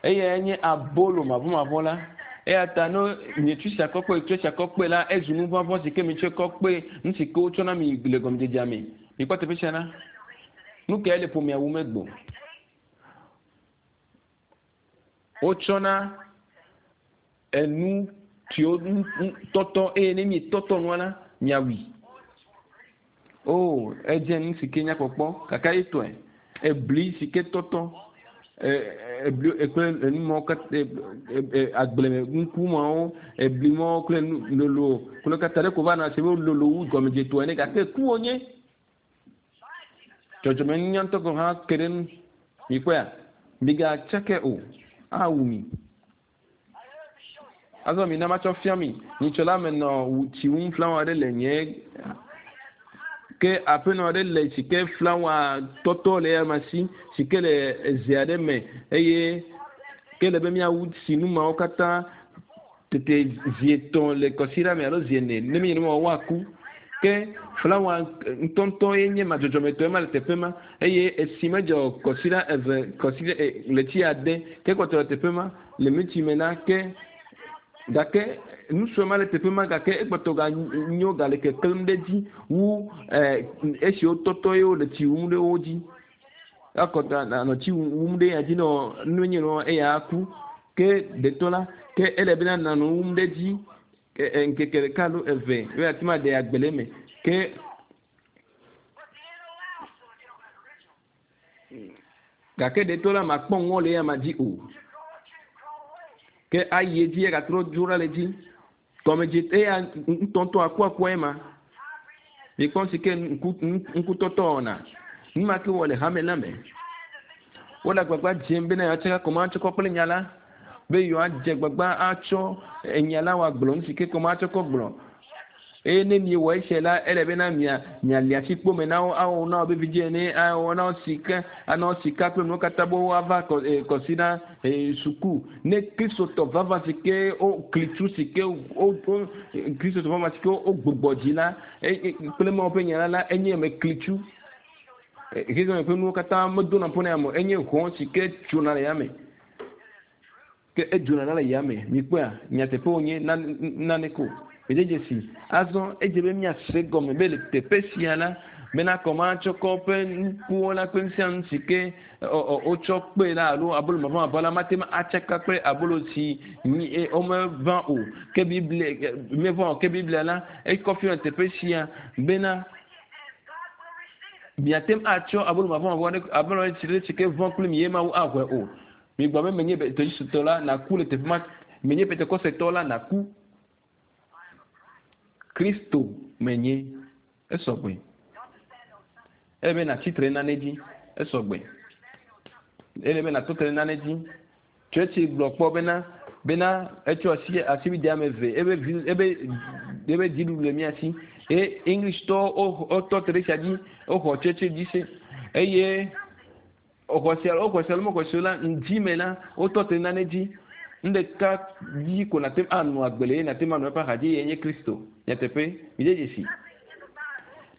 Eyae nye abolo mavɔmavɔ la. Eya ta ne mietsu sia kɔ kpe, tsɔ sia kɔ kpe la, ezu nu vɔvɔ̃ si ke mitsɔe kɔ kpe nu si ke wotsɔ na mi le gɔmedzedzea me. Mikpɔ teƒe sia ɖa. Nu kae le ƒomea wum egbo? Wotsɔna enu siwo tɔtɔ eye ne mietɔtɔ nua la, miawui. O, edze nu si ke nya kpɔkpɔ gake etɔe. Ebli si ke tɔtɔ ebli kple enu mawo katã agbleme nuku mawo, ebli mawo kple nu lolo kple katã ɖeko va nɔ ase be lolo wu gɔmedzetɔ ene gake ku wonye. Dzɔdzɔmenunya ŋutɔ gɔ̃ hã ke ɖe enu. Mikpɔea? Migatsake o, awu mi. Azɔ mina matsɔ fia mi. Nyitsɔ la menɔ tsi wum flawa aɖe le nye ke aƒenɔ aɖe le si ke flawa tɔtɔ le eyama si, si ke le eze aɖe me eye ke le be míawu tsi nu mawo katã tete zi etɔ̃ le kɔsiɖa me alo zi ene. Ne menye nenema o woaku. Ke flawa ŋutɔŋutɔ ye nye ma dzɔdzɔmetɔ ema le teƒe ma eye esi medzɔ kɔsiɖa eve kɔsiɖa ɣleti ade ke kpɔtɔ le teƒe ma le miti me la ke gake nu sue ma le teƒe ma gake ekpɔtɔ ga nyo gale keklẽm ɖe edzi wu esi wotɔtɔ ye wole tsi wum ɖe wo dzi. Akɔtɔ anɔ tsi wum ɖe ya dzi nɔ nu nye nɔ eya aku ke detɔ la ke ele bena nanɔ wum ɖe edzi ŋkeke ɖeka alo eve be yeate ŋu aɖe agbe le eme. Ke gake ɖetɔ la makpɔ ŋɔ le eya ma dzi o. Ke ayi edzi agatrɔ dzo ɖa le edzi. Gɔmedze eya ŋutɔŋutɔ akuakua ema. Mikpɔ si ke ŋku ŋkutɔtɔ wɔna. Nu ma ke wɔ le hame la me. Wole agbagba dzem bena yewoatsaka kɔmatsɔkɔ kple nya la. Be yewoadze agbagba atsɔ enya la wòagblɔ nu si ke kɔmatsɔ kɔ gblɔ. Eye ne miewɔ esia la, ele bena mia miali asi kpo me na wo, awɔ na wo be vidzĩ ene, awɔ na wo sika, ana wo sika kple nuwo katã be woava kɔ e kɔsiɖa e suku. Ne Kristotɔ vavã si ke wo klitsu si ke wo wo Kristotɔ vavã si ke wogbugbɔ dzi la e e kple Mawu ƒe nya la la, enye ame klitsu. Xexeame ƒe nuwo katã medona ƒo na ame o. Enye hɔ̃ si ke tsona le yame. Ke edzona ɖa le yame. Mikpɔea? Nyateƒe wònye nane ko. Mede dzesi. Azɔ edze be míase gɔme be le teƒe sia la, bena kɔmatsɔkɔ ƒe nukuwo la kple nu sia nu si ke wotsɔ kpe la alo abolo maʋamaʋã la mate ŋu atsaka kple abolo si womeʋã o. Ke Biblia meʋã o. Ke Biblia la ekɔ fia le teƒe sia bena miate ŋu atsɔ abolo maʋamaʋã ɖe abolo ɖe si ke ʋã kple mi ye Mawu axɔe o. Migblɔ be menye Metodisttɔ la naku le teƒe ma, menye Pentekostetɔ la naku. Kristo menye. Esɔgbe. Ele be natsi tre nane dzi. Esɔgbe. Ele be natɔ tre nane dzi. Tsɔtsi gblɔ kpɔ bena bena etsɔ asi asibide ame eve ebe vi ebe ebe dziɖuɖu le mía si. Eye Englishitɔwo wotɔ te ɖe esia dzi woxɔ tsɔtsi dzi se eye Woxɔ se alo woxɔ se alo mexɔ se o la, ŋdi me la, wotɔ te nane dzi. Nu ɖeka dzi ko nàte ŋu anɔ agbe le eye nàte ŋu anɔ eƒe axadzi eyae nye Kristo. Nyateƒe, mide dzesi.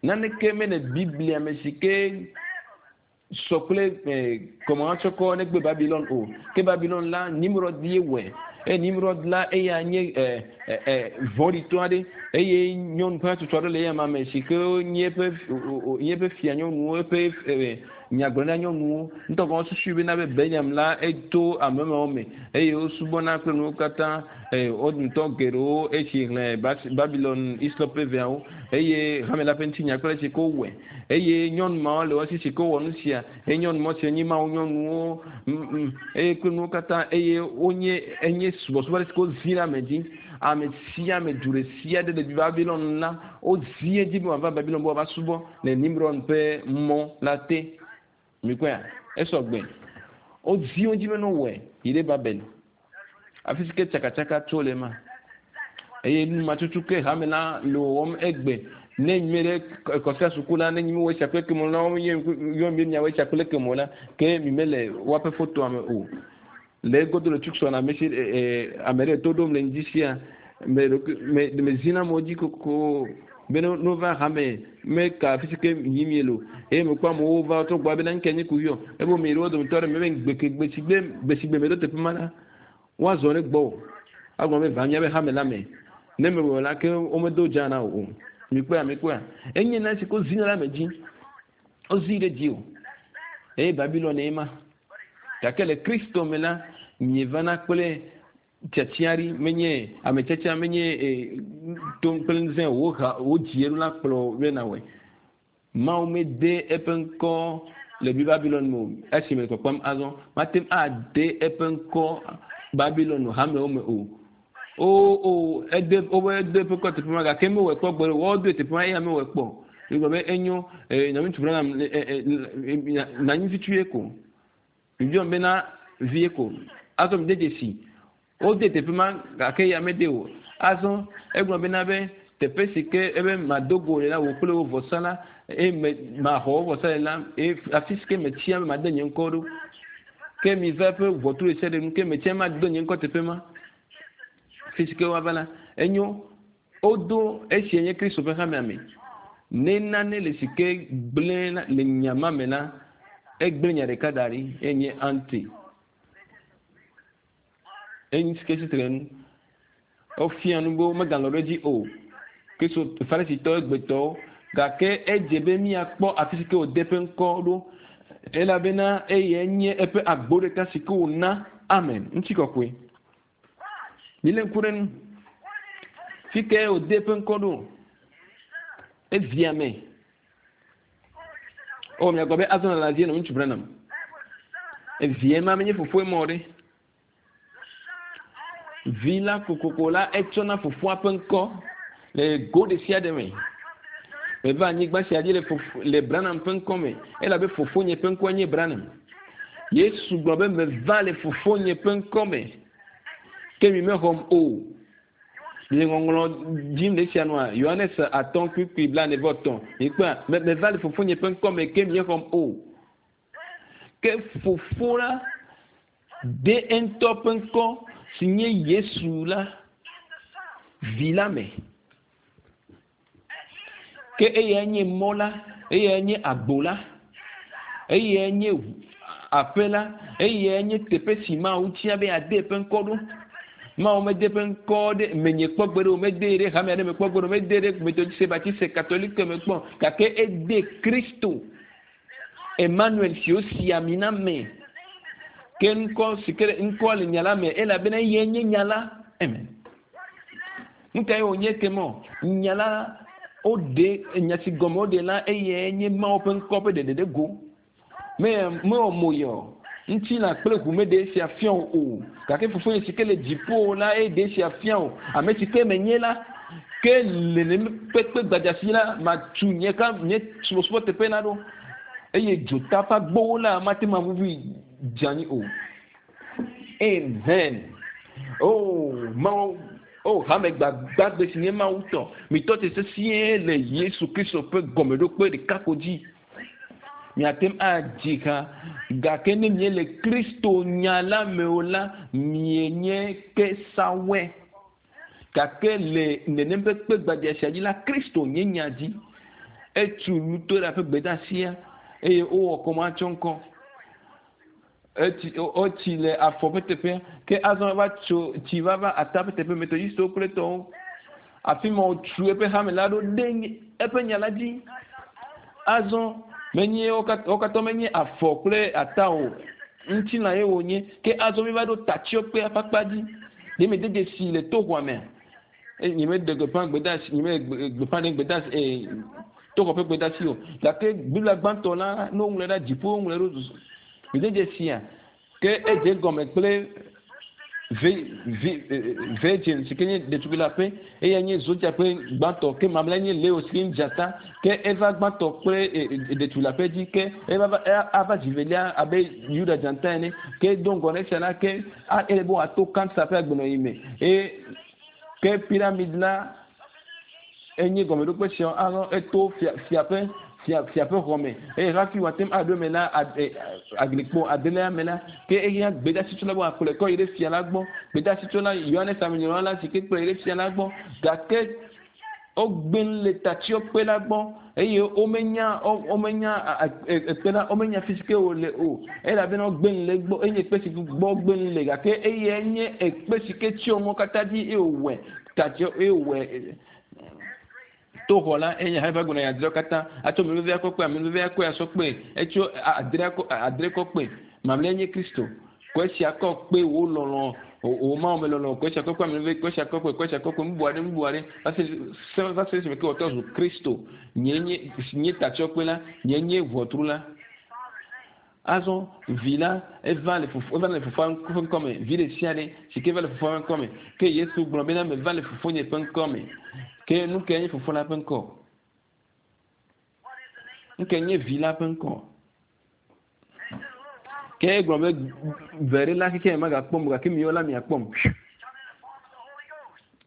Naneke mele Biblia me si ke sɔ kple kɔmahatsɔkɔ negbe Babilon o. Ke Babilon la, Nimrod ye wɔe. Eye Nimrod la, eya nye vɔ̃ɖitɔ aɖe eye nyɔnu ƒe hatsotso aɖe le eya ma me si ke nye eƒe nye eƒe fia nyɔnuwo, eƒe Nyagblɔɖila nyɔnuwo ŋutɔ gɔ̃ susui bena be Beliam la eto ame mawo me eye wosubɔna kple nuwo katã. Eye wo dometɔ geɖewo esi xlẽ Babilon Hislop ƒe veawo eye hame la ƒe ŋutinya kple esi ke wowɔe. Eye nyɔnu mawo le wo si si ke wowɔ nu sia. Eye nyɔnu mawo siwo nye Mawu nyɔnuwo eye kple nuwo katã eye wonye enye subɔsubɔ aɖe si ke wozi ɖe ame dzi. Ame sia ame du ɖe sia ɖe le Babilon la wozi edzi be wòava Babilon be wòava subɔ. Le Nimrod ƒe mɔ la te. Mikpɔea? Esɔ gbe. Wodi wo dzi be ne wowɔe yi ɖe Babel. Afi si ke tsakatsaka tso le ema. Eye nu ma tutu ke hame la le wɔwɔm egbe. Ne mi ɖe kɔsia suku la, ne nyi mi wɔ esia kple kemo la, yɔ mi miawɔ esia kple kemo la, ke mi mele woaƒe fotoa me o. Le egodo le Tucson, ame si ame ɖe to ɖom le ŋdi sia, me ɖokui me me zina amewo dzi kokoko be ne wova hame me ka afi si ke yim miele o. Eye mekpɔ amewo va wotrɔ gbɔ bena ŋke nye kuxi o. Ebe mi ɖe wo dometɔ ɖe me be gbe ke gbe si gbe gbe si gbe meɖo teƒe ma la, woazɔ ɖe gbɔwò. Agblɔ be va míaƒe hame la me. Ne mewɔe o la, ke womedo dza na wò o. Mikpɔea, mikpɔea? Enye na si ke wozina ɖe ame dzi. Wozii ɖe dziwò. Eye Babilon ye ma. Gake le Kristo me la, mievana kple tiatia ɖi, menye ame tiatia, menye to kple ŋusẽ o, woha wodzi eɖo la kplɔ be nawɔe. Mawu mede eƒe ŋkɔ le Babilon me o, esi mele kpɔkpɔm azɔ. Mate ŋu ade eƒe ŋkɔ Babilon hamewo me o. O, o, ede, wobe ede eƒe ŋkɔ teƒe ma gake mewɔe kpɔ gbeɖe o. Woawo teƒe ma eya mewɔe kpɔ o. Egblɔ be enyo, e, nɔviŋutsu Branham, e, e, e, nanyi fitsu ye ko. Mibiɔm bena vie ko. Azɔ mide dzesi. Wode teƒe ma gake eya mede o. Azɔ egblɔ bena be teƒe si ke ebe mado go le la, wò kple wò vɔsa la, eye me, maxɔ wò vɔsa le la, eye afi si ke metia be made nye ŋkɔ ɖo. Ke miva eƒe ʋɔtru ɖe sia ɖe nu, ke metia mado nye ŋkɔ teƒe ma. Fi si ke woava la, enyo. Wodo esia nye Kristo ƒe hamea me. Ne nane le si ke gblẽ la, le nya ma me la, egblẽ nya ɖeka da ɖi, enye anti. Enyi si ke tsitre nu. Wofia nu be womegalɔ̃ ɖe edzi o. Kristo Farisitɔ egbetɔwo. Gake edze be míakpɔ afi si ke wòde eƒe ŋkɔ ɖo. Elabena eyae nye eƒe agbo ɖeka si ke wòna. Amen. Ŋutikɔkɔe. Milé ŋku ɖe nu. Fi kae wòde eƒe ŋkɔ ɖo? Evia me. O, miagblɔ be azɔ nɔ dzie nɔ ŋutsu Branham. Evia ma menye fofoe mɔ ɖe. Vi la kokoko la etsɔna fofoa ƒe ŋkɔ le go ɖe sia ɖe me. Meva anyigba sia dzi le fofo le Branham ƒe ŋkɔ me elabe fofonye ƒe ŋkɔe nye Branham. Yesu gblɔ be meva le fofonye ƒe ŋkɔ me, ke mi mexɔm o. Le ŋɔŋlɔ dzim le esia nua, Yohanes atɔ̃ kpukpui blaene vɔ etɔ̃, mikpɔa, me meva le fofonye ƒe ŋkɔ me ke miexɔm o. Ke fofo la de eŋutɔ ƒe ŋkɔ si nye Yesu la vi la me. Ke eyae nye mɔ la, eyae nye agbo la, eyae nye. Aƒe la, eyae nye teƒe si Mawu tia be yeade eƒe ŋkɔ ɖo. Mawu mede eƒe ŋkɔ ɖe menye kpɔ gbeɖe o, medee ɖe hame aɖe me kpɔ gbeɖe o, medee ɖe Metodiste, Baptiste, Katolike me kpɔ o, gake ede Kristo, Emmanuel si wosi ami na me. Ke ŋkɔ si ke ŋkɔa le nya la me elabena eyae nye nya la. Amen. Nu kae wònye ke mɔ? Nya la woɖe nya si gɔme woɖe la eyae nye Mawu ƒe ŋkɔ ƒe ɖeɖe ɖe go. Me mewɔ mo yɔ. Ŋutilã kple ʋu meɖe esia fia wò o, gake Fofonye si ke le dziƒo la ye ɖe esia fia wò. Ame si ke menye la, ke le nenem kpekpe gbadza si la, matu nye ka nye subɔsubɔteƒe la ɖo, eye dzota ƒe agbowo la mate ŋu aʋuʋui dze anyi o. Amen. Oh, Mawu, oh, hame gbagbagbe si nye Mawu tɔ, mitɔ te sesĩe le Yesu Kristo ƒe gɔmeɖokpe ɖeka ko dzi. Miate ŋu adzi ha, gake ne miele Kristo nya la me o la, mienye ke sawɔe. Gake le nenem ƒe kpe gbadza sia dzi la, Kristo nye nya dzi. Etu Lutora ƒe gbedeasia eye wowɔ kɔmatsɔŋkɔ. Etsi, wotsi le afɔ ƒe teƒea, ke azɔ eva tso tsi va va ata ƒe teƒe, Metodistwo kple etɔwo. Afi ma wòtu eƒe hame la ɖo ɖe eƒe nya la dzi. Azɔ menye wo katã menye afɔ kple ata o, ŋutilã ye wònye. Ke azɔ míva ɖo tatsyɔkpea ƒe akpa dzi. Ɖe miede dzesi le toxɔa mea? Eye nyemeɖe gbeƒã gbedeasi, nyemeɖe gbeƒã ɖe gbedeasi, ee, toxɔ ƒe gbedeasi o. Gake Biblia gbãtɔ la, ne woŋlɔe ɖe dziƒo, woŋlɔe ɖo mide dzesia, ke edze egɔme kple virgin si ke nye ɖetugbui la ƒe, eya nye zodia ƒe gbãtɔ, ke mamlɛ nye Leo si ke nye dzata, ke eva gbãtɔ kple ɖetugbui la ƒe dzi, ke eva va ava zi velia abe Yuda dzata ene, ke do ŋgɔ na esia la, ke ele be wòato kansa ƒe agbenɔɣi me, eye ke piramid la enye gɔmeɖokpe sia azɔ eto fia fia ƒe fia fia ƒe xɔ me eye hafi wòate ŋu aɖo eme la aglikpo adelia me la ke ehiã gbedeasitsola be wòakplɔe kɔ yi ɖe fia la gbɔ. Gbedeasitsola Yohanes Amenyrɔla la si ke kplɔe yi ɖe fia la gbɔ gake wogbe le tatsyɔkpe la gbɔ eye womenya womenya ekpe la womenya fi si ke wòle o elabena wogbe le egbɔ enye kpe si gbɔ wogbe le gake eyae nye ekpe si ke tsyɔ nuwo katã dzi eye wòwɔe tatsyɔ eye wòwɔe to xɔ la eye hafi agblɔ na adreawo katã atsɔ ame vevia kɔ kpe ame vevia kɔe asɔ kpe etsɔ adrea kɔ adre kɔ kpe mamlɛ nye Kristo kɔ esia kɔ kpe wò lɔlɔ wò Mawu me lɔlɔ kɔ esia kɔ kpe ame veve kɔ esia kɔ kpe kɔ esia kɔ kpe nubu aɖe nubu aɖe va se se va se esime ke wòtrɔ zu Kristo nye nye nye tatsyɔkpe la nye nye ʋɔtru la. Azɔ vi la eva le fofo eva le fofoa ƒe ŋkɔ me. Vi ɖe sia ɖe si ke va le fofoa ƒe ŋkɔ me. Ke Yesu gblɔ bena meva le fofonye ƒe ŋkɔ me. Ke nu kae nye fofo la ƒe ŋkɔ? Nu kae nye vi la ƒe ŋkɔ? Ke egblɔ be ve ɖe la xexea me magakpɔm o gake miwo la miakpɔm.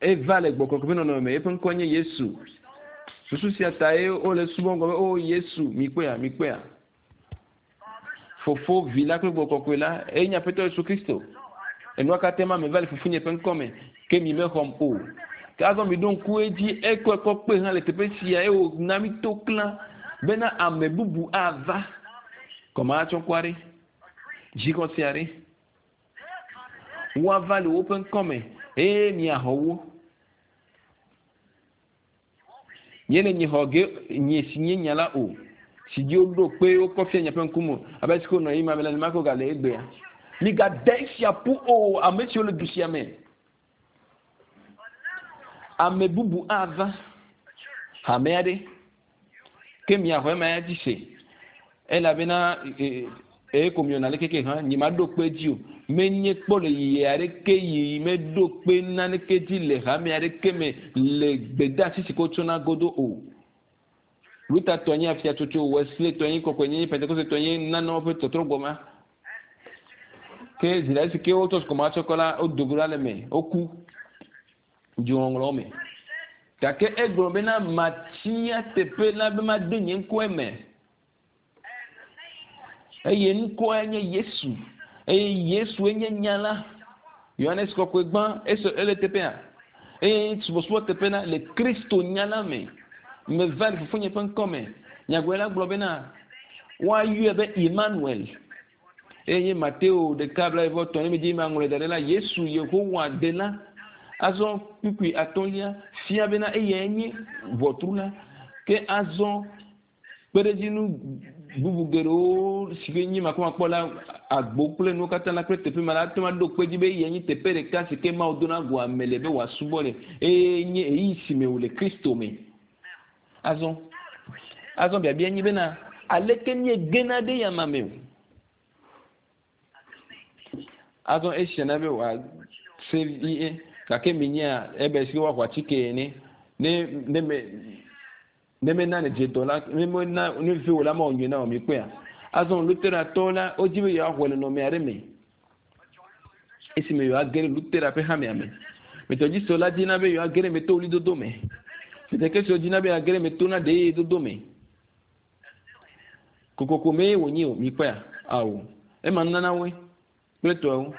Eva le gbɔgbɔ ƒe nɔnɔme me. Eƒe ŋkɔ nye Yesu. Susu sia tae wole subɔm gblɔ be o Yesu, mikpɔea, mikpɔea. Fofo, Vi la kple Gbɔgbɔ Kɔkɔe la, eye nye Aƒetɔ Yesu Kristo. Enua katã ma meva le Fofonye ƒe ŋkɔ me, ke mi mexɔm o. Ke azɔ miɖo ŋku edzi, ekɔe kɔ kpe hã le teƒe sia, eye wòna mi to klã bena ame bubu ava. Kɔmahatsɔŋkɔ aɖe, dzixɔse aɖe, woava le woƒe ŋkɔ me, eye miaxɔ wo. Nye le nye xɔ ge nye si nye nya la o, si dzi woɖo kpe wokɔ fia miaƒe ŋkume o, abe alesi ke wonɔ ɣeyiɣi ma me la, nenema ke wogale egbea. Migade esia ƒu o, ame siwo le du sia me. Ame bubu ava hame aɖe, ke miaxɔ ema ya dzi se, elabena eye ko miɔna le keke hã, nyemaɖo kpe edzi o. Menye kpɔ le yiyi aɖeke yi meɖo kpe naneke dzi le hame aɖeke me le gbedeasi si ke wotsɔna godo o. Luther tɔ nye afiatsotso, Wesley tɔ nye kɔkɔenyenye, Pentekoste tɔ nye nanewo ƒe tɔtrɔgbɔ ma. Ke zi ɖe esi ke wotsɔ sukɔmatsɔkɔ la, wodo go ɖa le eme, woku dzoŋɔŋlɔwo me. Gake egblɔ bena, Matia teƒe la be made nye ŋkɔ eme. Eye ŋkɔe nye Yesu. Eye Yesue nye nya la. Yohanes kɔkɔe gbã, eso ele teƒea. Eye subɔsubɔ teƒe la le Kristo nya la me. Meva le fofonye ƒe ŋkɔ me. Nyagblɔɖila gblɔ bena, woayɔe be Emmanuel. Eye nye Mateo ɖeka blaeve-vɔ-etɔ̃ ne medzi maŋlɔe da ɖe la, Yesu Yehowa ɖela. Azɔ kpukpui atɔ̃lia fia bena eyae nye ʋɔtru la. Ke azɔ kpeɖedzinu bubu geɖewo si ke nye makpɔmakpɔ la, agbo kple nuwo katã la kple teƒe ma la ate ŋu aɖo kpe edzi be eyae nye teƒe ɖeka si ke Mawu dona go ame le be wòasubɔ le eye nye ɣeyiɣi si me wòle Kristo me. Azɔ, azɔ biabia nye bena, aleke míegena ɖe eyama me o? Azɔ esia na be wòase vie, gake minyea ebe si woaxɔ atike ene. Ne ne me ne mena nèdze dɔ la, ne mena ne viwò la mewɔ nyuie na wò, mikpɔea? Azɔ Luteratɔwo la, wodi be yewoaxɔe le nɔnɔme aɖe me esime yewoage ɖe Lutera ƒe hamea me. Metɔdzistɔwo la dina be yewoage ɖe eme to ɣlidodo me. Pentekostwo dina be yewoage ɖe eme to na ɖeyedodo me. Kokoko mee wònye o, mikpɔea? Ao. Ema nunana woe kple tɔewo.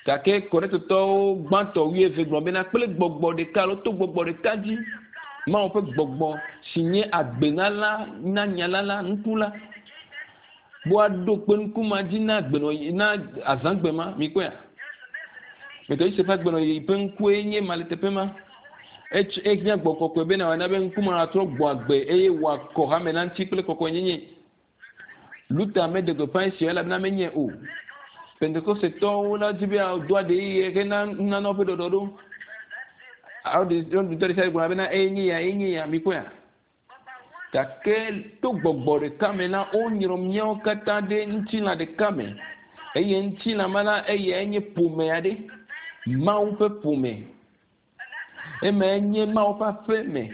Gake Korintotɔwo gbãtɔ wuieve gblɔ bena kple gbɔgbɔ ɖeka alo to gbɔgbɔ ɖeka dzi, Mawu ƒe gbɔgbɔ si nye agbenala na nyala la, nuku la, woaɖo kpe nuku ma dzi na agbenɔɣi, na azãgbe ma. Mikpɔea? Metɔdzi ƒe agbenɔɣi ƒe ŋkue nye ma le teƒe ma. Etsɔ ehiã gbɔ kɔkɔe bena wòana be ŋku ma natrɔ gbɔ agbe eye wòakɔ hame la ŋuti kple kɔkɔenyenye. Luther meɖe gbeƒã esia elabena menyae o. Pentekostetɔwo la di be yewoado aɖe ɣeyiɣi hena nunana woƒe ɖɔɖɔɖo. Wo dometɔ ɖe sia ɖe gblɔna bena eye nye ya, eye nye ya. Mikpɔea? Gake to gbɔgbɔ ɖeka me la, wonyrɔ míawo katã ɖe ŋutilã ɖeka me. Eye ŋutilã ma la, eyae nye ƒome aɖe, Mawu ƒe ƒome. Emae nye Mawu ƒe aƒe me.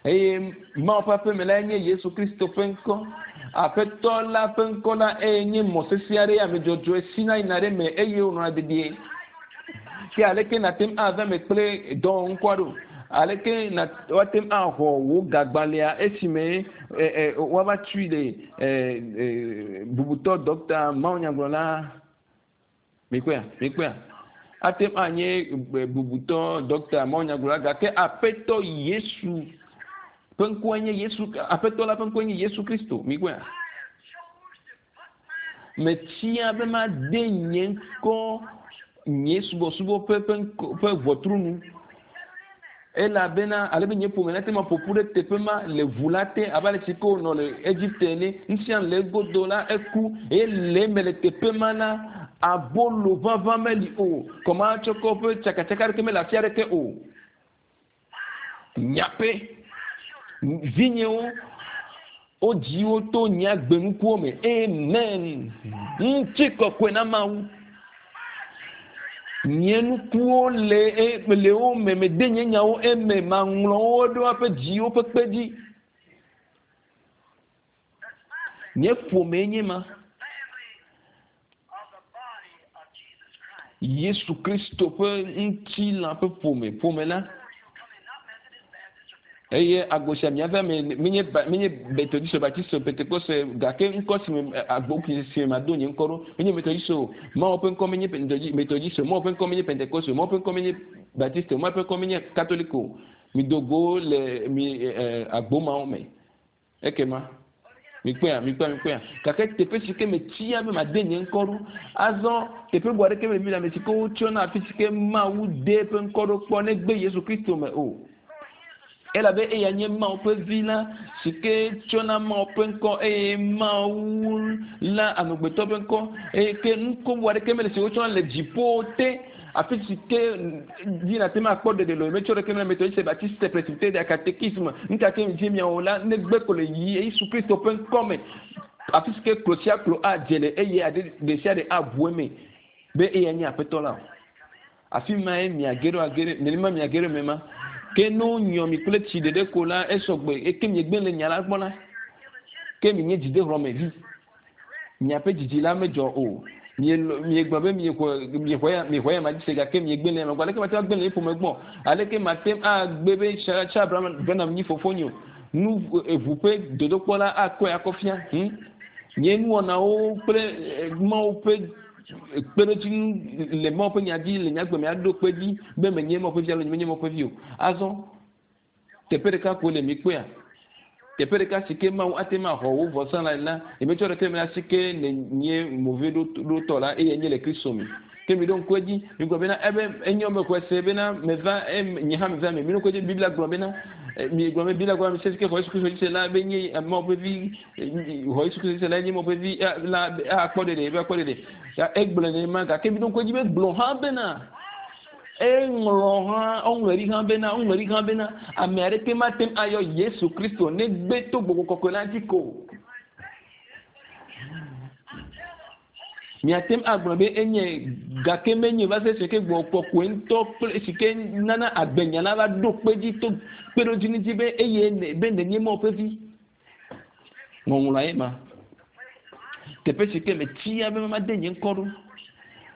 Eye Mawu ƒe aƒe me lae nye Yesu Kristo ƒe ŋkɔ. Aƒetɔ la ƒe ŋkɔ la eye nye mɔ sesẽ aɖe ame dzɔdzɔe sina yina ɖe eme eye wònɔna dedie. Ke aleke nàte ŋu ava eme kple dɔwɔŋkɔa ɖo? Aleke na woate ŋu axɔ wò gagbalẽa esime e, e, woava tui le e, e, bubutɔ ɖɔkta mawunyagblɔla? Mikpɔea? Mikpɔea? Ate ŋu anye bubutɔ ɖɔkta mawunyagblɔla gake Aƒetɔ Yesu ƒe ŋkɔe nye Yesu, Aƒetɔ la ƒe ŋkɔe nye Yesu Kristo. Mikpɔea? Metia be made nye ŋkɔ nye subɔsubɔ ƒe ƒe ŋkɔ ƒe ʋɔtru nu. Elabena ale be nye ƒome nate ŋu aƒo ƒu ɖe teƒe ma le ʋu la te abe ale si ke wònɔ le Egipte ene. Nu sia nu le egodo la, eku eye le eme le teƒe ma la, abolo ʋaʋã meli o, kɔmatsɔkɔ ƒe tsakatsaka aɖeke mele afi aɖeke o. Nyaƒe, vinyewo, wodzi wo to nye agbenukuwo me. Amen. Ŋutikɔkɔe na Mawu. Nye nukuwo le e, le wo me, mede nye nyawo eme, maŋlɔ wo ɖe woaƒe dziwo ƒe kpe dzi. Nye ƒomee nye ma. Yesu Kristo ƒe ŋutilã ƒe ƒome, ƒome la. Eye agbo sia miava me menye menye Metodist, Baptist, Pentekoste, gake ŋkɔ si me agbo si me mado nye ŋkɔ ɖo menye Metodist o. Mawu ƒe ŋkɔ menye Metodist, Mawu ƒe ŋkɔ menye Pentekoste, Mawu ƒe ŋkɔ menye Baptist, Mawu ƒe ŋkɔ menye Katoliko. Mido go le mi agbo mawo me. Ekema, mikpɔea, mikpɔea, mikpɔea. Gake teƒe si ke metia be made nye ŋkɔ ɖo. Azɔ, teƒe bubu aɖeke mele Biblia me si ke wotsɔna afi si ke Mawu de eƒe ŋkɔ ɖo kpɔ negbe Yesu Kristo me o. Elabe eya nye Mawu ƒe Vi la si ke tsɔna Mawu ƒe ŋkɔ eye Mawu la amegbetɔ ƒe ŋkɔ eye ke ŋkɔ bubu aɖeke mele si wotsɔna le dziƒo te Afi si ke dzi nàte ŋu akpɔ ɖeɖe le o, metsɔ ɖeke mele Methodiste, Baptiste, Presbyterian, Catéchisme, nuka ke dzi miawɔ la, negbe ko le Yesu Kristo ƒe ŋkɔ me. Afi si ke klo sia klo adze le eye aɖe ɖesiaɖe aʋu eme be eyae nye Aƒetɔ la o. Afi mae miage ɖo age ɖe, nenema miage ɖo eme ma. Ke ne wonyɔ mi kple tsi ɖeɖe ko la, esɔgbe, eke miegbe le nya la gbɔ la, ke minye dzidehlɔ̃mevi. Miaƒe dzidzi la medzɔ o. Mielɔ, miegblɔ be miexɔ, miexɔ ya, miexɔ ya ma dzi se gake miegbe le eme gbɔ. Aleke mate ŋu agbe le nye ƒome gbɔ? Aleke mate ŋu agbe be Charles Branham nyi fofonye o? Nu, eʋu ƒe dodokpɔ la akɔe akɔ fia. Hm? Nye nuwɔnawo kple Mawu ƒe kpeɖodzinu le Mawu ƒe nya dzi le nye agbe me aɖo kpe edzi be menye Mawu ƒe vi alo nyemenye Mawu ƒe vi o. Azɔ, teƒe ɖeka koe le mikpɔea? Teƒe ɖeka si ke Mawu ate ŋu axɔ wò vɔsa la le la, nyemetsɔ ɖeke me ɖe asi ke nènye moveɖotɔ la, eye nye le Kristo me. Ke miɖo ŋku edzi, migblɔ bena, ebe enyo mexɔe se bena meva, nye hã meva eme. Miɖo ŋku edzi, Biblia gblɔ bena, miegblɔ be Biblia gblɔ ame sia si ke xɔ Yesu Kristo dzi se la be nye Mawu ƒe vi, xɔ Yesu Kristo dzi se la nye Mawu ƒe vi la akpɔ ɖeɖe, be akpɔ ɖeɖe. Ya egblɔe nenema gake miɖo ŋku edzi be gblɔ hã bena eŋlɔ hã, woŋlɔe ɖi hã bena, woŋlɔe ɖi hã bena ame aɖeke mate ŋu ayɔ Yesu Kristo negbe to gbɔgbɔ kɔkɔe la dzi ko. Miate ŋu agblɔ be enye gake menye va se esi ke gbɔgbɔ kɔkɔe ŋutɔ kple esi ke nana agbenya la va ɖo kpe dzi to kpeɖodzinu dzi be eye be nènye Mawu ƒe vi. Ŋɔŋlɔa ye ma. Teƒe si ke metia be made nye ŋkɔ ɖo.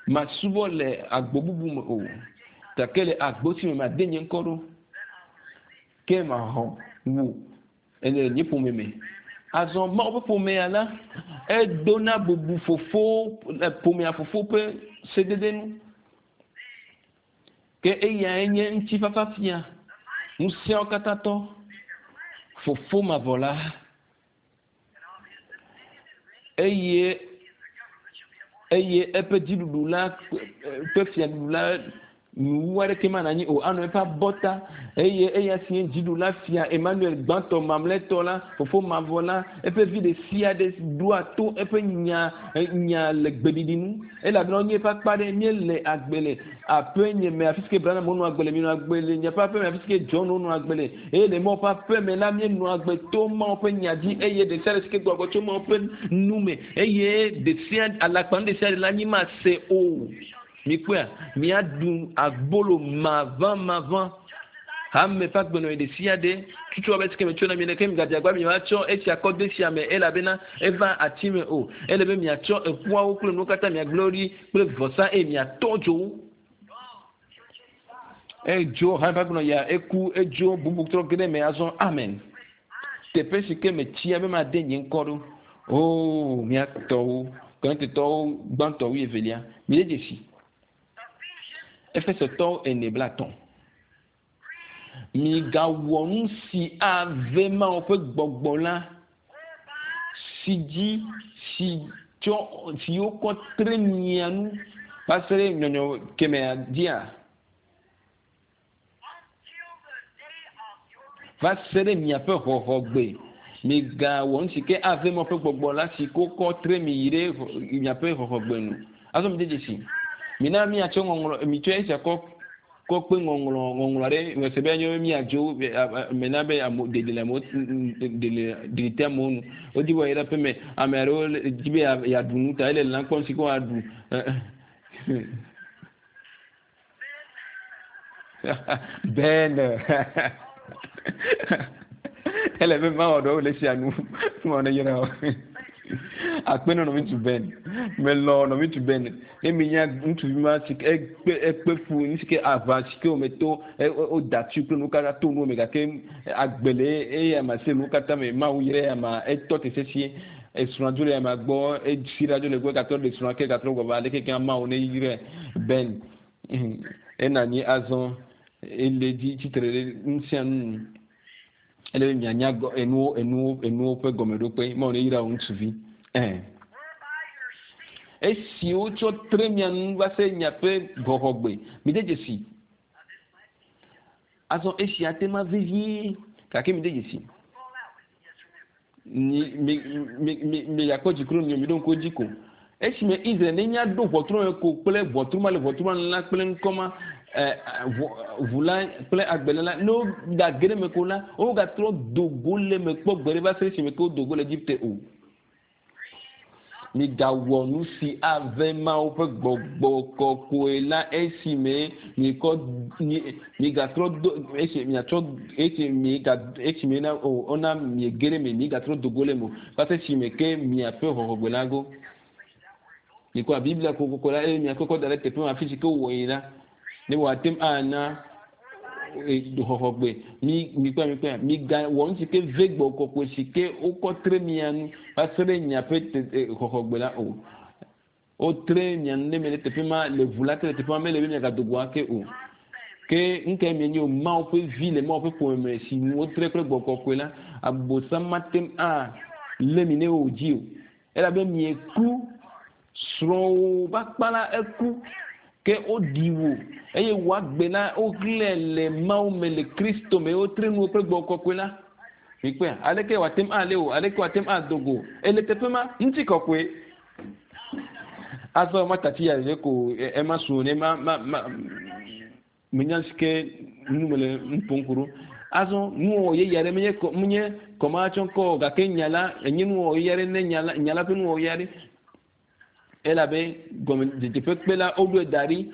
Masubɔ le agbo bubu me o. Gake le agbo si me made nye ŋkɔ ɖo. Ke maxɔ wò le nye ƒome me. Azɔ Mawu ƒe ƒomea la, edona bubu fofo, ƒomea fofo ƒe sedede nu. Ke eyae nye ŋutifafa fia, ŋusẽawo katã tɔ, fofo mavɔ la. Eye eye eƒe dziɖuɖu la ƒe fiaɖuɖu la nuwu aɖeke manɔ anyi o, anɔ eƒe abɔta, eye eya si nye dziɖula fia Emmanuel gbãtɔ mamlɛtɔ la, fofo mavɔ la, eƒe vi ɖe sia ɖe ɖoa to eƒe nya nya le gbeɖiɖi nu, elabena wonye eƒe akpa ɖe. Míele agbe le aƒe nye me, afi si ke Branham wonɔ agbe le, míenɔ agbe le nye ƒe aƒe me, afi si ke John wonɔ agbe le, eye le Mawu ƒe aƒe me la, míenɔ agbe to Mawu ƒe nya dzi, eye ɖe sia ɖe si ke gbɔgbɔ tso Mawu ƒe nu me, eye ɖe sia alakpanu ɖe sia ɖe la, mímase o. Mikpɔea? Miaɖu abolo maʋãmaʋã. Hame ƒe agbenɔɣi ɖesiaɖe tutu abe esike metsɔ na mi ene, ke migadze agbagba be miatsɔ esia kɔ de esia me, elabena eva ati me o. Ele be miatsɔ eƒuawo kple nuwo katã miagblẽ wo ɖi kple vɔsa eye miatɔ dzo wo. Edzo hame ƒe agbenɔɣia, eku, edzo, bubu trɔ ge ɖe eme azɔ. Amen. Teƒe si ke metsia be made nye ŋkɔ ɖo. Oo, mía tɔwo, Korintotɔwo gbãtɔ wuievelia, mide dzesi. Efesotɔwo ene blaetɔ̃. Migawɔ nu si ave Mawu ƒe gbɔgbɔ la, si dzi si tsɔ si wokɔ tre mia nu va se ɖe nyɔnyɔ kemɛa dzia? Va se ɖe miaƒe xɔxɔgbe. Migawɔ nu si ke ave Mawu ƒe gbɔgbɔ la si wokɔ tre mi yi ɖe miaƒe xɔxɔgbe nu. Azɔ mide dzesi. Mina míatsɔ ŋɔŋlɔ, mitsɔ esia kɔ kɔ kpe ŋɔŋlɔ ŋɔŋlɔ aɖe mese be anyo be míadzo me na be ame ɖeɖi le amewo ɖeɖi te amewo nu. Wodi be woayi ɖe aƒeme. Ame aɖewo di be yeaɖu nu ta ele lã kpɔm si ke woaɖu. Ben ele be mawɔ ɖewo le sia nu mawɔ ne yra o akpe ne nɔvi ŋutsu Ben melɔ nɔvi ŋutsu Ben ne mi nya ŋutsuvi ma si ke ekpe ekpe fu nu si ke aʋa si ke wome to woda tsi kple nuwo katã to nuwo me gake agbe le eya ma se nuwo katã me Mawu yra eya ma etɔ te sesĩe esrɔ̃a dzo le eya ma gbɔ esi ɖa dzo le gbɔ gatrɔ ɖe srɔ̃a ke gatrɔ gbɔ va aleke ke Mawu ne yrae Ben Ena anyi azɔ ele dzi tsitre ɖe nu sia nu nu. Ele be mianya enuwo enuwo enuwo ƒe gɔmeɖokpe. Mawu ne yra wò ŋutsuvi. Ɛhɛn. Esi wotsɔ tre mia nu va se miaƒe xɔxɔgbe. Mide dzesi. Azɔ esia te ma vevie gake mide dzesi. Mi mi mi mi migakpɔ dziku ɖe mi ɖo ŋku edzi ko. Esime Israel nenya ɖo ʋɔtru me ko kple ʋɔtru ma le ʋɔtru ma la kple ŋkɔ ma ʋu la kple agbele la ne wogage ɖe eme ko la wogatrɔ do go le eme kpɔ gbeɖe va se ɖe esime ke wodo go le Egipte o. Migawɔ nu si ave Mawu ƒe gbɔgbɔ kɔkɔe la esime miekɔ migatrɔ do esi miatrɔ esi miega esime na o wona miege ɖe eme migatrɔ do go le eme o va se esime ke miaƒe xɔxɔgbe la go. Mikɔ Biblia kokoko la eye miakɔkɔ da ɖe teƒe ma afi si ke wowɔ yi la ne wòate ŋu ana xɔxɔgbe mi mikpɔe mikpɔe migawɔ nu si ke ve gbɔ kɔkɔe si ke wokɔ tre mia nu va se ɖe miaƒe xɔxɔgbe la o. Wotre mia nu ɖe me ɖe teƒe ma le ʋu la te le teƒe ma mele be miagado go ake o. Ke nukae mienye o? Mawu ƒe vi le Mawu ƒe ƒome me si nu wotre kple Gbɔgbɔ Kɔkɔe la, Abosam mate ŋu alé mi ne wòdzi o. Elabe mieku, srɔ̃wò ƒe akpa la eku, ke woɖi wò eye wò agbe la woxlẽe le Mawu me le Kristo me, wotre nuwò kple Gbɔgbɔ Kɔkɔe la. Mikpɔea? Aleke wòate ŋu alé wò? Aleke wòate ŋu ado go? Ele teƒe ma, ŋutikɔkɔe. Azɔ matati ya ɖeɖe ko ema su ne ma ma ma menya si ke nu mele nu ƒom ku ɖo. Azɔ nuwɔwɔ yeye aɖe menye kɔ menye kɔmatsɔ ŋkɔ o gake nya la enye nuwɔwɔ yeye aɖe ne nya la nya la ƒe nuwɔwɔ yeye aɖe. Elabe gɔmedzedze ƒe kpe la woɖoe da ɖi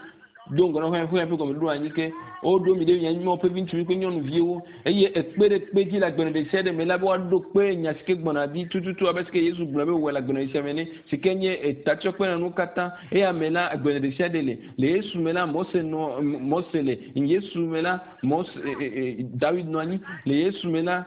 do ŋgɔ na xexea ƒe gɔmeɖoɖo anyi ke woɖo mi ɖe mia Mawu ƒe viŋutsuvi kple nyɔnuviwo eye ekpe ɖe kpe dzi le agbenɔɖe ɖe sia ɖe me la be woaɖo kpe nya si ke gbɔna ɖi tututu abe si ke Yesu gblɔ be wòwɔe le agbenɔɖe sia me ene si ke nye etatsɔkpe na nuwo katã. Eya me la agbenɔɖe ɖe sia ɖe le. Le Yesu me la Mose nɔ Mose le. Yesu me la Mose Dawid nɔ anyi. Le Yesu me la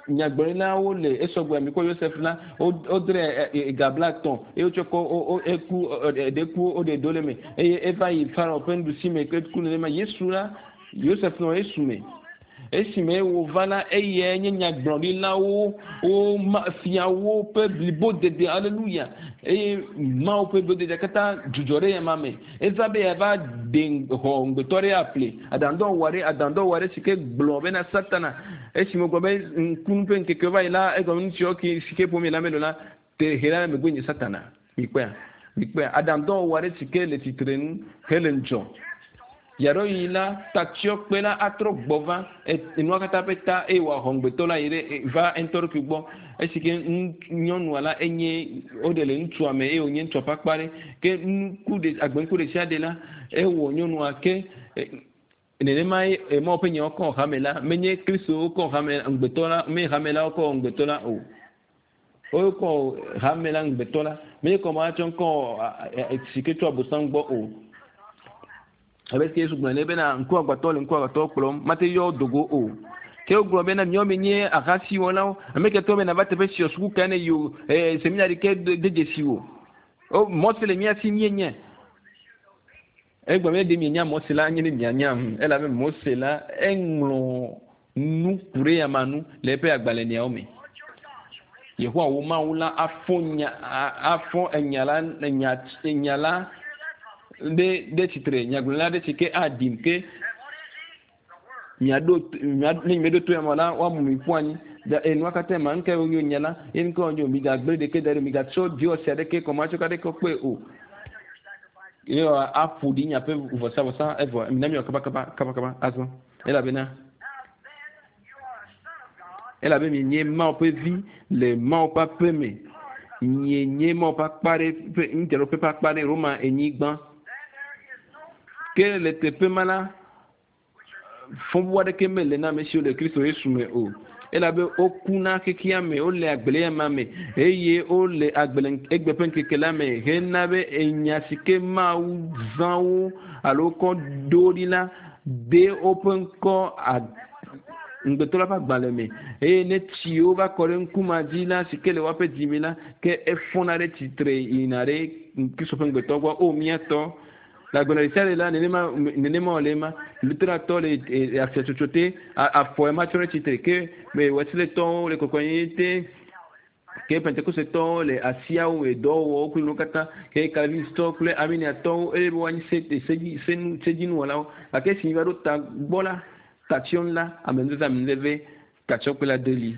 Nyagblɔɖilawo le esɔgbe amikɔ Yosef la, wodre ga 50 eye wotsɔ kɔ eku eɖe ku woɖe do le me eye eva yi Farao ƒe nuɖusi me ku nenema. Yesu la, Yosef nɔ Yesu me. Esime wòva la, eyae nye nyagblɔɖilawo wo fiawo ƒe blibodede. Aleluya! Eye Mawu ƒe blibodede katã dzudzɔ ɖe eyama me. Eva be yeava ɖe xɔ ŋugbetɔ aɖe aƒle aɖaŋudɔwɔwɔ aɖe, aɖaŋudɔwɔwɔ aɖe si ke gblɔ bena Satana, esime wògblɔ be ŋkunu ƒe ŋkekewo va yi la, egɔme nu siwo ke si ke ƒom yele ame ɖo la, te he la megbe nye Satana. Mikpɔea? Mikpɔea? Aɖaŋudɔwɔwɔ aɖe si ke le tsitre nu hele ŋudzɔ. Yaɖoɣi la, tatsyɔkpe la atrɔ gbɔ va enua katã ƒe ta eye wòaxɔ ŋugbetɔ la yi ɖe va eŋutɔ ɖokui gbɔ. Esi ke nyɔnua la enye woɖe le ŋutsua me eye wònye ŋutsua ƒe akpa ɖe. Ke nuku ɖe agbenuku ɖe sia ɖe la, ewɔ nyɔnua ke nenema ye Mawu ƒe nyawo kɔ hame la. Menye Kristo wokɔ hame ŋugbetɔ la, menye hame la wokɔ ŋugbetɔ la o. Wokɔ hame la ŋugbetɔ la. Menye kɔ matsɔ ŋkɔ si ke tso Abosam gbɔ o. Abe si Yesu gblɔ ene bena ŋkuagbãtɔ le ŋkuagbãtɔ kplɔm, mate yɔ do go o. Ke wogblɔ bena miawo mienye ahasiwɔlawo, ame ke tɔ be nava teƒe sia suku kae ne yi o, ee, seminari ke de dzesi o. O, Mose le mía si míenye. Egblɔ be ɖe mienya Mose la, anye ne mianyam, elabe Mose la eŋlɔ nu ku ɖe eyama nu le eƒe agbalẽliawo me. Yehowa wò Mawu la afɔ nya, afɔ enya la, enya, enya la ɖe, ɖe tsitre, nyagblɔɖila ɖe si ke aɖim ke miaɖo, mia, ne nyemeɖo to ya me la, woamu mi ƒu anyi. Da, e, nua katã ma, nuka wonyo nya la, ye nuka wonyo, migagblẽ ɖeke da ɖi, migatsɔ dziwɔsi aɖeke, kɔmatsɔka aɖeke kpɔe o. Ye aƒo ɖi miaƒe vɔsavɔsa evɔ, mina miawɔ kabakaba, kabakaba azɔ. Elabena, elabe mienye Mawu ƒe vi le Mawu ƒe aƒe me. Mienye Mawu ƒe akpa ɖe ƒe ŋudzraɖoƒe ƒe akpa ɖe Roma enyigba. Ke le teƒe ma la, fɔbubu aɖeke mele na ame siwo le Kristo Yesu me o. Elabe woku na xexea me, wole agbe le ema me eye wole agbe le egbe ƒe ŋkeke la me hena be enya si ke Mawu zã wo alo kɔ ɖo ɖi la de woƒe ŋkɔ ŋugbetɔ la ƒe agbalẽ me eye ne tsiwo va kɔ ɖe ŋku ma dzi la si ke le woaƒe dzi me la ke efɔna ɖe tsitre yina ɖe Kristo ƒe ŋugbetɔ gbɔ. O mía tɔ, le agbenɔ ɖe sia ɖe la nenema nenema wòle ema. Luteratɔ le afiatsotso te, afɔ ema tsɔ ɖe tsitre ke Wesletɔwo le kɔkɔenyenye te, ke Pentekostetɔwo le asiawo me dɔwɔwɔwo kple nuwo katã, ke Calvinistɔwo kple Arminiatɔwo eye be woanyi se sedzi senu sedzinuwɔlawo. Gake esi míva ɖo ta gbɔ la, tatsyɔnu la, amenuveve amenuveve tatsyɔkpe la deli.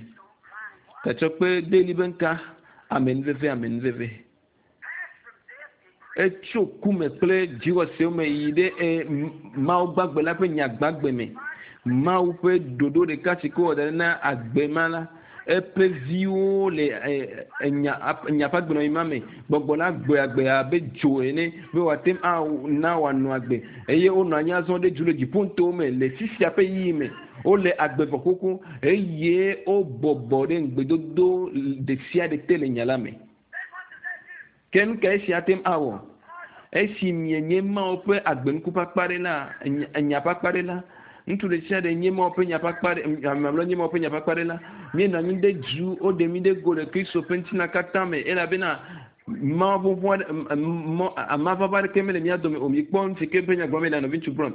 Tatsyɔkpe deli be ŋka amenuveve amenuveve. Etso ku me kple dziwɔsewo me yi ɖe e, Mawu gbagbe la ƒe nya gbagbe me. Mawu ƒe ɖoɖo ɖeka si ke wɔ da ɖi na agbe ma la, eƒe viwo le enya enya ƒe agbenɔɣi ma me. Gbɔgbɔ la gbɔe agbe abe dzo ene be wòate ŋu ana wòanɔ agbe eye wonɔ anyi azɔ ɖe dzu le dziƒonutowo me le fifia ƒe ɣeyiɣi me. Wole agbe vɔ xoxo eye wobɔbɔ ɖe ŋugbedodo ɖe sia ɖe te le nya la me. Ke nu kae esia ate ŋu awɔ? Esi mienye Mawu ƒe agbenuku ƒe akpa ɖe la, nya ƒe akpa ɖe la, ŋutsu ɖe sia ɖe nye Mawu ƒe nya ƒe akpa ɖe, ame mamlɛwo nye Mawu ƒe nya ƒe akpa ɖe la, míenɔ anyi ɖe du, woɖe mí ɖe go le Kristo ƒe ŋutilã katã me, elabena Mavɔvɔ aɖe amavava aɖeke mele mía dome o. Mikpɔ nu si ke ƒe nya gblɔm mele nɔviŋutsu Brown.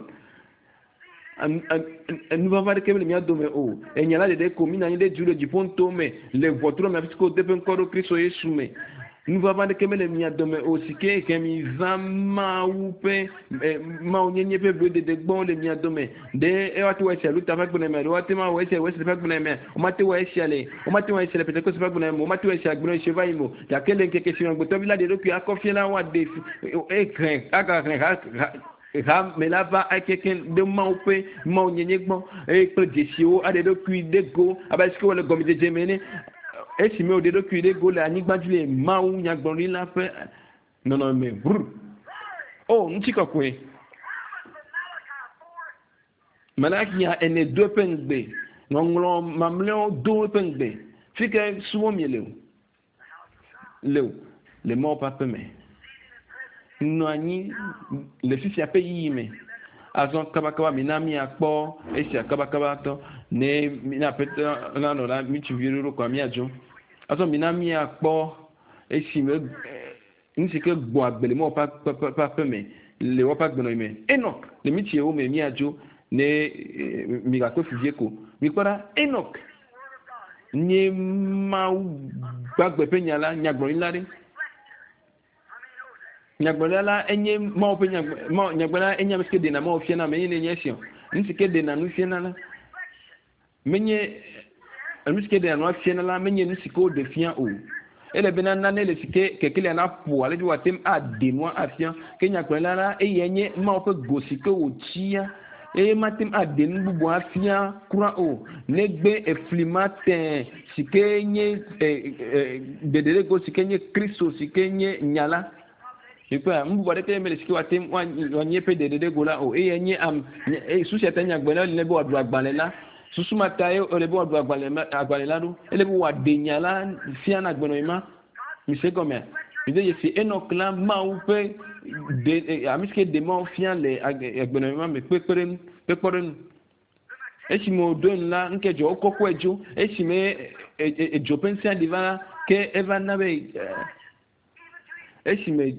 Nuvava aɖeke mele mía dome o. Enya la ɖeɖe ko míenɔ anyi ɖe du le dziƒo ŋutɔwo me le ʋɔtru me afi si ke wode ƒe ŋkɔ ɖo Kristo Yesu me. Nuvava aɖeke mele mia dome o si ke he mi va Mawu ƒe Mawunyenye ƒe vlododo gbɔ le mia dome. Ɖe woate ŋu awɔ esia Luther ƒe agbenɔɣi me alo woate ŋu awɔ esia Wesley ƒe agbenɔɣi mea? Womate ŋu awɔ esia le womate ŋu awɔ esia le Pentekoste ƒe agbenɔɣi me o, womate ŋu awɔ esia agbenɔɣi si va yi me o. Gake le ŋkeke si me Amegbetɔvi la ɖe eɖokui akɔ fia la, woaɖe ehlẽ agahlẽ ha ha hame la va ekeke ɖe Mawu ƒe Mawunyenye gbɔ eye kple dzesiwo aɖe eɖokui ɖe go abe ale si ke wòle gɔmedzedze me ene. Esime wòɖe eɖokui ɖe go le anyigba dzi le Mawu nyagblɔɖila ƒe nɔnɔme me. Brr. O, ŋutikɔkɔe! Malakia ene do eƒe ŋugbe. Ŋɔŋlɔ mamlɛawo do eƒe ŋugbe. Fi ke subɔm miele o. Le o, le Mawu ƒe aƒe me. Nɔ anyi le fifia ƒe yiyi me. Azɔ kabakaba mina míakpɔ esia kabakaba tɔ ne mina aƒetɔ nanɔ la ŋutsuvi ɖoɖo kɔa míadzo. Azɔ mina míakpɔ esi me nu si ke gbɔ agbe le Mawu ƒe aƒe me le woƒe agbenɔɣi me. Enok le mitsiewo me míadzo ne migakpe fu vie ko. Mikpɔ ɖa, Enok nye Mawu gbagbe ƒe nya la, nyagblɔɖila ɖe. Nyagblɔɖila la enye Mawu ƒe nyagblɔɖila enye ame si ke ɖena Mawu fiana ame, ye nye esi o. Nu si ke ɖena nu fiana la, menye nu si ke ɖena nua fiana la, menye nu si ke woɖe fia o. Ele bena nane le si ke kekelia naƒo ale be wòate ŋu aɖe nua afia. Ke nyagblɔɖila la, eyae nye Mawu ƒe go si ke wòtsia eye mate ŋu aɖe nu bubu afia kura o, negbe efli ma tẽ si ke nye ɖeɖeɖego si ke nye Kristo si ke nye nya la. Mikpɔa, nu bubu aɖeke mele si ke wòate ŋu wòanye eƒe ɖeɖeɖego la o. Eyae nye am, susu sia ta nyagblɔɖila le be wòaɖu agbalẽ la. Susu ma tae wòle be wòaɖu agbalẽ la ɖo. Ele be wòaɖe nya la fia na agbenɔɣi ma. Mise gɔmea? Mide dzesi Enɔk la Mawu ƒe ɖe, ame si ke ɖe Mawu fia le agbenɔɣi ma me kpekpeɖeŋu, ƒe kpɔɖeŋu. Esime wòɖo enu la, nu ke dzɔ, wokɔkɔe dzo. Esime edzo ƒe ŋusẽ ɖi va la, ke eva na be esime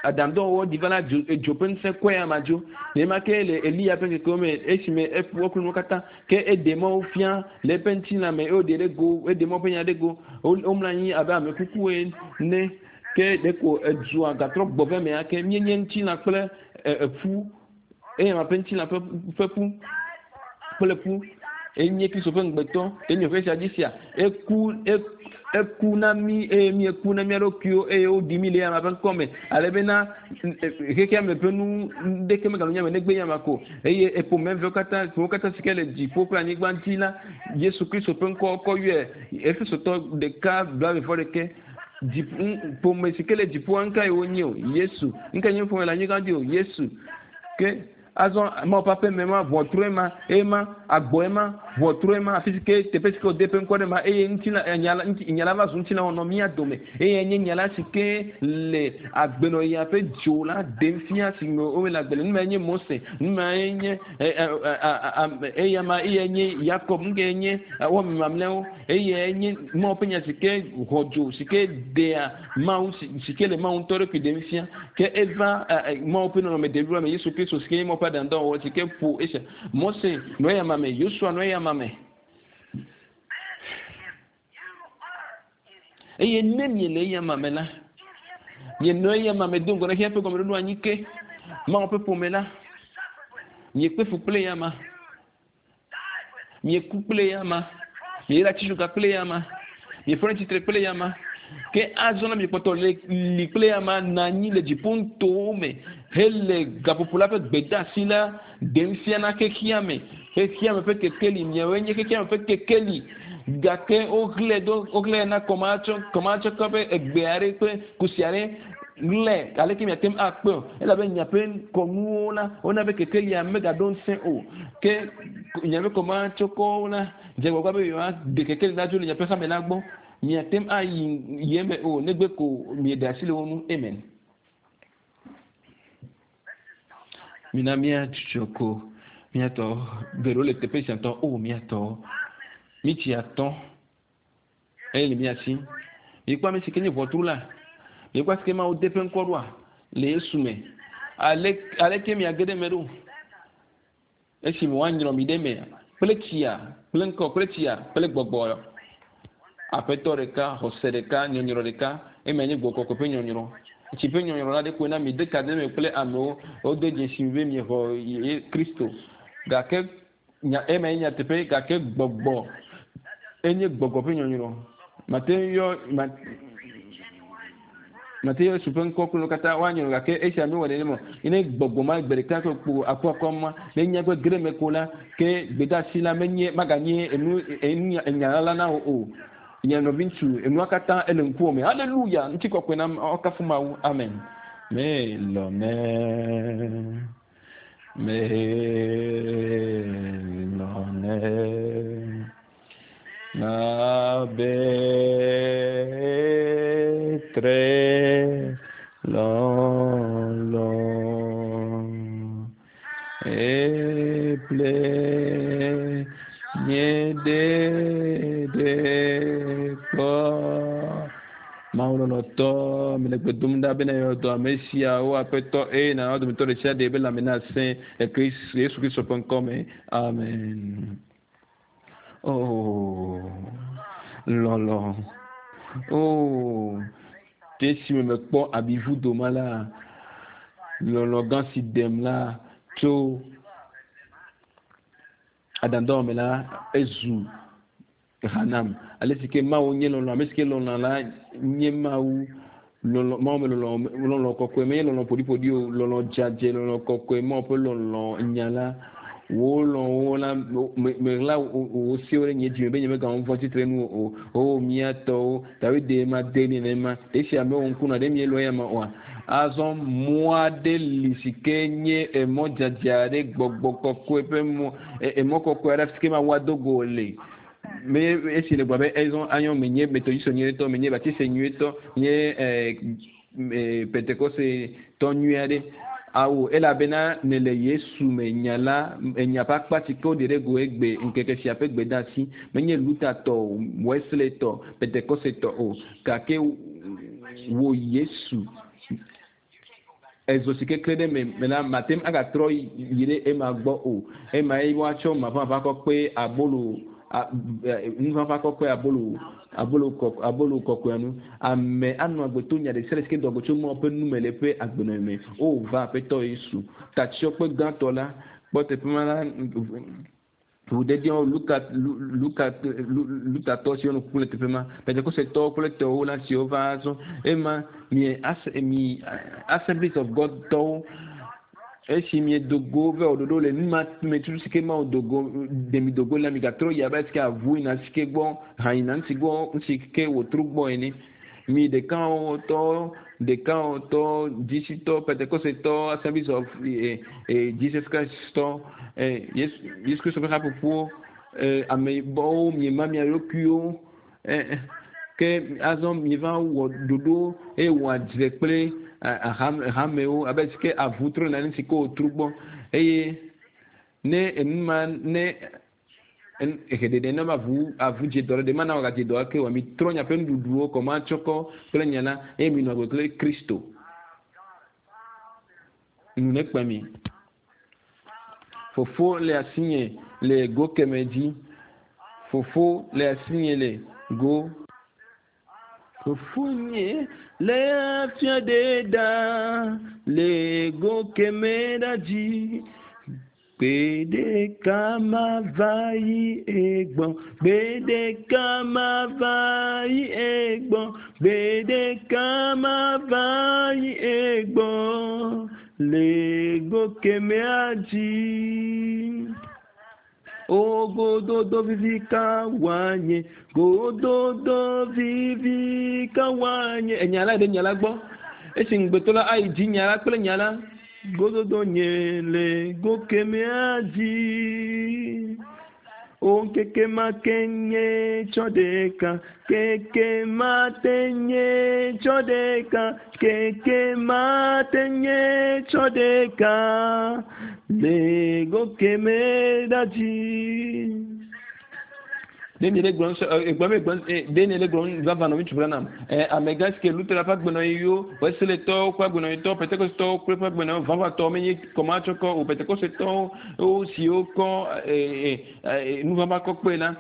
aɖaŋudɔwɔwɔ ɖi va la, dzo, edzo ƒe ŋusẽ kɔe ama dzo. Nenema ke le Eliya ƒe ŋkekewo me, esime eƒu eklo nuwo katã, ke eɖe Mawu fia le eƒe ŋutilã me eye wòɖe ɖe go, eɖe Mawu ƒe nya ɖe go. Womlɔ anyi abe ame kuku ene, ke ɖeko edua gatrɔ gbɔ va eme ake. Míenye ŋutilã kple eƒu, eya ƒe ŋutilã ƒe ƒe ƒu kple ƒu. Enye Kristo ƒe ŋugbetɔ. Enye ƒe sia dzi sia. Eku, eku na mí eye míeku na mía ɖokuiwo eye woɖi mí le eya ƒe ŋkɔ me. Ale bena xexea me ƒe nu ɖeke meganɔ mía me negbe eya ko. Eye eƒome vewo katã, ƒomewo katã si ke le dziƒo kple anyigba dzi la, Yesu Kristo ƒe ŋkɔ kɔ yɔe. Efesotɔ ɖeka blaeve-vɔ-ɖekɛ. Ƒome si ke le dziƒoa ŋkae wonye o? Yesu. Ŋkae nye ƒome le anyigba dzi o? Yesu. Ke azɔ Mawu ƒe aƒe me ma, ʋɔtrue ma, eye ma, agbɔe ma, ʋɔtrue ma, afi si ke teƒe si ke wòde eƒe ŋkɔ ɖe ma, eye ŋutilã, nya la, nya la va zu ŋutilã wònɔ mía dome. Eye nye nya la si ke le agbenɔɣia ƒe dzo la ɖem fia si me wole agbe le. Nu mae nye Mose, nu mae nye eya ma, eyae nye Yakob, nu kae nye wɔme mamlɛawo, eyae nye Mawu ƒe nya si ke xɔ dzo, si ke ɖea Mawu si ke le Mawu ŋutɔ ɖokui ɖem fia. Ke eva Mawu ƒe nɔnɔme debliboa me, Yesu Kristo si ke nye Mawu ƒe aɖaŋudɔwɔwɔ si ke ƒo esia. Mose nɔ eya ma me, Yosua nɔ eya ma me. Eye ne miele eya ma me la, mienɔ eya ma me do ŋgɔ na xexea ƒe gɔmeɖoɖo anyi ke, Mawu ƒe ƒome la, miekpe fu kple eya ma, mieku kple eya ma, mieyra atitsoga kple eya ma, miefɔ ɖe tsitre kple eya ma. Ke azɔ la miekpɔtɔ le li kple eya ma nɔ anyi le dziƒo nutowo me hele gaƒoƒo la ƒe gbedeasi la ɖem fia na xexea me. Xexea me ƒe kekeli, miawoe nye xexea me ƒe kekeli. Gake woxlẽe do, woxlẽe na kɔmatsɔ, kɔmatsɔkɔ ƒe egbe aɖe kple kusi aɖe ɣlẽ. Aleke miate ŋu akpɔe o? Elabe miaƒe kɔnuwo la, wona be kekelia megaɖo ŋusẽ o. Ke miaƒe kɔmatsɔkɔwo la, dze agbagba be yewoaɖe kekeli la dzo le miaƒe hame la gbɔ. Miate ŋu ayi yi eme o, negbe ko mieɖe asi le wo ŋu. Amen. Mina míadzudzɔ ko míatɔ geɖewo le teƒe sia ŋutɔ. O míatɔ, mítsi atɔ eye le mía si. Mikpɔ ame si ke nye ʋɔtru la. Miekpɔ asi ke Mawu de eƒe ŋkɔ ɖoa le Yesu me. Ale aleke miage ɖe eme ɖo? Esime woanyrɔ mi ɖe eme kple tsia, kple ŋkɔ, kple tsia, kple gbɔgbɔ. Aƒetɔ ɖeka, xɔse ɖeka, nyɔnyrɔ ɖeka. Ema nye gbɔgbɔ kɔkɔe ƒe nyɔnyrɔ. Tsi ƒe nyɔnyrɔ la ɖe koe na mi de ka ɖe eme kple amewo. Wode dzesi mi be miexɔ Kristo. Gake nya ema nye nyateƒe gake gbɔgbɔ enye gbɔgbɔ ƒe nyɔnyrɔ. Mate ŋu yɔ ma mate yɔ Yesu ƒe ŋkɔ kple nu katã woanyrɔ gake esia mewɔ nenema o. Ne gbɔgbɔ ma gbe ɖeka kple kpo akuakua ma ne nya gbe ge ɖe eme ko la ke gbedeasi la menye maganye enu enu enya la na wò o. Nye nɔviŋutsu, enua katã ele ŋkuwò me. Haleluya! Ŋutikɔkɔe na woakafu Mawu. Amen. Melɔ̃nɛ. Melɔ̃nɛ. Na betre lɔlɔ. Eple nye ɖeɖe kpɔ. Mawu lɔlɔtɔ, mele gbe dom ɖa bena yɔ dɔ ame siawo aƒetɔ eye na wo dometɔ ɖe sia ɖe be lãme nasẽ le Yesu Kristo ƒe ŋkɔ me. Amen. Oh, lɔlɔ. Oh, ke esime mekpɔ abivudo ma la, lɔlɔ gã si ɖem la tso adandɔ me la, ezu ha nam. Ale si ke Mawu nye lɔlɔ, ame si ke lɔlɔ la nye Mawu. Lɔlɔ, Mawu me lɔlɔ, lɔlɔ kɔkɔe menye lɔlɔ ƒoɖiƒoɖi o, lɔlɔ dzadzɛ, lɔlɔ kɔkɔe, Mawu ƒe lɔlɔ nya la. Wò lɔ̃wo la, me, meɣla wò sewo ɖe nye dzime be nyemegawɔ nu vɔ̃ tsitre nu o. O mía tɔwo, Dawid ɖe ma de nenema. Ɖe esi amewo ŋkunɔ ɖe mielɔ̃ eya ma oa? Azɔ mɔ aɖe li si ke nye emɔ dzadzɛ aɖe, gbɔgbɔ kɔkɔe ƒe mɔ, emɔ kɔkɔe aɖe afi si ke Mawu ado go le. Me esi le gblɔ be ezɔ anyɔ menye metodisɔ nyuietɔ, menye batise nyuietɔ, nye ɛ Pentekoste tɔ nyui aɖe. Awo, elabena nèle Yesu me nya la, enya ƒe akpa si ke woɖe ɖe go egbe ŋkeke sia ƒe gbedeasi. Menye Luther tɔ o, Wesley tɔ, Pentekoste tɔ o, gake wò Yesu ezo si kekle ɖe me me la, mate ŋu agatrɔ yi ɖe ema gbɔ o. Ema ye woatsɔ maʋãʋã kɔ kpe abolo, nuʋãʋã kɔ kpe abolo, abolo kɔ, abolo kɔkɔea nu. Ame anɔ agbe to nya ɖe sia ɖe si ke doa go tso Mawu ƒe nu me le eƒe agbenɔnɔ me. O, va Aƒetɔ Yesu, tatsyɔkpe gãtɔ la, kpɔ teƒe ma la, Ʋudedeawo, Luka, Luka, Lutatɔ siwo nɔ kuku le teƒe ma, Pentekosetɔwo kple tɔwo la siwo va azɔ. Ema mi, as, mi Assemblies of God tɔwo, esi miedo go vɛ wɔ ɖoɖo le nu ma me tutu si ke Mawu do go, ɖe mi do go la, migatrɔ yi abe si ke avu yina si ke gbɔ, hã yina ŋuti gbɔ, ŋuti ke wòtrɔ gbɔ ene. Mi ɖekawɔtɔ, ɖekawɔtɔ, dzisitɔ, Pentekosetɔ, Assemblies of eh, eh, Jesus Christ tɔ, eh, Yesu, Yesu Kristo ƒe haƒoƒowo, eh, ameyibɔwo, miema mia ɖokuiwo, eh, ke azɔ mieva wɔ ɖoɖo eye wɔ adzre kple hamewo abe si ke avu trɔ nane si ke wòtru gbɔ eye ne enu ma ne Eheɖeɖe na be avu avu dze dɔ ɖe ɖe mana wòagadze dɔ ake oa? Mitrɔ miaƒe nuɖuɖuwo kɔmatsɔkɔ kple nya la, eye minɔ agbe kple Kristo. Nu nekpe mi. Fofo le asinye le go keme dzi. Fofo le asinye le go. Fofonye le afia ɖe ɖa le go keme ɖa dzi. Gbe ɖeka mava yi egbɔ, gbe ɖeka mava yi egbɔ, gbe ɖeka mava yi egbɔ le go kemea dzi. O gododo vivi ka wòanye, gododo vivi ka wòanye. Enya la ɖe nya la gbɔ. Esi ŋugbetɔ la ayi dzi nya la kple nya la, gododo nye le go kemɛa dzi. O ŋkeke ma ke nye tsɔ ɖeka, keke ma te nye tsɔ ɖeka, keke ma te nye tsɔ ɖeka le go keme ɖa dzi. Ɖe mi le gblɔm sɔ egblɔm egblɔm ɖe mi le gblɔm vava nɔ ŋutsu Branham. Ɛ amegã si ke Luther ƒe agbenɔɣiwo, Wesleytɔwo ƒe agbenɔɣitɔwo, Pentekostetɔwo kple ƒe agbenɔɣi vavãtɔwo menye kɔmatsɔkɔ o. Pentekostetɔwo wo siwo kɔ ɛ ɛ nuvava kɔ kpe la,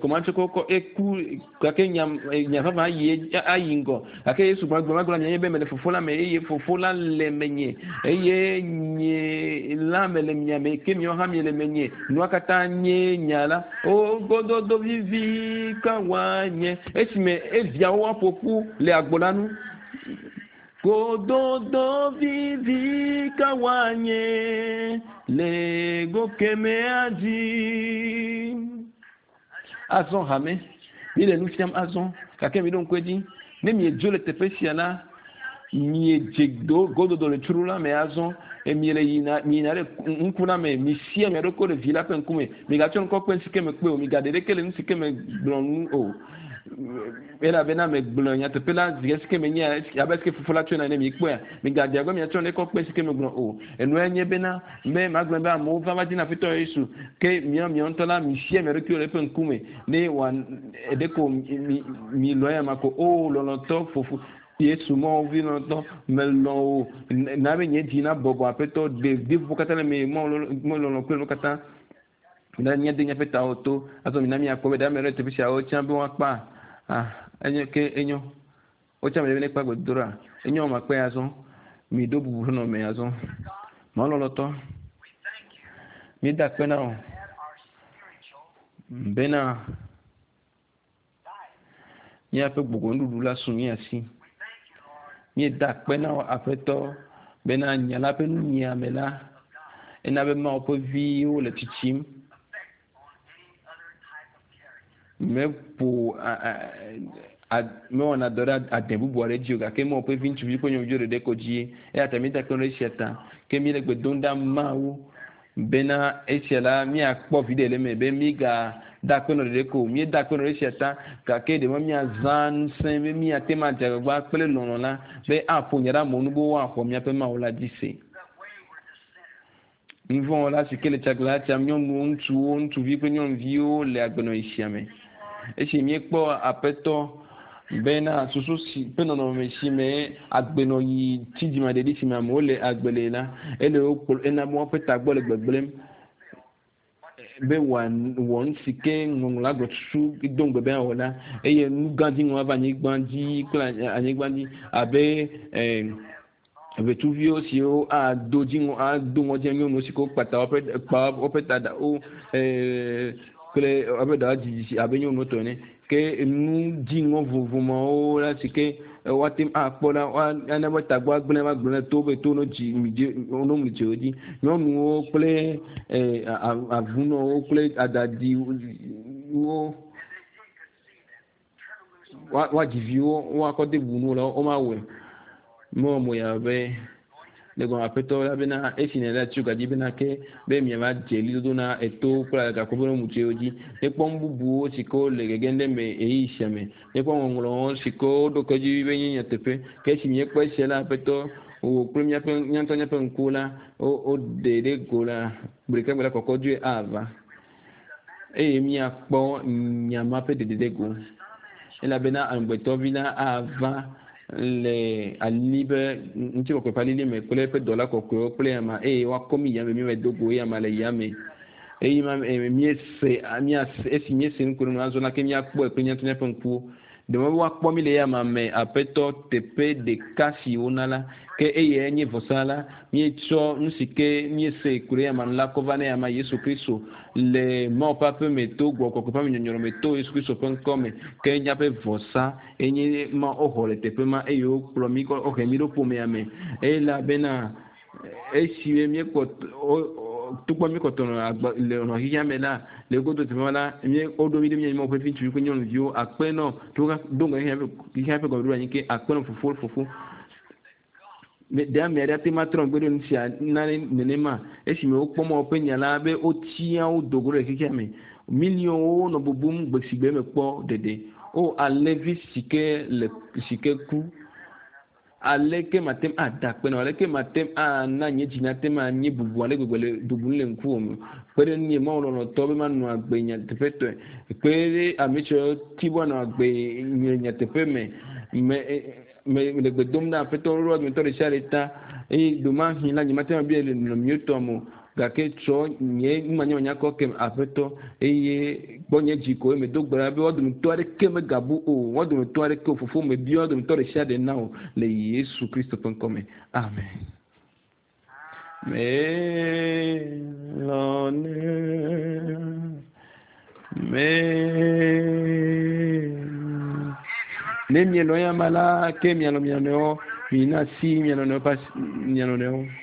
kɔmatsɔkɔ kɔ eku gake nya nya vava ayi ayi ŋgɔ. Gake Yesu gblɔ gblɔ gblɔ nye be mele fofo la me eye fofo la le menye eye nye la mele mia me ke miawo hã miele menye. Nua katã nye nya la. O gododo vivi ka woanye esime eviawo woaƒo ƒu le agbo la nu. Gododo vivi ka woanye le go kemea dzi. Azɔ hame, mi le nu fiam azɔ gake mi ɖo ŋku edzi. Ne miedzo le teƒe sia la, miedze do gododo le tsuru la me azɔ. Miele yina miyina ɖe ŋku la me. Misia mia ɖokui ɖe vi la ƒe ŋkume. Migatsɔ ŋkɔ kpe nu si ke mekpe o. Migaɖe ɖeke le nu si ke megblɔ ŋu o. Elabena megblɔ nyateƒe la zi esi ke menye abe esi ke fofo la tsɔe na ene mikpɔea. Migadze agbagba miatsɔ nu ɖe kpe nu si ke megblɔ o. Enua nye bena be magblɔ be amewo va va dina Aƒetɔ Yesu ke miawo miawo ŋutɔ la misia mia ɖokuiwo le eƒe ŋkume ne wòa ɖeko mi mi lɔ̃ eya ma ko. O lɔlɔ̃tɔ fofo Yesu Mawu vi lɔlɔ̃tɔ melɔ̃ wò na be nye dzi na bɔbɔ Aƒetɔ ɖe ɖiƒoƒo katã le me Mawu lɔlɔ̃ kple nu katã. Mina míade míaƒe tawo to azɔ mina míakpɔ be ɖe ame aɖe le teƒe siawo tsã be woakpa. Ah, enyo ke enyo. Wotsã ame ɖe be nekpa gbedodoɖa. Enyo makpe azɔ. Miɖo bubu ƒe nɔnɔme azɔ. Mawu lɔlɔ̃tɔ, míeda akpe na wò bena míaƒe gbɔgbɔnuɖuɖu la su mía si. Míeda akpe na wò Aƒetɔ bena nya la ƒe nunyiame la ena be Mawu ƒe viwo le tsitsim. Meƒo mewɔna dɔ ɖe ade bubu aɖe dzi o gake Mawu ƒe vi ŋutsuvi kple nyɔnuviwo ɖeɖe ko dzie. Eya ta míeda akpe ɖe esia ta. Ke míele gbe dom ɖa Mawu bena esia la míakpɔ viɖe le eme be míga da akpe nɔ ɖeɖe ko. Míeda akpe nɔ ɖe esia ta gake ɖe me míazã ŋusẽ be míate ŋu adze agbagba kple lɔlɔ̃ la be aƒo nya ɖe amewo nu be woaxɔ míaƒe Mawu la dzi se. Nuvɔ̃wɔla si ke le tsagla tsam nyɔnuwo, ŋutsuwo, ŋutsuvi kple nyɔnuviwo le agbenɔɣi sia me. Esi míekpɔ Aƒetɔ bena susu si ƒe nɔnɔme si me agbenɔɣi tsi dzimaɖeɖi si me amewo le agbe le la, ele wo kplɔ ena be woaƒe tagbɔ le gbegblẽm be wòawɔ nu si ke ŋɔŋlɔ gblɔ tutu do ŋugbe be awɔ la eye nu gã dziŋɔ ava anyigba dzi kple anyigba dzi abe ʋetsuviwo siwo ado dziŋɔ ado ŋɔdzi nyɔnuwo si ke wokpa ta woƒe kpa woƒe ta ɖawo kple woƒe ɖawo dzidzi abe nyɔnuwo tɔ ene. Ke nu dziŋɔ vovovo mawo la si ke woate ŋu akpɔ la ana be tagbɔ agblẽ va gblẽ to be to no dzi mi dzi no mli dzi dzi. Nyɔnuwo kple avunɔwo kple adadiwo woadzi viwo woakɔ de bu nu la womawɔe. Mewɔ mo ya be le gɔme Aƒetɔ la bena esi nèle tso gadzi bena ke be miava dze ɣlidodo na etowo kple gaƒoƒo ɖe mutsuewo dzi. Míekpɔ nu bubuwo si ke wole gegem ɖe eme ɣeyiɣi sia me. Míekpɔ ŋɔŋlɔwo si ke woɖo ke dzi be nye nyateƒe. Ke esi míekpɔ esia la Aƒetɔ wò kple míaƒe míaŋutɔ míaƒe ŋkuwo la woɖe ɖe go la gbe ɖeka gbe la kɔkɔ dzoe ava eye míakpɔ nya ma ƒe ɖeɖe ɖe go. Elabena amegbetɔvi la ava le ali be ŋutikɔkɔe ƒe alili me kple eƒe dɔla kɔkɔewo kple ama eye woakɔ mí yame míava do go eye ama le yame. Eye ma míese míase esi míese nu ko nu azɔ la ke míakpɔe kple míaŋutɔ míaƒe ŋkuwo. Ɖe me be woakpɔ mí le yama me Aƒetɔ teƒe ɖeka si wona la ke eye nye vɔsa la míetsɔ nu si ke míese ku ɖe yama nu la kɔ va ne yama Yesu Kristo le Mawu ƒe aƒe me to gbɔgbɔ kɔkɔe ƒe amenyɔnyrɔ me to Yesu Kristo ƒe ŋkɔ me ke míaƒe vɔsa enye ma woxɔ le teƒe ma eye wokplɔ mí kɔ wohe mí ɖo ƒomea me elabena esi míekpɔ togbɔ míekpɔtɔ nɔ agbe le nɔ xexea me la le godo teƒe ma la mí woɖo mí ɖe mía Mawu ƒe vi ŋutsuvi kple nyɔnuviwo akpe nɔ to do ŋgɔ xexea ƒe gɔmeɖoɖo anyi ke akpe nɔ fofo fofo. Ɖe ame aɖe ate ŋu atrɔ megbe ɖe nu sia nane nenema esime wokpɔ Mawu ƒe nya la be wotia wo do go ɖe xexea me. Miliɔnwo nɔ bubum gbe si gbe mekpɔ ɖeɖe. O alẽvi si ke le si ke ku. Aleke mate ŋu ada akpe na wò? Aleke mate ŋu ana nye dzi nate ŋu anye bubu ale gbegbe le bubum le ŋkuwò me? Kpe ɖe ŋunye, Mawu lɔlɔ̃tɔ, be manɔ agbe nyateƒetɔe. Kpe ɖe ame siwo ti be woanɔ agbe le nyateƒe me. Me, me, le gbe dom na Aƒetɔ ɖoɖoa dometɔ ɖe sia ɖe ta. Eye ɖomahi la, nyemate ŋu abia le nɔnɔme tɔ me o. Gake tsɔ nye numanyamanya kɔ kem, Aƒetɔ, eye kpɔ nye dzi ko eye medo gbe ɖa be woa dometɔ aɖeke megabu o, woa dometɔ aɖeke o, Fofo, mebia woa dometɔ ɖe sia ɖe na wò le Yesu Kristo ƒe ŋkɔ me. Amen. Melɔ̃nɛ, me. Ne mielɔ̃ eya amea la, ke mialɔ̃ mia nɔewo. Mina asi mia nɔnɔewo ƒe asi, mia nɔnɔewo.